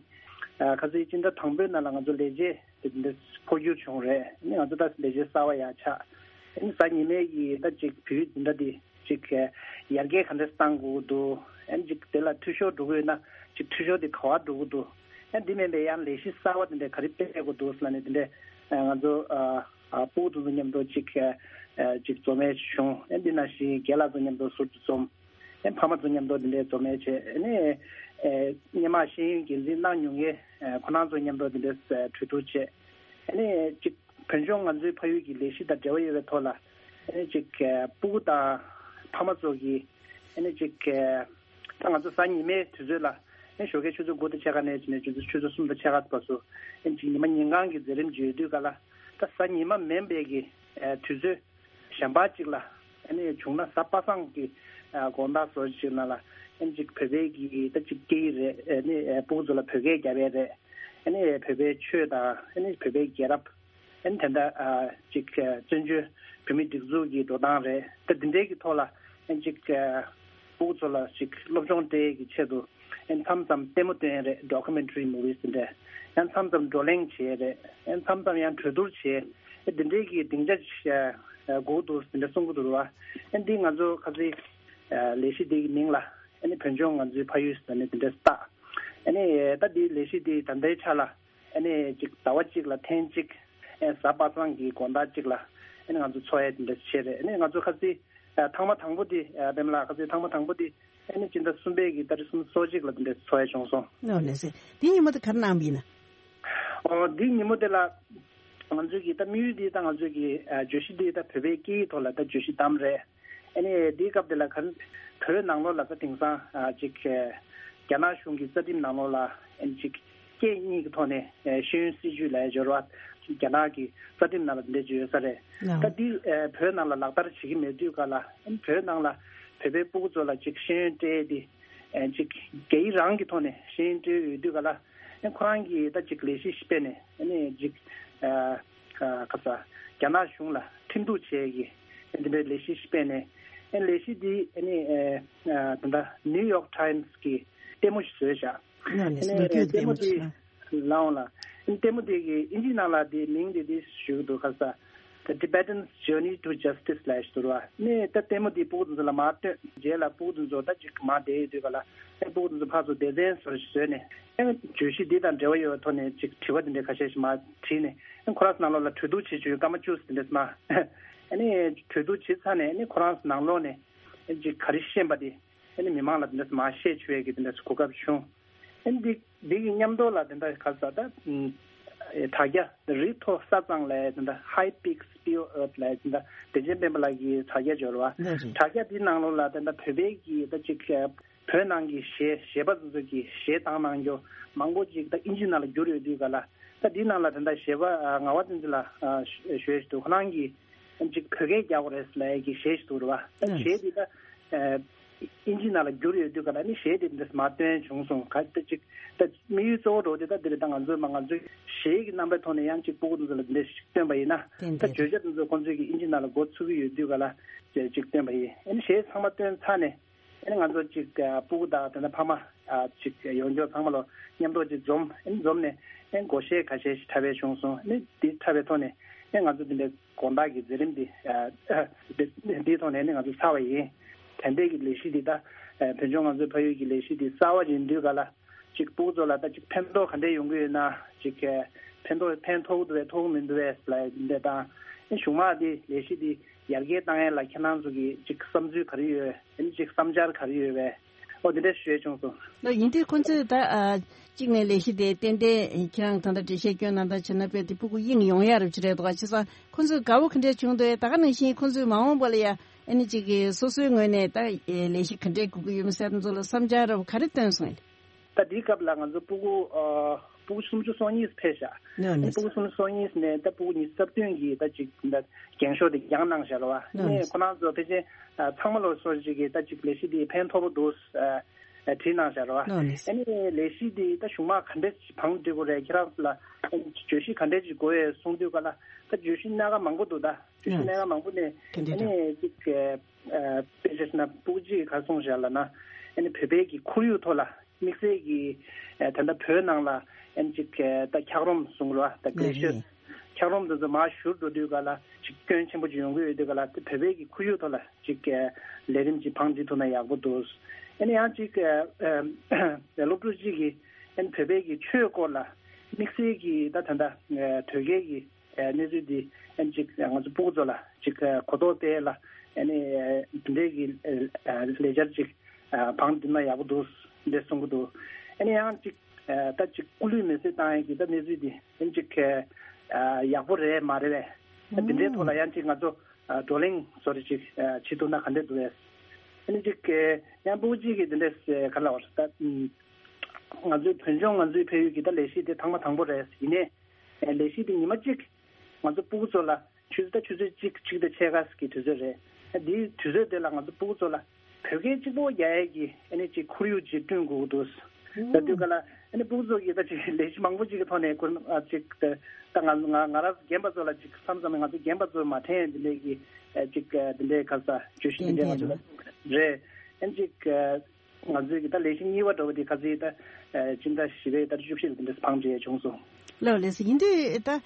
ཨ། ཁ་སང་སྤྱི་ཟླ་དང་པོའི་ནང་ལ་ང་ཚོ་ལས་བྱེད་དེ་འདྲ་འཕོ་འགྱུར་བྱུང་རེད། ཨ་ནི་ང་ཚོ་ད་ལས་བྱེད་གསར་པ་ཡར་ཆགས། ཨ་ནི་གཟའ་ཉི་མའི་གི་ད་ཅིག་བོད་ཡིག་འཛིན་གྲྭ་འདི་ཅིག་ཡར་རྒྱས་ག་འདྲས་གཏང་དགོས་ཀྱི་འདུག་ཨ་ནི་ཅིག་དེ་ལ་འཐུས་ཤོར་འགྲོ་གི་ཡོད་ན་ཅིག་འཐུས་ཤོར་དེ་ག་བར་འགྲོ་གི་འདུག་ཨ་ནི་འདི་མིན་པའི་ཡང་ལས་གཞི་གསར་བ་དེ་འདྲས་ག་རེ་སྤེལ་དགོས་འདུག་ཟེར་ལབ་ནས་དེ་འདྲས་ང་ཚོ་ཨ་ཨ་སྤུ་གུ་དེ་ཚོ་མཉམ་དུ་ཅིག་ཨ་ཅིག་འཛོམས་ཡས་བྱུང་། ཨ་ནི་འདི་ནང་བཞིན་རྒན་ལགས་ཚོ་མཉམ་དུ་ཟུར་དུ་འཛོམས། ཨེ་ཕ་མ་ཚོ་མཉམ་དུ་འདི་འདྲའི་འཛོམས་ཡས་བྱས། ཨ་ནི་ཨེ་སྔོན་མ་ཤེས་ཡོན་འགན་འཛིན་གནང་མྱོང་མཁན་ཨེ་ཁོ་རང་ཚོ་མཉམ་དུ་འདི་འདྲའི་ཨེ་གྲོས་བསྡུར་བྱས། ཨ་ནི་གཅིག་བོད་ལྗོངས་ང་ཚོའི་ཕ་ཡུལ་གྱི་ལས་གཞི་དང་འབྲེལ་བ་ཡོད་པའི་ཐོག་ལ། ཨ་ནི་གཅིག་ཨེ་སྤུ་གུ་དང་ཕ་མ་ཚོ་གིས་ཨ་ནི་གཅིག་ཨེ་ད་ང་ཚོ་གཟའ་ཉི་མའི་དུས་ཚོད་ལ་ཨ་ནི་ཞོགས་ཀའི་ཆུ་ཚོད་དགུ་དང་ཕྱེད་ཀ་ནས་བྱས་ནས་ཆུ་ཚོད་ཆུ་ཚོད་གསུམ་དང་ཕྱེད་ཀ་བར་དུ་ཨ་ནི་གཅིག་ཉི་མ་ཉིན་གང་གི་མཛད་རིམ་ཅིག་ཡོད་དུས་ག་ལ། ད་གཟའ་ཉི་མ་མིན་པའི་གི་ཨེ་དུས་ཚོད་གཞན་པ་གཅིག་ལ། ཨ་ནི་བྱུང་ན་གཟའ་པ་སངས་ཀྱི་ཨ་དགོང་དག་བཟོ་ཅིག་ནང་ལ་ཨ་ནི་གཅིག་བོད་པའི་གི་ད་གཅིག་སྐད་ཡིག་རེད། ཨ་ནི་ཨ་སྤུ་གུ་ཚོ་ལ་བོད་སྐད་རྒྱབ་ཡས་རེད། ཨ་ནི་བོད་པའི་ཆོས་དང་ཨ་ནི་བོད་པའི་རྒྱལ་རབས། ཨ་ནི་དེ་འདྲ་ཨ་གཅིག་ཨ་བཙན་བྱོལ་བོད་མིའི་སྒྲིག་འཛུགས་ཀྱི་འགྲོ་སྟངས་རེད། ད་འདི་འདྲའི་གི་ཐོག་ལ་ཨ་ནི་གཅིག་ཨ་སྤུ་གུ་ཚོ་ལ་གཅིག་སློབ་སྦྱོང་སྤྲད་ཡས་ཀྱི་ཆེད་དུ། ཨ་ནི་མཚམས་མཚམས་ལྟད་མོ་སྟོན་ཡས་རེད། ཌོ་ཀུ་མེན་ཊ་རི་མུ་ཝིས་དེ་འདྲ། ཡང་མཚམས་མཚམས་བགྲོ་གླེང་བྱེད་ཡས་རེད། ཡང་མཚམས་མཚམས་ཡང་གྲོས་བསྡུར་བྱེད་ཡས། ཨ་འདི་འདྲའི་གི་སྡིངས་ཆ་ཞིག་ཨ་དགོས་འདུག་དེ་འདྲ་གསུང་གི་འདུག་ར་བ། ཨ་འདི་ང་ཚོ་ཁ་སང་ཨ་ལས་གཞི་འདི་གི་མིང་ལ་ཨ་ནི་བོད་ལྗོངས་ང་ཚོའི་ཕ་ཡུལ་ཟེར་ནས་དེ་འདྲ་བཏགས། ཨ་ནི་ད་འདི་ལས་གཞི་འདི་ད་ལྟའི་ཆ་ལ་ཨ་ནི་གཅིག་ཟླ་བ་གཅིག་ལ་ཐེངས་གཅིག་ཨ་གཟའ་པ་སངས་ཀྱི་དགོང་དག་གཅིག་ལ་ཨ་ནི་ང་ཚོ་འཚོགས་ཡས་དེ་འདྲ་བྱས་རེད། ཨ་ནི་ང་ཚོ་ཁ་སང་ཨ་ཐེངས་མ་དང་པོ་འདི་ཨ་པདྨ་ལགས། ཁ་སང་ཐེངས་མ་དང་པོ་འདི་ཨ་ནི་སྤྱི་ཟླ་གསུམ་པའི་གི་ཏ་རིག་སུམ་ཅུ་སོ་གཅིག་ལ་དེ་འདྲ་འཚོགས་ཡས་བྱུང་སོང་། ཨོ་ལགས་སེ། དེའི་ཉིན་མོ་དེ་ག་རེ་གནང་བ་ཡིན་ན། ཨོ་དེའི་ཉིན་མོ་དེ་ལ་ང་ཚོའི་གི་ད་དམིགས་ཡུལ་འདི་ད་ང་ཚོའི་གི་ཨ་བརྗོད་གཞི་འདི་ད་བོད་པའི་སྐད་ཡིག་ཐོག་ལ་ད་བརྗོད་གཞི་བདམས་རེད། ཨ་ནི་དེའི་སྐབས་དེ་ལ་ག་རེ་བོད་ནང་ལོགས་ལ་ད་དེང་སང་ཨ་ཅིག་ཨ་རྒྱ་ནག་གཞུང་གི་རྩ་ཁྲིམས་ནང་ལོགས་ལ་ཨ་ནི་ཅིག་སྐད་གཉིས་ཀྱི་ཐོག་ནས་ཨ་ཤེས་ཡོན་སྲིད་བྱུས་ལབ་ཡས་སྦྱོར་བ་རྒྱ་ནག་གི་རྩ་ཁྲིམས་ནང་ལ་དེ་འདྲ་ཅིག་ཡོད་ས་རེད། ལགས། ད་འདི་ཨ་བོད་ནང་ལ་ལག་བསྟར་བྱེད་ཀྱི་མེད་དུས་ག་ལ་ཨ་ནི་བོད་ནང་ལ་བོད་པའི་སྤུ་གུ་ཚོ་ལ་ཅིག་ཤེས་ཡོན་སྤྲད་དེ་ཨ་ཅིག་སྐད་ཡིག་རང་གི་ཐོག་ནས་ཤེས་ཡོན་སྤྲད་ཡོད་དུས་ག་ལ། ཨ་ཁོ་རང་གིས་ད་ཅིག་ལས་གཞི་ཞིག་སྤེལ་ནས་ཨ་ནི་ཅིག་ཨ་ཨ་ག་ས་རྒྱ་ནག་གཞུང་ལ་ཁྲིམས་གཏུག་བྱེད་ཀྱི་ཨ་འདི་འདྲའི་ལས་གཞི་ཞིག་སྤེལ་ནས། ཨ་ལས་གཞི་འདི་ཨ་ནི་ཨ་ཨ་ད་ལྟ་ནིའུ་ཡོག་ཊའིམ་སི་གི་ལྟད་མོ་ཞིག་བཟོས་བཞག་ཨ་ནི་ལྟད་མོ་འདི་ལའང་ལ་ཨ་ནི་ལྟད་མོ་འདི་གི་དབྱིན་ཇི་ནང་ལ་འདི་མིང་འདི་འདི་ཞུ་གི་འདུག་ག་ས། The Tibetan's Journey to Justice ལབ་ཞིག་འདུག་ར་བ། ནས་ད་ལྟད་མོ་འདི་སྤུ་གུ་དེ་ཚོ་ལ་མར་སྟོན། རྗེས་ལ་སྤུ་གུ་དེ་ཚོ་ད་ཅིག་མར་བསྡད་ཡོད་དུས་ག་ལ་ཨེ་སྤུ་གུ་དེ་ཚོ་ཕར་ཚུར་སྡེ་ཚན་བཟོ་ཞིག་བཟོས་ནས་ཨེ་བརྗོད་གཞི་འདི་དང་འབྲེལ་བ་ཡོད་པའི་ཐོག་ནས་ཅིག་དྲི་བ་འདི་འདྲའི་ཁ་ཤས་ཤིག་མར་དྲིས་ནས་ཨེ་ཁོ་རང་ཚོ་ནང་ལོགས་ལ་གྲོས་བསྡུར་བྱེད་བཅུག་སྐར་མ་བཅུ་ཙམ་འདི་འདྲ་མར་ཨ་ནི་གྲོས་བསྡུར་བྱེད་ཚར་ནས་ཨ་ནི་ཁོ་རང་ཚོ་ནང་ལོགས་ནས་ཨེ་ཅིག་ག་རེ་ཤེས་པ་དེ་ཨ་ནི་མི་མང་ལ་འདི་འདྲ་མར་བཤད་བཅུག་ཡས་ཀྱི་འདི་འདྲ་གོ་སྐབས་བྱུང་། ཨ་ནི་འདི་འདི་གི་མཉམ་དུ་ལ་དེ་འདྲ་ག་ས་ད་ཨ་དྲ་རྒྱ་རི་མཐོ་ས་གཙང་ལབ་དེ་འདྲ་High Peak Spew Earth ལབ་དེ་འདྲ་བདེ་ཆེན་སྤེན་པ་ལགས་ཀྱི་དྲ་རྒྱ་འབྱོར་བ། ལགས་རེད། དྲ་རྒྱ་འདི་ནང་ལོགས་ལ་དེ་འདྲ་བོད་པའི་གི་ད་ཅིག་བོད་ནང་གི་གཞས་གཞས་པ་ཚོ་ཚོ་གི་གཞས་བཏང་གནང་རྒྱུ་མང་པོ་ཅིག་ད་ཨིན་ཇི་ནང་ལ་བསྒྱུར་ཡོད་དུས་ག་ལ། ད་འདི་ནང་ལ་དེ་འདྲ་གཞས་པ་ཨ་ངག་དབང་བསྟན་འཛིན་ལགས་ཨ་ཞུ་ཞུ་ཡས་ཞིག་འདུག་ཁོ་རང་གིས་ཅིག་བོད་སྐད་རྒྱག་དགོས་རེད་ལབ་ཡས་ཀྱི་གཞས་ཤིག་འདུག་རེད་བ། ད་གཞས་འདི་ད་ཨ་ཨིན་ཇི་ནང་ལ་བསྒྱུར་ཡོད་དུས་ག་ལ་ནི་གཞས་དེ་འདྲ་མར་བཏོན་བྱུང་སོང་། ག་ད་ཅིག་ད་དམིགས་ཡུལ་གཙོ་བོ་འདྲ་བོ་དེ་ད་འདི་རེད། ད་ང་ཚོས་མ་ང་ཚོའི་གཞས་ཀྱི་རྣམ་པའི་ཐོག་ནས་ཡང་ཅིག་སྤུ་གུ་དེ་ཚོ་ལ་འདི་འདྲ་ཞིག་སྟོན་པ་ཡིན་ན། ཏན་ད་ཏན་བརྗོད་བྱ་དེ་ཚོ་ཁོང་ཚོས་ཀྱི་ཨིན་ཇི་ནང་ལ་འགོ་ཚུགས་ཀྱི་ཡོད་དུས་ག་ལ་ཅིག་སྟོན་པ་ཡིན། ཨ་ནི་གཞས་ཚང་མ་བཏོན་ཚར་ནས། ཨ་ནི་ང་ཚོ་ཅིག་ཨ་སྤུ་གུ་དང་དེ་འདྲ་ཕ་མ་ཨ་ཅིག་ཡོང་འབྱོར་ཚང་མ་ལོ་མཉམ་དུ་ཅིག་འཛོམས། ཨ་ནི་འཛོམས་ནས་ཨ་ནི་སྒོར་གཞས་ཁ་ཤས་ཤིག་འཁྲབ་པ་བྱུང་སོང་། ཨ་ནི་འདི་འཁྲབ་པའི་ཐོག་ནས་ཨ་ནི་ང་ཚོ་འདི་འདྲའི་དགོང་དག་གི་མཛད་རིམ་འདི་ཨ་འདི་འདིའི་ཐོག་ནས་ཨ་ནི་ང་ཚོ་ཚར་བ་ཡིན། དེ་འདྲའི་གི་ལས་གཞི་འདི་ད་ཨ་བོད་ལྗོངས་ང་ཚོའི་ཕ་ཡུལ་གྱི་ལས་གཞི་འདི་གསར་བ་ཡིན་དུས་ག་ལ་ཅིག་སྤུ་གུ་ཚོ་ལ་ད་ཅིག་ཕན་ཐོགས་ག་འདྲས་ཡོང་གི་ཡོད་ན། ཅིག་ཨ་ཕན་ཐོགས་ཕན་ཐོགས་ཀྱི་འདུག་བས་ཐོགས་མི་འདུག་བས་ལབ་འདི་དང་། ཨ་ནི་གཞུག་མ་འདི་ལས་གཞི་འདི་ཡར་རྒྱས་བཏང་ཡས་ལ་ཁྱེད་རང་ཚོ་གི་ཅིག་བསམ་ཚུལ་ག་རེ་ཡོད། ཨ་ནི་ཅིག་བསམ་འཆར་ག་རེ་ཡོད་པས། ཨོ་འདི་འདྲ་ཞུ་ཡས་བྱུང་སོང་། ལོ་ཡིན་དུས་ཁོང་ཚོས་ད་ཨ་གཅིག་ནས་ལས་གཞི་དེ་ཏན་ཏན་ཁྱེད་རང་ད་ལྟ་འགྲེལ་བཤད་སྐྱོན་གནང་སྟངས་བྱས་ན་དཔེ་དེ་སྤུ་གུ་དབྱིངས་ཡོང་ཡ་རུ་ཅི་རེད་འདུག་ག་བྱས་ཙང་ཁོང་ཚོས་དགའ་བོ་ག་འདྲས་བྱུང་འདུག་ད་ག་ནང་བཞིན་ཁོང་ཚོས་མ་འོངས་པ་ལ་ཡ་ཨ་ནི་གཅིག་གི་སོ་སོའི་ངོས་ནས་ད་ལས་གཞི་ག་འདྲས་དགོས་ཀྱི་ཡོད་མེད་ཟེར་དེ་ཚོ་ལ་བསམ་འཆར་རབ་ག་རེ་བཏོན་སོང་ཡིན། ད་འདིའི་སྐབས་ལ་ང་ཚོ་སྤུ་གུ་ཨ་སྤུ་གུ་སུམ་ཅུ་སོ་གཉིས་ཕེབས་ཤག་ཨ་ནི་སྤུ་གུ་སུམ་ཅུ་སོ་གཉིས་ནས་ད་སྤུ་གུ་ཉི་ཤུ་རྩ་བདུན་གྱིས་ད་ཅིག་ད་འགེངས་ཤོག་དེ་བརྒྱངས་གནང་བཞག་རེད་བ། ཨ་ནི་ཁོ་རང་ཚོ་ཕལ་ཆེར་ཨ་ཚང་མ་ལོ་སོ་ཅིག་གིས་ད་ཅིག་ལས་གཞི་འདི་ཕན་ཐོགས་པོ་འདུག་ཨ་ཨ་བྲིས་གནང་བཞག་རེད་བ། ཨ་ནི་ལས་གཞི་འདི་ད་གཞུག་མ་ག་འདྲས་བང་སྒྲིག་དགོས་རེད། ཁྱེད་རང་ཚོ་ལ་ཨ་ནི་བརྗོད་གཞི་ག་འདྲས་ཅིག་དགོས་ཡོད་གསུངས་དུས་ག་ལ་ད་བརྗོད་གཞི་སྣ་ཁ་མང་པོ་འདུག་ད་བརྗོད་གཞི་སྣ་ཁ་མང་པོ་ནས་ཨ་ནི་ཅིག་ཨ་དཔེ་ཆ་ཞིག་ན་སྤུ་གུ་གཅིག་གིས་ག་རེ་གསུངས་བཞག་ལབ་ན། ཨ་ནི་བོད་པའི་གི་ཁོར་ཡུག་ཐོག་ལ་དམིགས་བསལ་གྱིས་ཨ་ད་ལྟ་བོད་ནང་ལ་ཨ་ནི་ཅིག་ཨ་ད་འཁྱགས་རོམ་གསུང་རོགས། ད་གི་ལེ་ཤོད་ འཁྱགས་རོམ་དེ་ཚོ་མར་བཞུར་འགྲོ་དུས་ག་ལ་ཅིག་སྐྱོན་ཆེན་པོ་ཅིག་ཡོང་གི་ཡོད་དུས་ག་ལ་དེ་བོད་པའི་གི་ཁོར་ཡུག་ཐོག་ལ་ཅིག་ལས་རིམ་ཅིག་བང་སྒྲིག་ཐུབ་ན་ཡག་པོ་འདུག་ཨ་ནི་ཡང་ཅིག་སློབ་ཕྲུག་ཅིག་གིས་ཨ་ནི་བོད་པའི་གི་ཆོས་སྐོར་ལ་དམིགས་བསལ་གྱི་ད་ད་ལྟ་དོལ་རྒྱལ་གྱི་གནས་ཚུལ་འདི་ཨ་ནི་ཅིག་ང་ཚོ་སྤུ་གུ་ཚོ་ལ་ཅིག་གོ་རྟོགས་སྤེལ་ལ་ཨ་ནི་འདི་འདྲའི་གི་ལས་འཆར་ཅིག་བང་བསྒྲིགས་ན་ཡག་པོ་འདུག་འདྲ་གསུང་གི་འདུག་ཨ་ནི་ཡང་ཅིག་ད་ཅིག་སྐུ་ལུས་མེ་བསྲེགས་བཏང་ཡས་ཀྱི་ད་གནས་ཚུལ་འདི་ཨ་ནི་ཅིག་ཡག་པོ་རེད་མ་རེད་པས། འདི་འདྲའི་ཐོག་ལ་ཡང་ཅིག་ང་ཚོ་བགྲོ་གླེང་བཟོ་འདྲ་ཅིག་བྱེད་ཐུབ་ན་ག་འདྲ་འདུག་པས། ཨ་ནི་ཅིག་ཡང་སྤུ་གུ་གཅིག་གིས་འདི་འདྲ་ག་ལ་བར་ད་ང་ཚོའི་བོད་ལྗོངས་ང་ཚོའི་ཕ་ཡུལ་གྱི་ད་ལས་གཞི་དེ་ཐེངས་མ་དང་པོ་རེད། ཡིན་ནའི་ལས་གཞི་དེ་ཉི་མ་གཅིག་ང་ཚོ་སྤུ་གུ་ཚོ་ལ་ཆུ་ཚོད་ད་ཆུ་ཚོད་གཅིག་གཅིག་དང་ཕྱེད་ཀ་གི་དུས་ཚོད་རེད། དེའི་དུས་ཚོད་དེ་ལ་ང་ཚོ་སྤུ་གུ་ཚོ་ལ་བོད་སྐད་གཅིག་པོ་རྒྱག་ཡས་ཀྱི་ཨ་ནི་ཅིག་ཁོར་ཡུག་ཅིག་བསྐྲུན་དགོས་ཀྱི་འདུག་ད་དུས་ག་ལ་ཨ་ནི་སྤུ་གུ་ཚོ་གིས་ད་ཅིག་ལས་གཞི་མང་པོ་ཅིག་གི་ཐོག་ནས་ཁོ་ཨ་ཅིག་ད་ད་ང་ང་ང་རང་ཚོ་རྒན་པ་ཚོ་ལ་ཅིག་བསམ་བསམ་ནས་ང་ཚོ་རྒན་པ་ཚོ་མ་དྲན་འདི་འདྲའི་གི་ཨ་ཅིག་འདི་འདྲའི་ཁ་ས་བརྗོད་གཞི་འདི་འདྲའི་ང་ཚོ་ལ་རེད། ཨ་ནི་ཅིག་ང་ཚོའི་གི་ད་ལས་གཞི་གཉིས་པ་འགྲོ་བ་དེ་ག་ཚོད་ད་སྤྱི་ཟླ་བཞི་པའི་ད་བཅུ་བཞི་ལ་དེ་འདྲ་བང་སྒྲིག་བྱུང་སོང་། ལགས་ལགས་སོ། ཡིན་དུས་ད་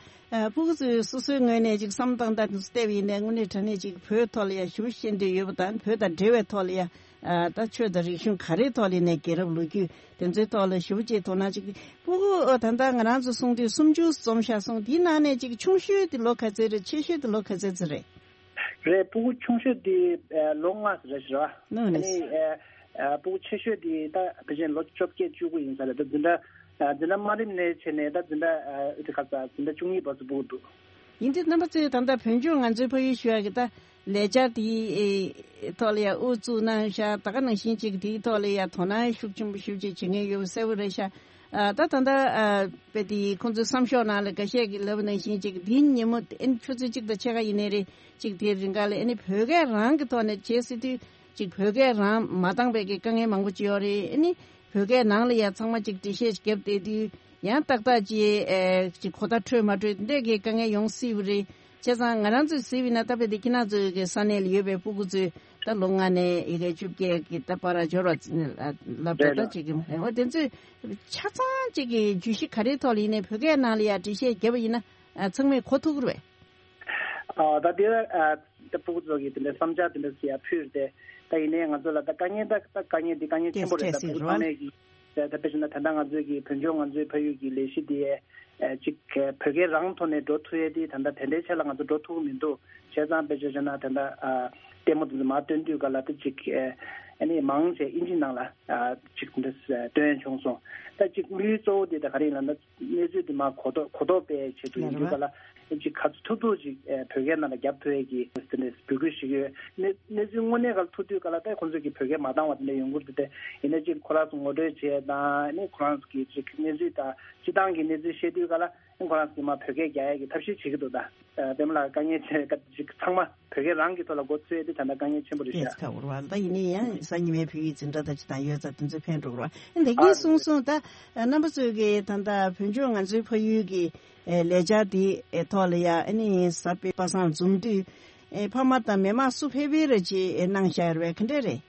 སྤུ་གུ་ཚོས་སོ་སོའི་ངོས་ནས་ཅིག་བསམ་སྟངས་ད་དེ་ཚོ་བལྟས་པ་ཡིན་ནའི་དངོས་གནས་དྲང་གནས་ཅིག་བོད་ཐོག་ལ་ཡ་ཞེ་པོ་ཤེས་འདོད་ཡོད་པ་དང་བོད་དང་འབྲེལ་བའི་ཐོག་ལ་ཡ་ད་ཆོས་དང་རིག་གཞུང་ག་རེའི་ཐོག་ལ་ཡིན་ནའི་རྒྱལ་རབས་ལོ་རྒྱུས་དེ་ཚོའི་ཐོག་ལ་ཞེ་པོ་ཅིག་དོ་སྣང་ཅིག་སྤུ་གུ་ད་ལྟ་ང་རང་ཚོ་གསུང་དུས་སུམ་ཅུ་འཛོམས་ཤག་གསུང་དེའི་ནང་ནས་ཅིག་ཆུང་ཤོས་དེ་ལོ་ག་ཚོད་རེད། ཆེ་ཤོས་དེ་ལོ་ག་ཚོད་ཙམ་རེད། རེད། སྤུ་གུ་ཆུང་ཤོས་དེ་ལོ་ལྔ་རེད་ཤག་ར། ནོ་ནེ། ཨ་ནི་སྤུ་གུ་ཆེ་ཤོས་དེ་ད་ཕལ་ཆེར་ལོ་བཅོ་བརྒྱད་བཅུ་དགུ་ཡིན་ས་རེད། ད་འཛིན་གྲྭ་འཛིན་གྲྭ་དམའ་རིམ་ནས་བྱས་ནས་ད་འཛིན་གྲྭ་ཨ་དེ་ག་ས་འཛིན་གྲྭ་བཅུ་གཉིས་བར་དུ་སྤུ་གུ་འདུག་ཡིན་དུས་རྣམ་པ་ཚོས་ད་ལྟ་བོད་ལྗོངས་ང་ཚོའི་ཕ་ཡུལ་ཞུ་ཡག་གི་ད་ལས་འཆར་དེའི་ཐོག་ལ་ཡ་དབུ་བཙུགས་གནང་ཤག་ད་ག་ནང་བཞིན་ཅིག་དེའི་ཐོག་ལ་ཡ་དོ་སྣང་ཤུགས་ཆེན་པོ་ཞེ་པོ་ཅིག་བྱེད་མཁན་ཡོད་པ་གསལ་པོ་རེད་ཤག་ཨ་ད་ད་ལྟ་ཨ་དཔེ་དེ་ཁོང་ཚོའི་བསམ་ཤོག་ནང་ལ་འགའ་ཤས་ཀྱིས་ལབ་པ་ནང་བཞིན་ཅིག་འདིའི་ཉིན་མོ་ཨ་ནི་ཆུ་ཚོད་གཅིག་དང་ཕྱེད་ཀ་ཡིན་ནའི་རེད། ཅིག་དེའི་རིང་ག་ལ་ཨ་ནི་བོད་སྐད་རང་གི་ཐོག་ནས་བྱེད་སྲིད་དུས་ཅིག་བོད་སྐད་རང་མ་བཏང་བའི་གི་དཀའ་ངལ་མང་པོ་ཅིག་ཡོད་རེད། ཨ་ནི་བོད་སྐད་ནང་ལ་ཡ་ཚང་མ་ཅིག་འགྲེལ་བཤད་བརྒྱབ་བསྡད་དུས་ཡང་ཏག་ཏག་ཅིག་ཨེ་ཅིག་གོ་བརྡ་འཕྲོད་མ་འཕྲོད་འདི་འདྲའི་གི་དཀའ་ངལ་ཡོང་སྲིད་པ་རེད། བྱས་ཙང་ང་རང་ཚོས་གཟིགས་པ་ཡིན་ན་ད་དཔེ་དེ་ཁྱེད་རང་ཚོའི་གི་ས་གནས་ལ་ཡོད་པའི་སྤུ་གུ་ཚོས་ད་ལོ་ལྔ་ནས་ཡི་གེ་བཅོ་བརྒྱད་ཀྱི་ད་བར་འབྱོར་བ་ལབ་འགྲོ་ད་ཅིག་གི་འོ་དེ་ཚོས་ཆ་ཚང་ཅིག་གི་བརྗོད་གཞི་ག་རེའི་ཐོག་ལ་ཡིན་ནའི་བོད་སྐད་ནང་ལ་ཡ་འགྲེལ་བཤད་བརྒྱབ་པ་ཡིན་ན་ཚང་མས་གོ་ཐུབ་ཀྱི་རེད་པས། ཨ་ད་དེ་ཨ་ད་སྤུ་གུ་ཚོ་གིས་དེ་འདྲའི་བསམ་འཆར་དེ་འདྲ་ཞིག་ཡར་ཕུལ་ཏེ། ད་ཡིན་ནའི་ང་ཚོ་ལ་ད་དཀའ་ངལ་ད་ད་དཀའ་ངལ་འདི་དཀའ་ངལ་ཆེན་པོ་རེད། ད་སྤུ་གུ་ཚང་མས་ཀྱིས་ད་ད་དཔེ་བཞག་ན་ད་ལྟ་ང་ཚོའི་གི་བོད་ལྗོངས་ང་ཚོའི་ཕ་ཡུལ་གྱི་ལས་གཞི་འདི་ཨ་ཅིག་བོད་སྐད་རང་ཐོག་ནས་འགྲོ་ཐུབ་ཡས་དེ་ད་ལྟ་དེ་འདྲའི་ཆ་ལ་ང་ཚོ་འགྲོ་ཐུབ་ཀྱི་མི་འདུག་བྱས་ཙང་དཔེ་བཞག་ན་ད་ལྟ་ཨ་ལྟད་མོ་དེ་ཚོ་མར་སྟོན་དུས་ག་ལ་ད་ཅིག་ཨ་ནི་མང་ཆེ་ཨིན་ཇི་ནང་ལ་ཨ་ཅིག་འདི་སྟོན་བྱུང་སོང་། ད་ཅིག་དམིགས་ཡུལ་གཙོ་བོ་དེ་ད་ག་རེ་ཡིན་ལབ་ན། གནས་ཚུལ་འདི་མར་གོ་རྟོགས་གོ་རྟོགས་སྤེལ་ཆེད་དུ་ཡིན་དུས་ག་ལ་ཅིག་ག་ཚོད་ཐུབ་ཐུབ་ཅིག་ཨེ་བོད་སྐད་ནང་ལ་རྒྱབ་ཐུབ་ཡས་ཀྱི་དེ་འདྲའི་འབོད་སྐུལ་ཞིག་ཡོད། གནས་གནས་ཚུལ་དངོས་གནས་ག་ལ་ཐུག་དུས་ག་ལ་ད་ཁོང་ཚོས་ཀྱི་བོད་སྐད་མ་བཏང་བ་དེ་འདྲ་ཡོང་གི་རེད་དེ། ཡིན་ན་ཅིག་ཁོ་རང་ཚོ་ངོ་སྤྲོད་བྱེད་ཡས་དང་ཨ་ནི་ཁོ་རང་ཚོ་གི་ཅིག་གནས་ཚུལ་དང་སྤྱི་བཏང་གི་གནས་ཚུལ་བཤད་དུས་ག་ལ་ཨ་ནི་ཁོ་རང་ཚོ་གི་མར་བོད་སྐད་རྒྱག་ཡས་ཀྱི་ཐབས་ཤེས་བྱེད་ཀྱི་འདུག་ད་ཨ་པད་མ་ལགས་དཀའ་ངལ་ཆེ་ཅིག་ཚང་མ། བོད་སྐད་རང་གི་ཐོག་ལ་འགོ་ཚུགས་ཡས་དེ་ད་ལྟ་དཀའ་ངལ་ཆེན་པོ་རེད་ཤག་ཨ་ཁ་འོར་བ་ད་ཡིན་ནའི་ཡང་གཟའ་ཉི་མའི་བོད་ཡིག་འཛིན་གྲྭ་དང་ཅི་དང་ཡོད་ཙང་དེ་ཚོ་ཕན་འགྲོ་བ་ཨ་འདི་གིན་གསུངས་སོང་། ད་རྣམ་པ་ཚོས་ཀྱི་ད་ལྟ་བོད་ལྗོངས་ང་ཚོའི་ཕ་ཡུལ་གྱི་ལས་འཆར་དེ་ཐོག་ལ་ཡ་ཨ་ནི་གཟའ་སྤེན་པ་སངས་འཛོམས་དུས་ཕ་མ་དང་མི་མང་སུ་ཕེབས་པའི་རེ་ཅི་གནང་བཞག་ཡོད་རེད་ག་འདྲས་རེད།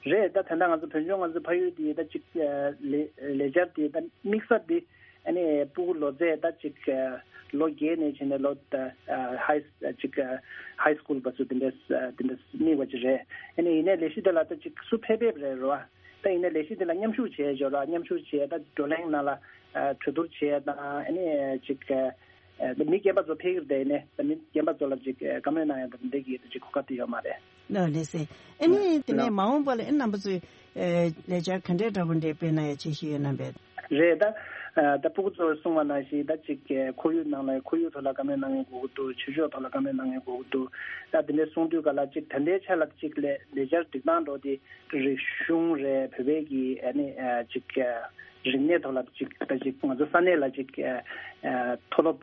རེད། ད་ད་ལྟ་ང་ཚོ་བོད་ལྗོངས་ང་ཚོའི་ཕ་ཡུལ་དེ་ད་ཅིག་ལས་ལས་འཆར་དེ་ད་དམིགས་ས་དེ། ཨ་ནི་སྤུ་གུ་ལོ་ཚད་ད་ཅིག་ལོ་བརྒྱད་ནས་བྱས་ནས་ལོ་ཧའི་ཅིག་ཧའི་སྐུལ་བར་དུ་དེ་འདྲ་དེ་འདྲ་དམིགས་པ་ཅིག་རེད། ཨ་ནི་ཡིན་ནའི་ལས་གཞི་དེ་ལ་ད་ཅིག་སུ་ཕེབས་ཕེབས་རེད་རོ། ད་ཡིན་ནའི་ལས་གཞི་དེ་ལ་མཉམ་ཞུགས་བྱས་འཇོག་ལ་མཉམ་ཞུགས་བྱས་ད་བགྲོ་གླེང་ནང་ལ་གྲོས་བསྡུར་བྱས་དང་ཨ་ནི་ཅིག་མི་རྒན་པ་ཚོ་ཕེབས་ཀྱི་རེད། ཡིན་ནའི་ད་མི་རྒན་པ་ཚོ་ལ་ཅིག་བཀའ་མོལ་གནང་ཡ་ད་འདི་གི་ད་ཅིག་གོ་སྐབས་དེ་ཡོད་མ་རེད། ལགས་ལགས་སེ། ཨ་ནི་དེ་ནས་མ་འོངས་པ་ལ་ཨ་རྣམ་པ་ཚོས་ལས་འཆར་ག་འདྲའི་འདྲ་པོ་འདྲ་སྤེལ་གནང་ཡ་འཆར་གཞི་ཡོད་སྣང་བས། རེད་ད། ད་སྤུ་གུ་ཚོས་གསུངས་པ་ནང་བཞིན་ད་ཅིག་ཁོར་ཡུག་ནང་ལ་ཁོར་ཡུག་ཐོག་ལ་བཀའ་མོལ་གནང་ཡ་དགོས་ཀྱི་འདུག་ཆོས་ཕྱོགས་ཐོག་ལ་བཀའ་མོལ་གནང་ཡ་དགོས་ཀྱི་འདུག་ད་དེ་འདྲའི་གསུངས་དུས་ག་ལ་ཅིག་ད་ལྟའི་ཆ་ལ་ཅིག་ལས་ལས་འཆར་སྒྲིག་སྟངས་འགྲོ་དེ་རིག་གཞུང་རེད། བོད་པའི་གི་ཨ་ནི་ཅིག་རིག་གནས་ཐོག་ལ་ཅིག་ད་ཅིག་ང་ཚོ་ས་གནས་ལ་ཅིག་མཐོ་སློབ།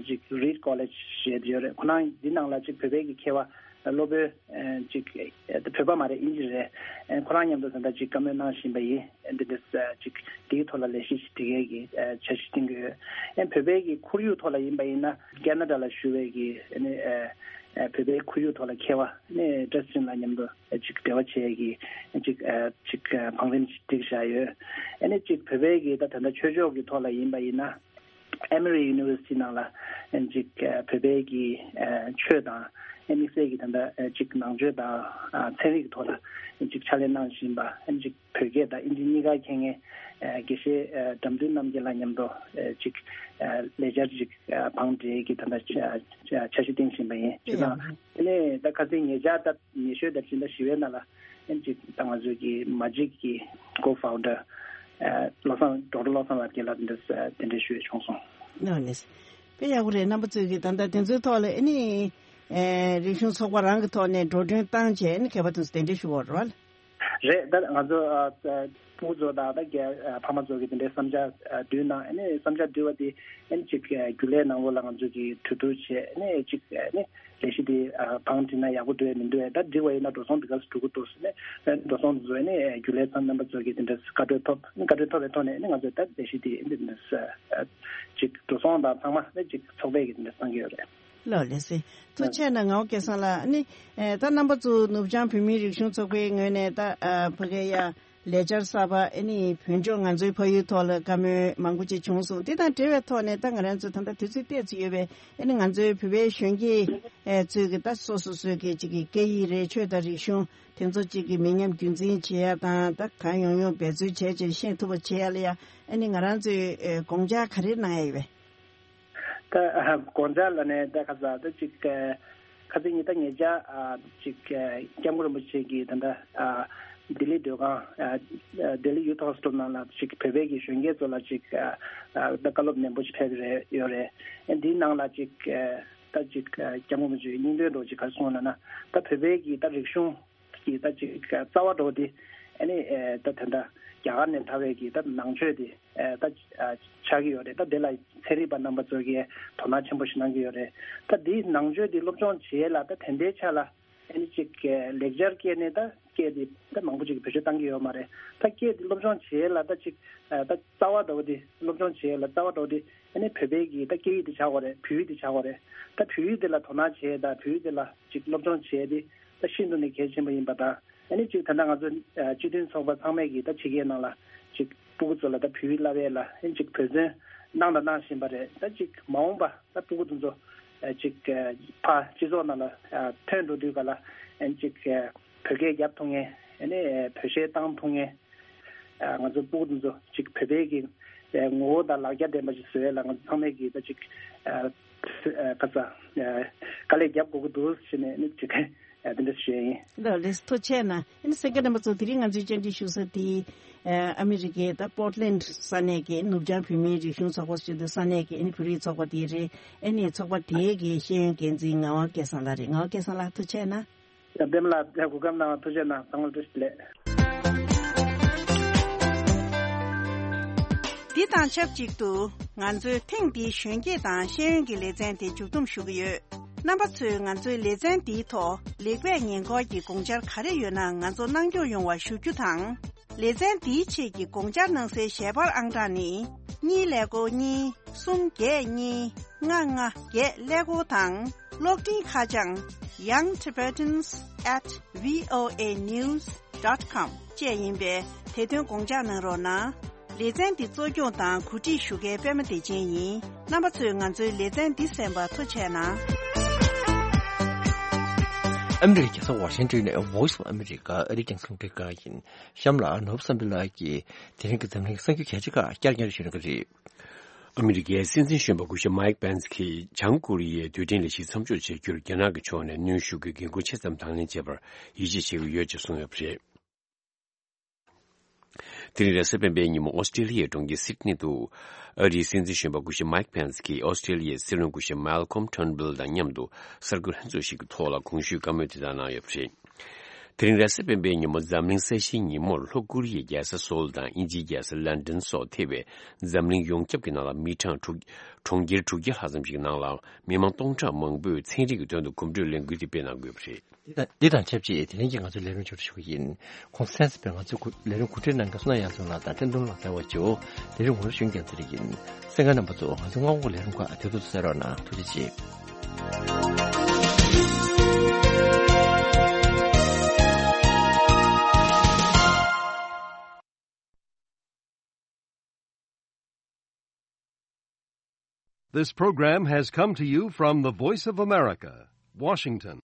ཅིག་Reed College་ཞེས་ཡོད་རེད། ཁོ་རང་འདི་ནང་ལ་ཅིག་བོད་པའི་གི་མཁས་པ་སློབ་དཔོན་ཅིག་བོད་པ་མ་རེད། དབྱིན་ཇི་རེད། ཁོ་རང་མཉམ་དུ་ད་ལྟ་ཅིག་བཀའ་མོལ་གནང་བཞིན་པ་ཡིན། འདི་འདྲ་ཅིག་དེའི་ཐོག་ལ་ལས་གཞི་ཞིག་སྒྲིག་ཡས་ཀྱི་འཆར་གཞི་བཏིང་གི་ཡོད། བོད་པའི་གི་ཁོར་ཡུག་ཐོག་ལ་ཡིན་པ་ཡིན་ན་ཁེ་ན་ཌ་ལ་བཞུགས་པའི་གི་བོད་པའི་ཁོར་ཡུག་ཐོག་ལ་མཁས་པ་བཀྲ་ཤིས་ཚེ་རིང་ལགས་མཉམ་དུ་ཅིག་འབྲེལ་བ་བྱེད་ཡས་ཀྱི་ཅིག་ཅིག་བང་རིམ་ཅིག་བསྒྲིགས་བཞག་ཡོད། ཅིག་བོད་པའི་གི་ད་ད་ལྟ་ཆོས་ཕྱོགས་ཀྱི་ཐོག་ལ་ཡིན་པ་ཡིན་ན། Emory University ནང་ལ་ཅིག་བོད་པའི་གི་ཆོས་དང་དམིགས་བསལ་གྱི་ད་ལྟ་ཅིག་ནང་ཆོས་དང་ཚན་རིག་གི་ཐོག་ལ་ཅིག་ཕྱག་ལས་གནང་བཞིན་པ་ཅིག་བོད་སྐད་དང་ཨིན་ཇི་གཉིས་ཀ་མཁྱེན་མཁན་དགེ་བཤེས་འགྲམ་སྟོན་རྣམ་རྒྱལ་ལགས་མཉམ་དུ་ཅིག་ལས་འཆར་ཅིག་བང་སྒྲིག་གི་ད་ལྟ་འཆར་གཞི་བཏིང་བཞིན་པ་ཡིན། དེ་དང་དེ་ནས་ད་ཁ་སང་ཉེ་ཆར་ད་ཉེ་ཤོས་ད་ཕྱི་ཟླ་བཞི་པའི་ནང་ལ་ཅིག་ད་ང་ཚོའི་གི་མ་ཇིག་གི་ཀོ་ཕའུན་ཌར་བློ་བཟང་ཌོག་ཊར་བློ་བཟང་ལགས་ཀྱིས་ལ་འདི་འདྲ་གདན་འདྲེན་ཞུས་བྱུང་སོང་། ནོ་ནེ། དཔེ་ཡག་པོ་རེད། རྣམ་པ་ཚོས་ཀྱི་ད་ལྟ་དེ་ཚོའི་ཐོག་ལ་ཨ་ནི་རིག་གཞུང་ཚོགས་པ་རང་གི་ཐོག་ནས་འགྲོ་གྲོན་བཏང་བྱས་ཨ་ནི་མཁས་པ་དེ་ཚོ་གདན་འདྲེན་ཞུ་བ་རེད་བ། རེད། ད་ང་ཚོ་ཕྲུ་གུ་ཚོ་དང་ད་རྒན་ཕ་མ་ཚོ་གི་དེ་འདྲའི་བསམ་འཆར་བསྡུས་གནང་ཨ་ནི་བསམ་འཆར་བསྡུས་པ་དེ་ཨ་ནི་ཅིག་རྒྱུན་ལས་ནང་ལོགས་ལ་ང་ཚོ་གི་གྲོས་བསྡུར་བྱས་ཨ་ནི་ཅིག་ཨ་ནི་ལས་གཞི་དེ་བང་སྒྲིག་ན་ཡག་པོ་འདུག་ཡ་མི་འདུག་ཡ། ད་འགྲིག་པ་ཡིན་ན་འགྲོ་སོང་འདི་ག་ཚོད་འགྲོ་གི་འདུག་ཟེར་ནས་འགྲོ་སོང་དེ་ཚོ་ནས་རྒྱུན་ལས་ཚང་རྣམ་པ་ཚོ་གིས་དེ་འདྲ་བཀའ་འཁྲོལ་ཐོབ་བཀའ་འཁྲོལ་ཐོབ་པའི་ཐོག་ནས་ནི་ང་ཚོས་ད་ལས་གཞི་དེ་འདི་འདྲ་ཅིག་འགྲོ་སོང་དང་ཚང་མ་ནི་ཅིག་ཚོགས་པའི་གི་དེ་འདྲ་བསམ་གྱི་ཡོད་རེད། ལགས་ལགས་སེ། ཐུགས་རྗེ་ཆེ་གནང་ངག་དབང་སྐལ་བཟང་ལགས། ནི་ད་རྣམ་པ་ཚོ་ནུབ་བྱང་བོད་མིའི་རིག་གཞུང་ཚོགས་པའི་ངོས་ནས་ད་ཕ་གི་ཡ། ལས་འཆར་གསར་པ་ཨ་ནི་བོད་ལྗོངས་ང་ཚོའི་ཕ་ཡུལ་ཐོག་ལ་བཀའ་མོལ་མང་པོ་ཅིག་བྱུང་སོང་། དེ་དང་འབྲེལ་བའི་ཐོག་ནས་ད་ང་རང་ཚོ་ད་ལྟ་དུས་ཚོད་ཏོག་ཙམ་ཡོད་པས་ཨ་ནི་ང་ཚོའི་བོད་པའི་གཞོན་སྐྱེས་ཚོས་ཀྱི་ད་སོ་སོ་སོའི་གི་ཅིག་གི་སྐད་ཡིག་རེད། ཆོས་དང་རིག་གཞུང་དེ་ཚོ་ཅིག་གི་མི་ཉམས་རྒྱུན་འཛིན་བྱེད་ཡ་དང་ད་གང་ཡོང་ཡོང་འབད་རྩོལ་བྱས་བྱས་ཤེས་ཐུབ་པ་བྱེད་ཡ་ལ་ཡ་ཨ་ནི་ང་རང་ཚོས་དགོངས་འཆར་ག་རེ་གནང་ཡ་ཡོད་པས། ད་དགོངས་འཆར་ལ་ནས་ད་ཁ་ས་ད་ཅིག་ཁ་སང་ཉིན་ད་ཉེ་ཆར་ཅིག་སྐྱབས་མགོན་རིན་པོ་ཆེ་གིས་ད་ལྟ་ལྡི་ལི་སྡོད་ཁང་ལྡི་ལི་ཡུ་ཐི་ཧོ་སི་ཊལ་ནང་ལ་ཅིག་བོད་པའི་གི་གཞོན་སྐྱེས་ཚོ་ལ་ཅིག་ད་བཀའ་སློབ་ནན་པོ་ཞིག་ཕེབས་རེད་ཡོད་རེད། འདིའི་ནང་ལ་ཅིག་ད་ཅིག་སྐྱབས་མགོན་རིན་པོ་ཆེའི་སྙིང་དོན་འདྲ་ཅིག་ག་རེ་གསུངས་ལབ་ན་ད་བོད་པའི་གི་ད་རིག་གཞུང་གི་ད་ཅིག་རྩ་བ་འདྲ་བོ་དེ་ཨ་ནི་ད་དེ་འདྲ་རྒྱ་གར་ནས་དར་བའི་གི་ད་ནང་ཆོས་དེ་ད་ཆགས་ཀྱི་ཡོད་རེད། ད་དེ་ལ་ཚན་རིག་པ་རྣམ་པ་ཚོ་གིས་དོ་སྣང་ཆེན་པོ་ཞིག་གནང་གི་ཡོད་རེད། ད་དེའི་ནང་ཆོས་དེ་སློབ་སྦྱོང་བྱེད་ཡས་ལ་ད་དེ་འདྲའི་ཆ་ལ་ཨ་ནི་ཅིག་ལེགས་སྦྱར་སྐད་ནས་ད་སྐད་དེ་ད་མང་པོ་ཅིག་བེད་སྤྱོད་བཏང་གི་ཡོད་མ་རེད། ད་སྐད་དེ་སློབ་སྦྱོང་བྱེད་ཡས་ལ་ད་ཅིག་ད་རྩ་བ་འདྲ་བོ་དེ་སློབ་སྦྱོང་བྱེད་ཡས་ལ་རྩ་བ་འདྲ་བོ་དེ་ཨ་ནི་བོད་པའི་གི་ད་སྐད་ཡིག་དེ་ཆགས་དགོས་རེད། བོད་ཡིག་དེ་ཆགས་དགོས་རེད། ད་བོད་ཡིག་དེ་ལ་དོ་སྣང་བྱེད་ཡས་ད་བོད་ཡིག་དེ་ལ་ཅིག་སློབ་སྦྱོང་བྱེད་ཡས་དེ་ད་ཤིན་ཏུ་ནས་གལ་ཆེན་པོ་ཡིན་པ་དང་། ཨ་ནི་ཅིག་ད་ལྟ་ང་ཚོ་སྤྱི་མཐུན་ཚོགས་པ་ཚང་མས་ཀྱིས་ད་ཕྱི་རྒྱལ་ནང་ལ་ཅིག་སྤུ་གུ་ཚོ་ལ་ད་བོད་ཡིག་བསླབ་ཡས་ལ་ཨ་ནི་ཅིག་འབད་བརྩོན་གནང་དང་གནང་བཞིན་པ་རེད། ད་ཅིག་མ་འོངས་པ་ད་སྤུ་གུ་དེ་ཚོ་ཅིག་ཕར་སྤྱི་ཚོགས་ནང་ལ་ཐོན་འགྲོ་དུས་ག་ལ་ཨ་ནི་ཅིག་བོད་སྐད་རྒྱབ་ཐུབ་མཁན་ཨ་ནི་བོད་གཞས་བཏང་ཐུབ་མཁན། ང་ཚོ་སྤུ་གུ་དེ་ཚོ་ཅིག་བོད་པའི་གི་ངོ་བོ་དང་ལག་ཆ་ལྡན་པ་ཞིག་བཟོ་ཡས་ལ་ང་ཚོ་ཚང་མས་ཀྱིས་ད་ཅིག་ཁ་ས་དཀའ་ལས་རྒྱབ་དགོས་ཀྱི་འདུག་ཟེར་ནས་ནི་ཅིག་དེ་འདྲ་ཞུ་ཡས་ཡིན། ལགས་ལགས་ཐུགས་རྗེ་ཆེ་གནང་། ཨ་ནི་གསན་མཁན་རྣམ་པ་ཚོ་དེ་རིང་ང་ཚོའི་བཅར་འདྲི་ཞུ་ས་དེ་ཨ་མི་རི་ཀའི་ད་པོར་ཊི་ལེན་ཌི་ས་གནས་ཀྱི་ནུབ་བྱང་བོད་མིའི་རིག་གཞུང་ཚོགས་པ་ཞུ་འདོད་ས་གནས་ཀྱི་ཨ་ནི་བོད་རིགས་ཚོགས་པ་དེ་རེད། ཨ་ནི་ཚོགས་པ་དེའི་གི་ཤེས་ཡོན་འགན་འཛིན་ངག་དབང་སྐལ་བཟང་ལགས་རེད། ངག་དབང་སྐལ་བཟང་ལགས་ཐུགས་རྗེ་ཆེ་གནང་། ཡང་པདྨ་ལགས་ལ་གོ་སྐབས་གནང་བ་ཐུགས་རྗེ་གནང་། བསམ་བློ་བཀྲ་ཤིས་བདེ་ལེགས། འདི་དང་ཆབས་ཅིག་ཏུ་ང་ཚོའི་ཐེངས་འདིའི་གཞོན་སྐྱེས་དང་ཤེས་ཡོན་གྱི་ལེ་ཚན་དེ་མཇུག་བསྡོམས་ཞུ་གི་ཡོད། རྣམ་པ་ཚོས་ང་ཚོའི་ལེ་ཚན་འདིའི་ཐོག་ལེགས་སྤེལ་ཉེ་འཁོར་གྱི་དགོངས་འཆར་ག་རེ་ཡོད་ན་ང་ཚོ་གནང་སྐྱོང་ཡོང་བ་ཞུ་རྒྱུ་དང་། ལེ་ཚན་འདིའི་ཆེད་ཀྱི་དགོངས་འཆར་གནང་སའི་ཞལ་པར་ཨང་གྲངས་ནི། གཉིས་ཀླད་ཀོར་གཉིས། གསུམ་བརྒྱད་གཉིས། ལྔ་ལྔ་བརྒྱད་ཀླད་ཀོར་དང་། གློག་འཕྲིན་ཁ་བྱང་young tibetans at voa news dot com བཅས་ཡིན་པས་དེ་དོན་དགོངས་འཇགས་གནང་རོགས་གནང་། ལེ་ཚན་འདི་གཙོ་སྐྱོང་དང་གོ་སྒྲིག་ཞུ་མཁན་པད་མ་བདེ་ཆེན་ཡིན། རྣམ་པ་ཚོས་ང་ཚོའི་ལེ་ཚན་འདི་གསན་པར་ཐུགས་རྗེ་གནང་། ཨ་མི་རི་ཀའི་རྒྱལ་ས་ཝ་ཤིང་ཊོན་ནས་Voice of America ཨ་རིའི་རྒྱང་སྲིང་རླུང་འཕྲིན་ཁང་ཡིན། གཤམ་ལ་ནོར་བུ་བསམ་འཕེལ་ལགས་ཀྱིས་དེ་རིང་གི་འཛམ་གླིང་གི་གསར་འགྱུར་གལ་ཆེ་ཁག་བསྐྱར་སྙན་སྒྲོན་ཞུ་གནང་གི་རེད། ཨ་མི་རི་ཀའི་སྲིད་འཛིན་གཞོན་པ་སྐུ་ཞབས་མའིག་པེན་སི་ཀྱིས་བྱང་ཀོ་རི་ཡའི་རྡུལ་ཕྲན་ལས་གཞི་མཚམས་འཇོག་བྱེད་རྒྱུར་རྒྱ་ནག་གི་ཕྱོགས་ནས་གནོན་ཤུགས་ཀྱི་འགན་འཁུར་ཆེ་ཙམ་དང་ལེན་བྱེད་པར་ཡིད་ཆེས་བྱེད་ཀྱི་ཡོད་ཅེས་གསུངས་ཡོད་པ་རེད། དེ་རིང་རེས་གཟའ་སྤེན་པའི་ཉིན་མོ་ཨོ་སི་ཀྲེ་ལི་ཡའི་གྲོང་ཁྱེར་སིད་ནི་དུ། ཨ་རིའི་སྲིད་འཛིན་གཞོན་པ་སྐུ་ཞབས་མའིག་པེན་སི་ཀྱིས་ཨོ་སི་ཀྲེ་ལི་ཡའི་སྲིད་བློན་སྐུ་ཞབས་མལ་ཁོམ་ཊརན་བྷིལ་དང་མཉམ་དུ་གསར་འགོད་ལྷན་ཚོགས་ཤིག་གི་ཐོག་ལ་གོང་ཞུས་བཀའ་མོལ་དེ་དག་གནང་ཡོད་པ་རེད། དེ་རིང་རེས་གཟའ་སྤེན་པའི་ཉིན་མོ་འཛམ་གླིང་ས་ཞིའི་ཉིན་མོར་ལྷོ་ཀོ་རི་ཡའི་རྒྱལ་ས་སོལ་དང་དབྱིན་ཇིའི་རྒྱལ་ས་ལན་ཌན་སོགས་ཐེ་བའི་འཛམ་གླིང་ཡོངས་ཁྱབ་ཀྱི་ནང་ལ་མི་གྲངས་དྲུག་གྲོང་ཁྱེར་དྲུག་བརྒྱ་ལྷག་ཙམ་ཞིག་ནང་ལ་མི་མང་སྟོང་ཕྲག་མང་པོས་ཚན་རིག་གི་དོན་དུ་གོམ་བགྲོད་ལས་འགུལ་དེ་སྤེལ་གནང་དགོས་པ་རེད། འདི་དང་འདི་དང་ཆབས་ཅིག་དེ་རིང་གི་ང་ཚོའི་ལས་རིམ་མཇུག་སྒྲིལ་ཞུ་གི་ཡིན། གོང་གསལ་ཟིན་པའི་ང་ཚོའི་གོ་ལས་རིམ་གོ་སྒྲིག་གནང་མཁན་བསོད་ནམས་དབྱངས་ཚང་ལགས་དང་བཀྲས་མཐོང་ལགས་ཕེབས་པ་བཅས་ལས་རིམ་ངོ་སྤྲོད་ཞུ་མཁན་ཚེ་རིང་ཡིན། གསན་མཁན་རྣམ་པ་ཚོ་ང་ཚོའི་སྔ་དགོང་གི་ལས་རིམ་ཁག་དེ་ཚོ་གསན་རོགས་གནང་། ཐུགས་རྗེ་ཆེ། This program has come to you from the Voice of America, Washington.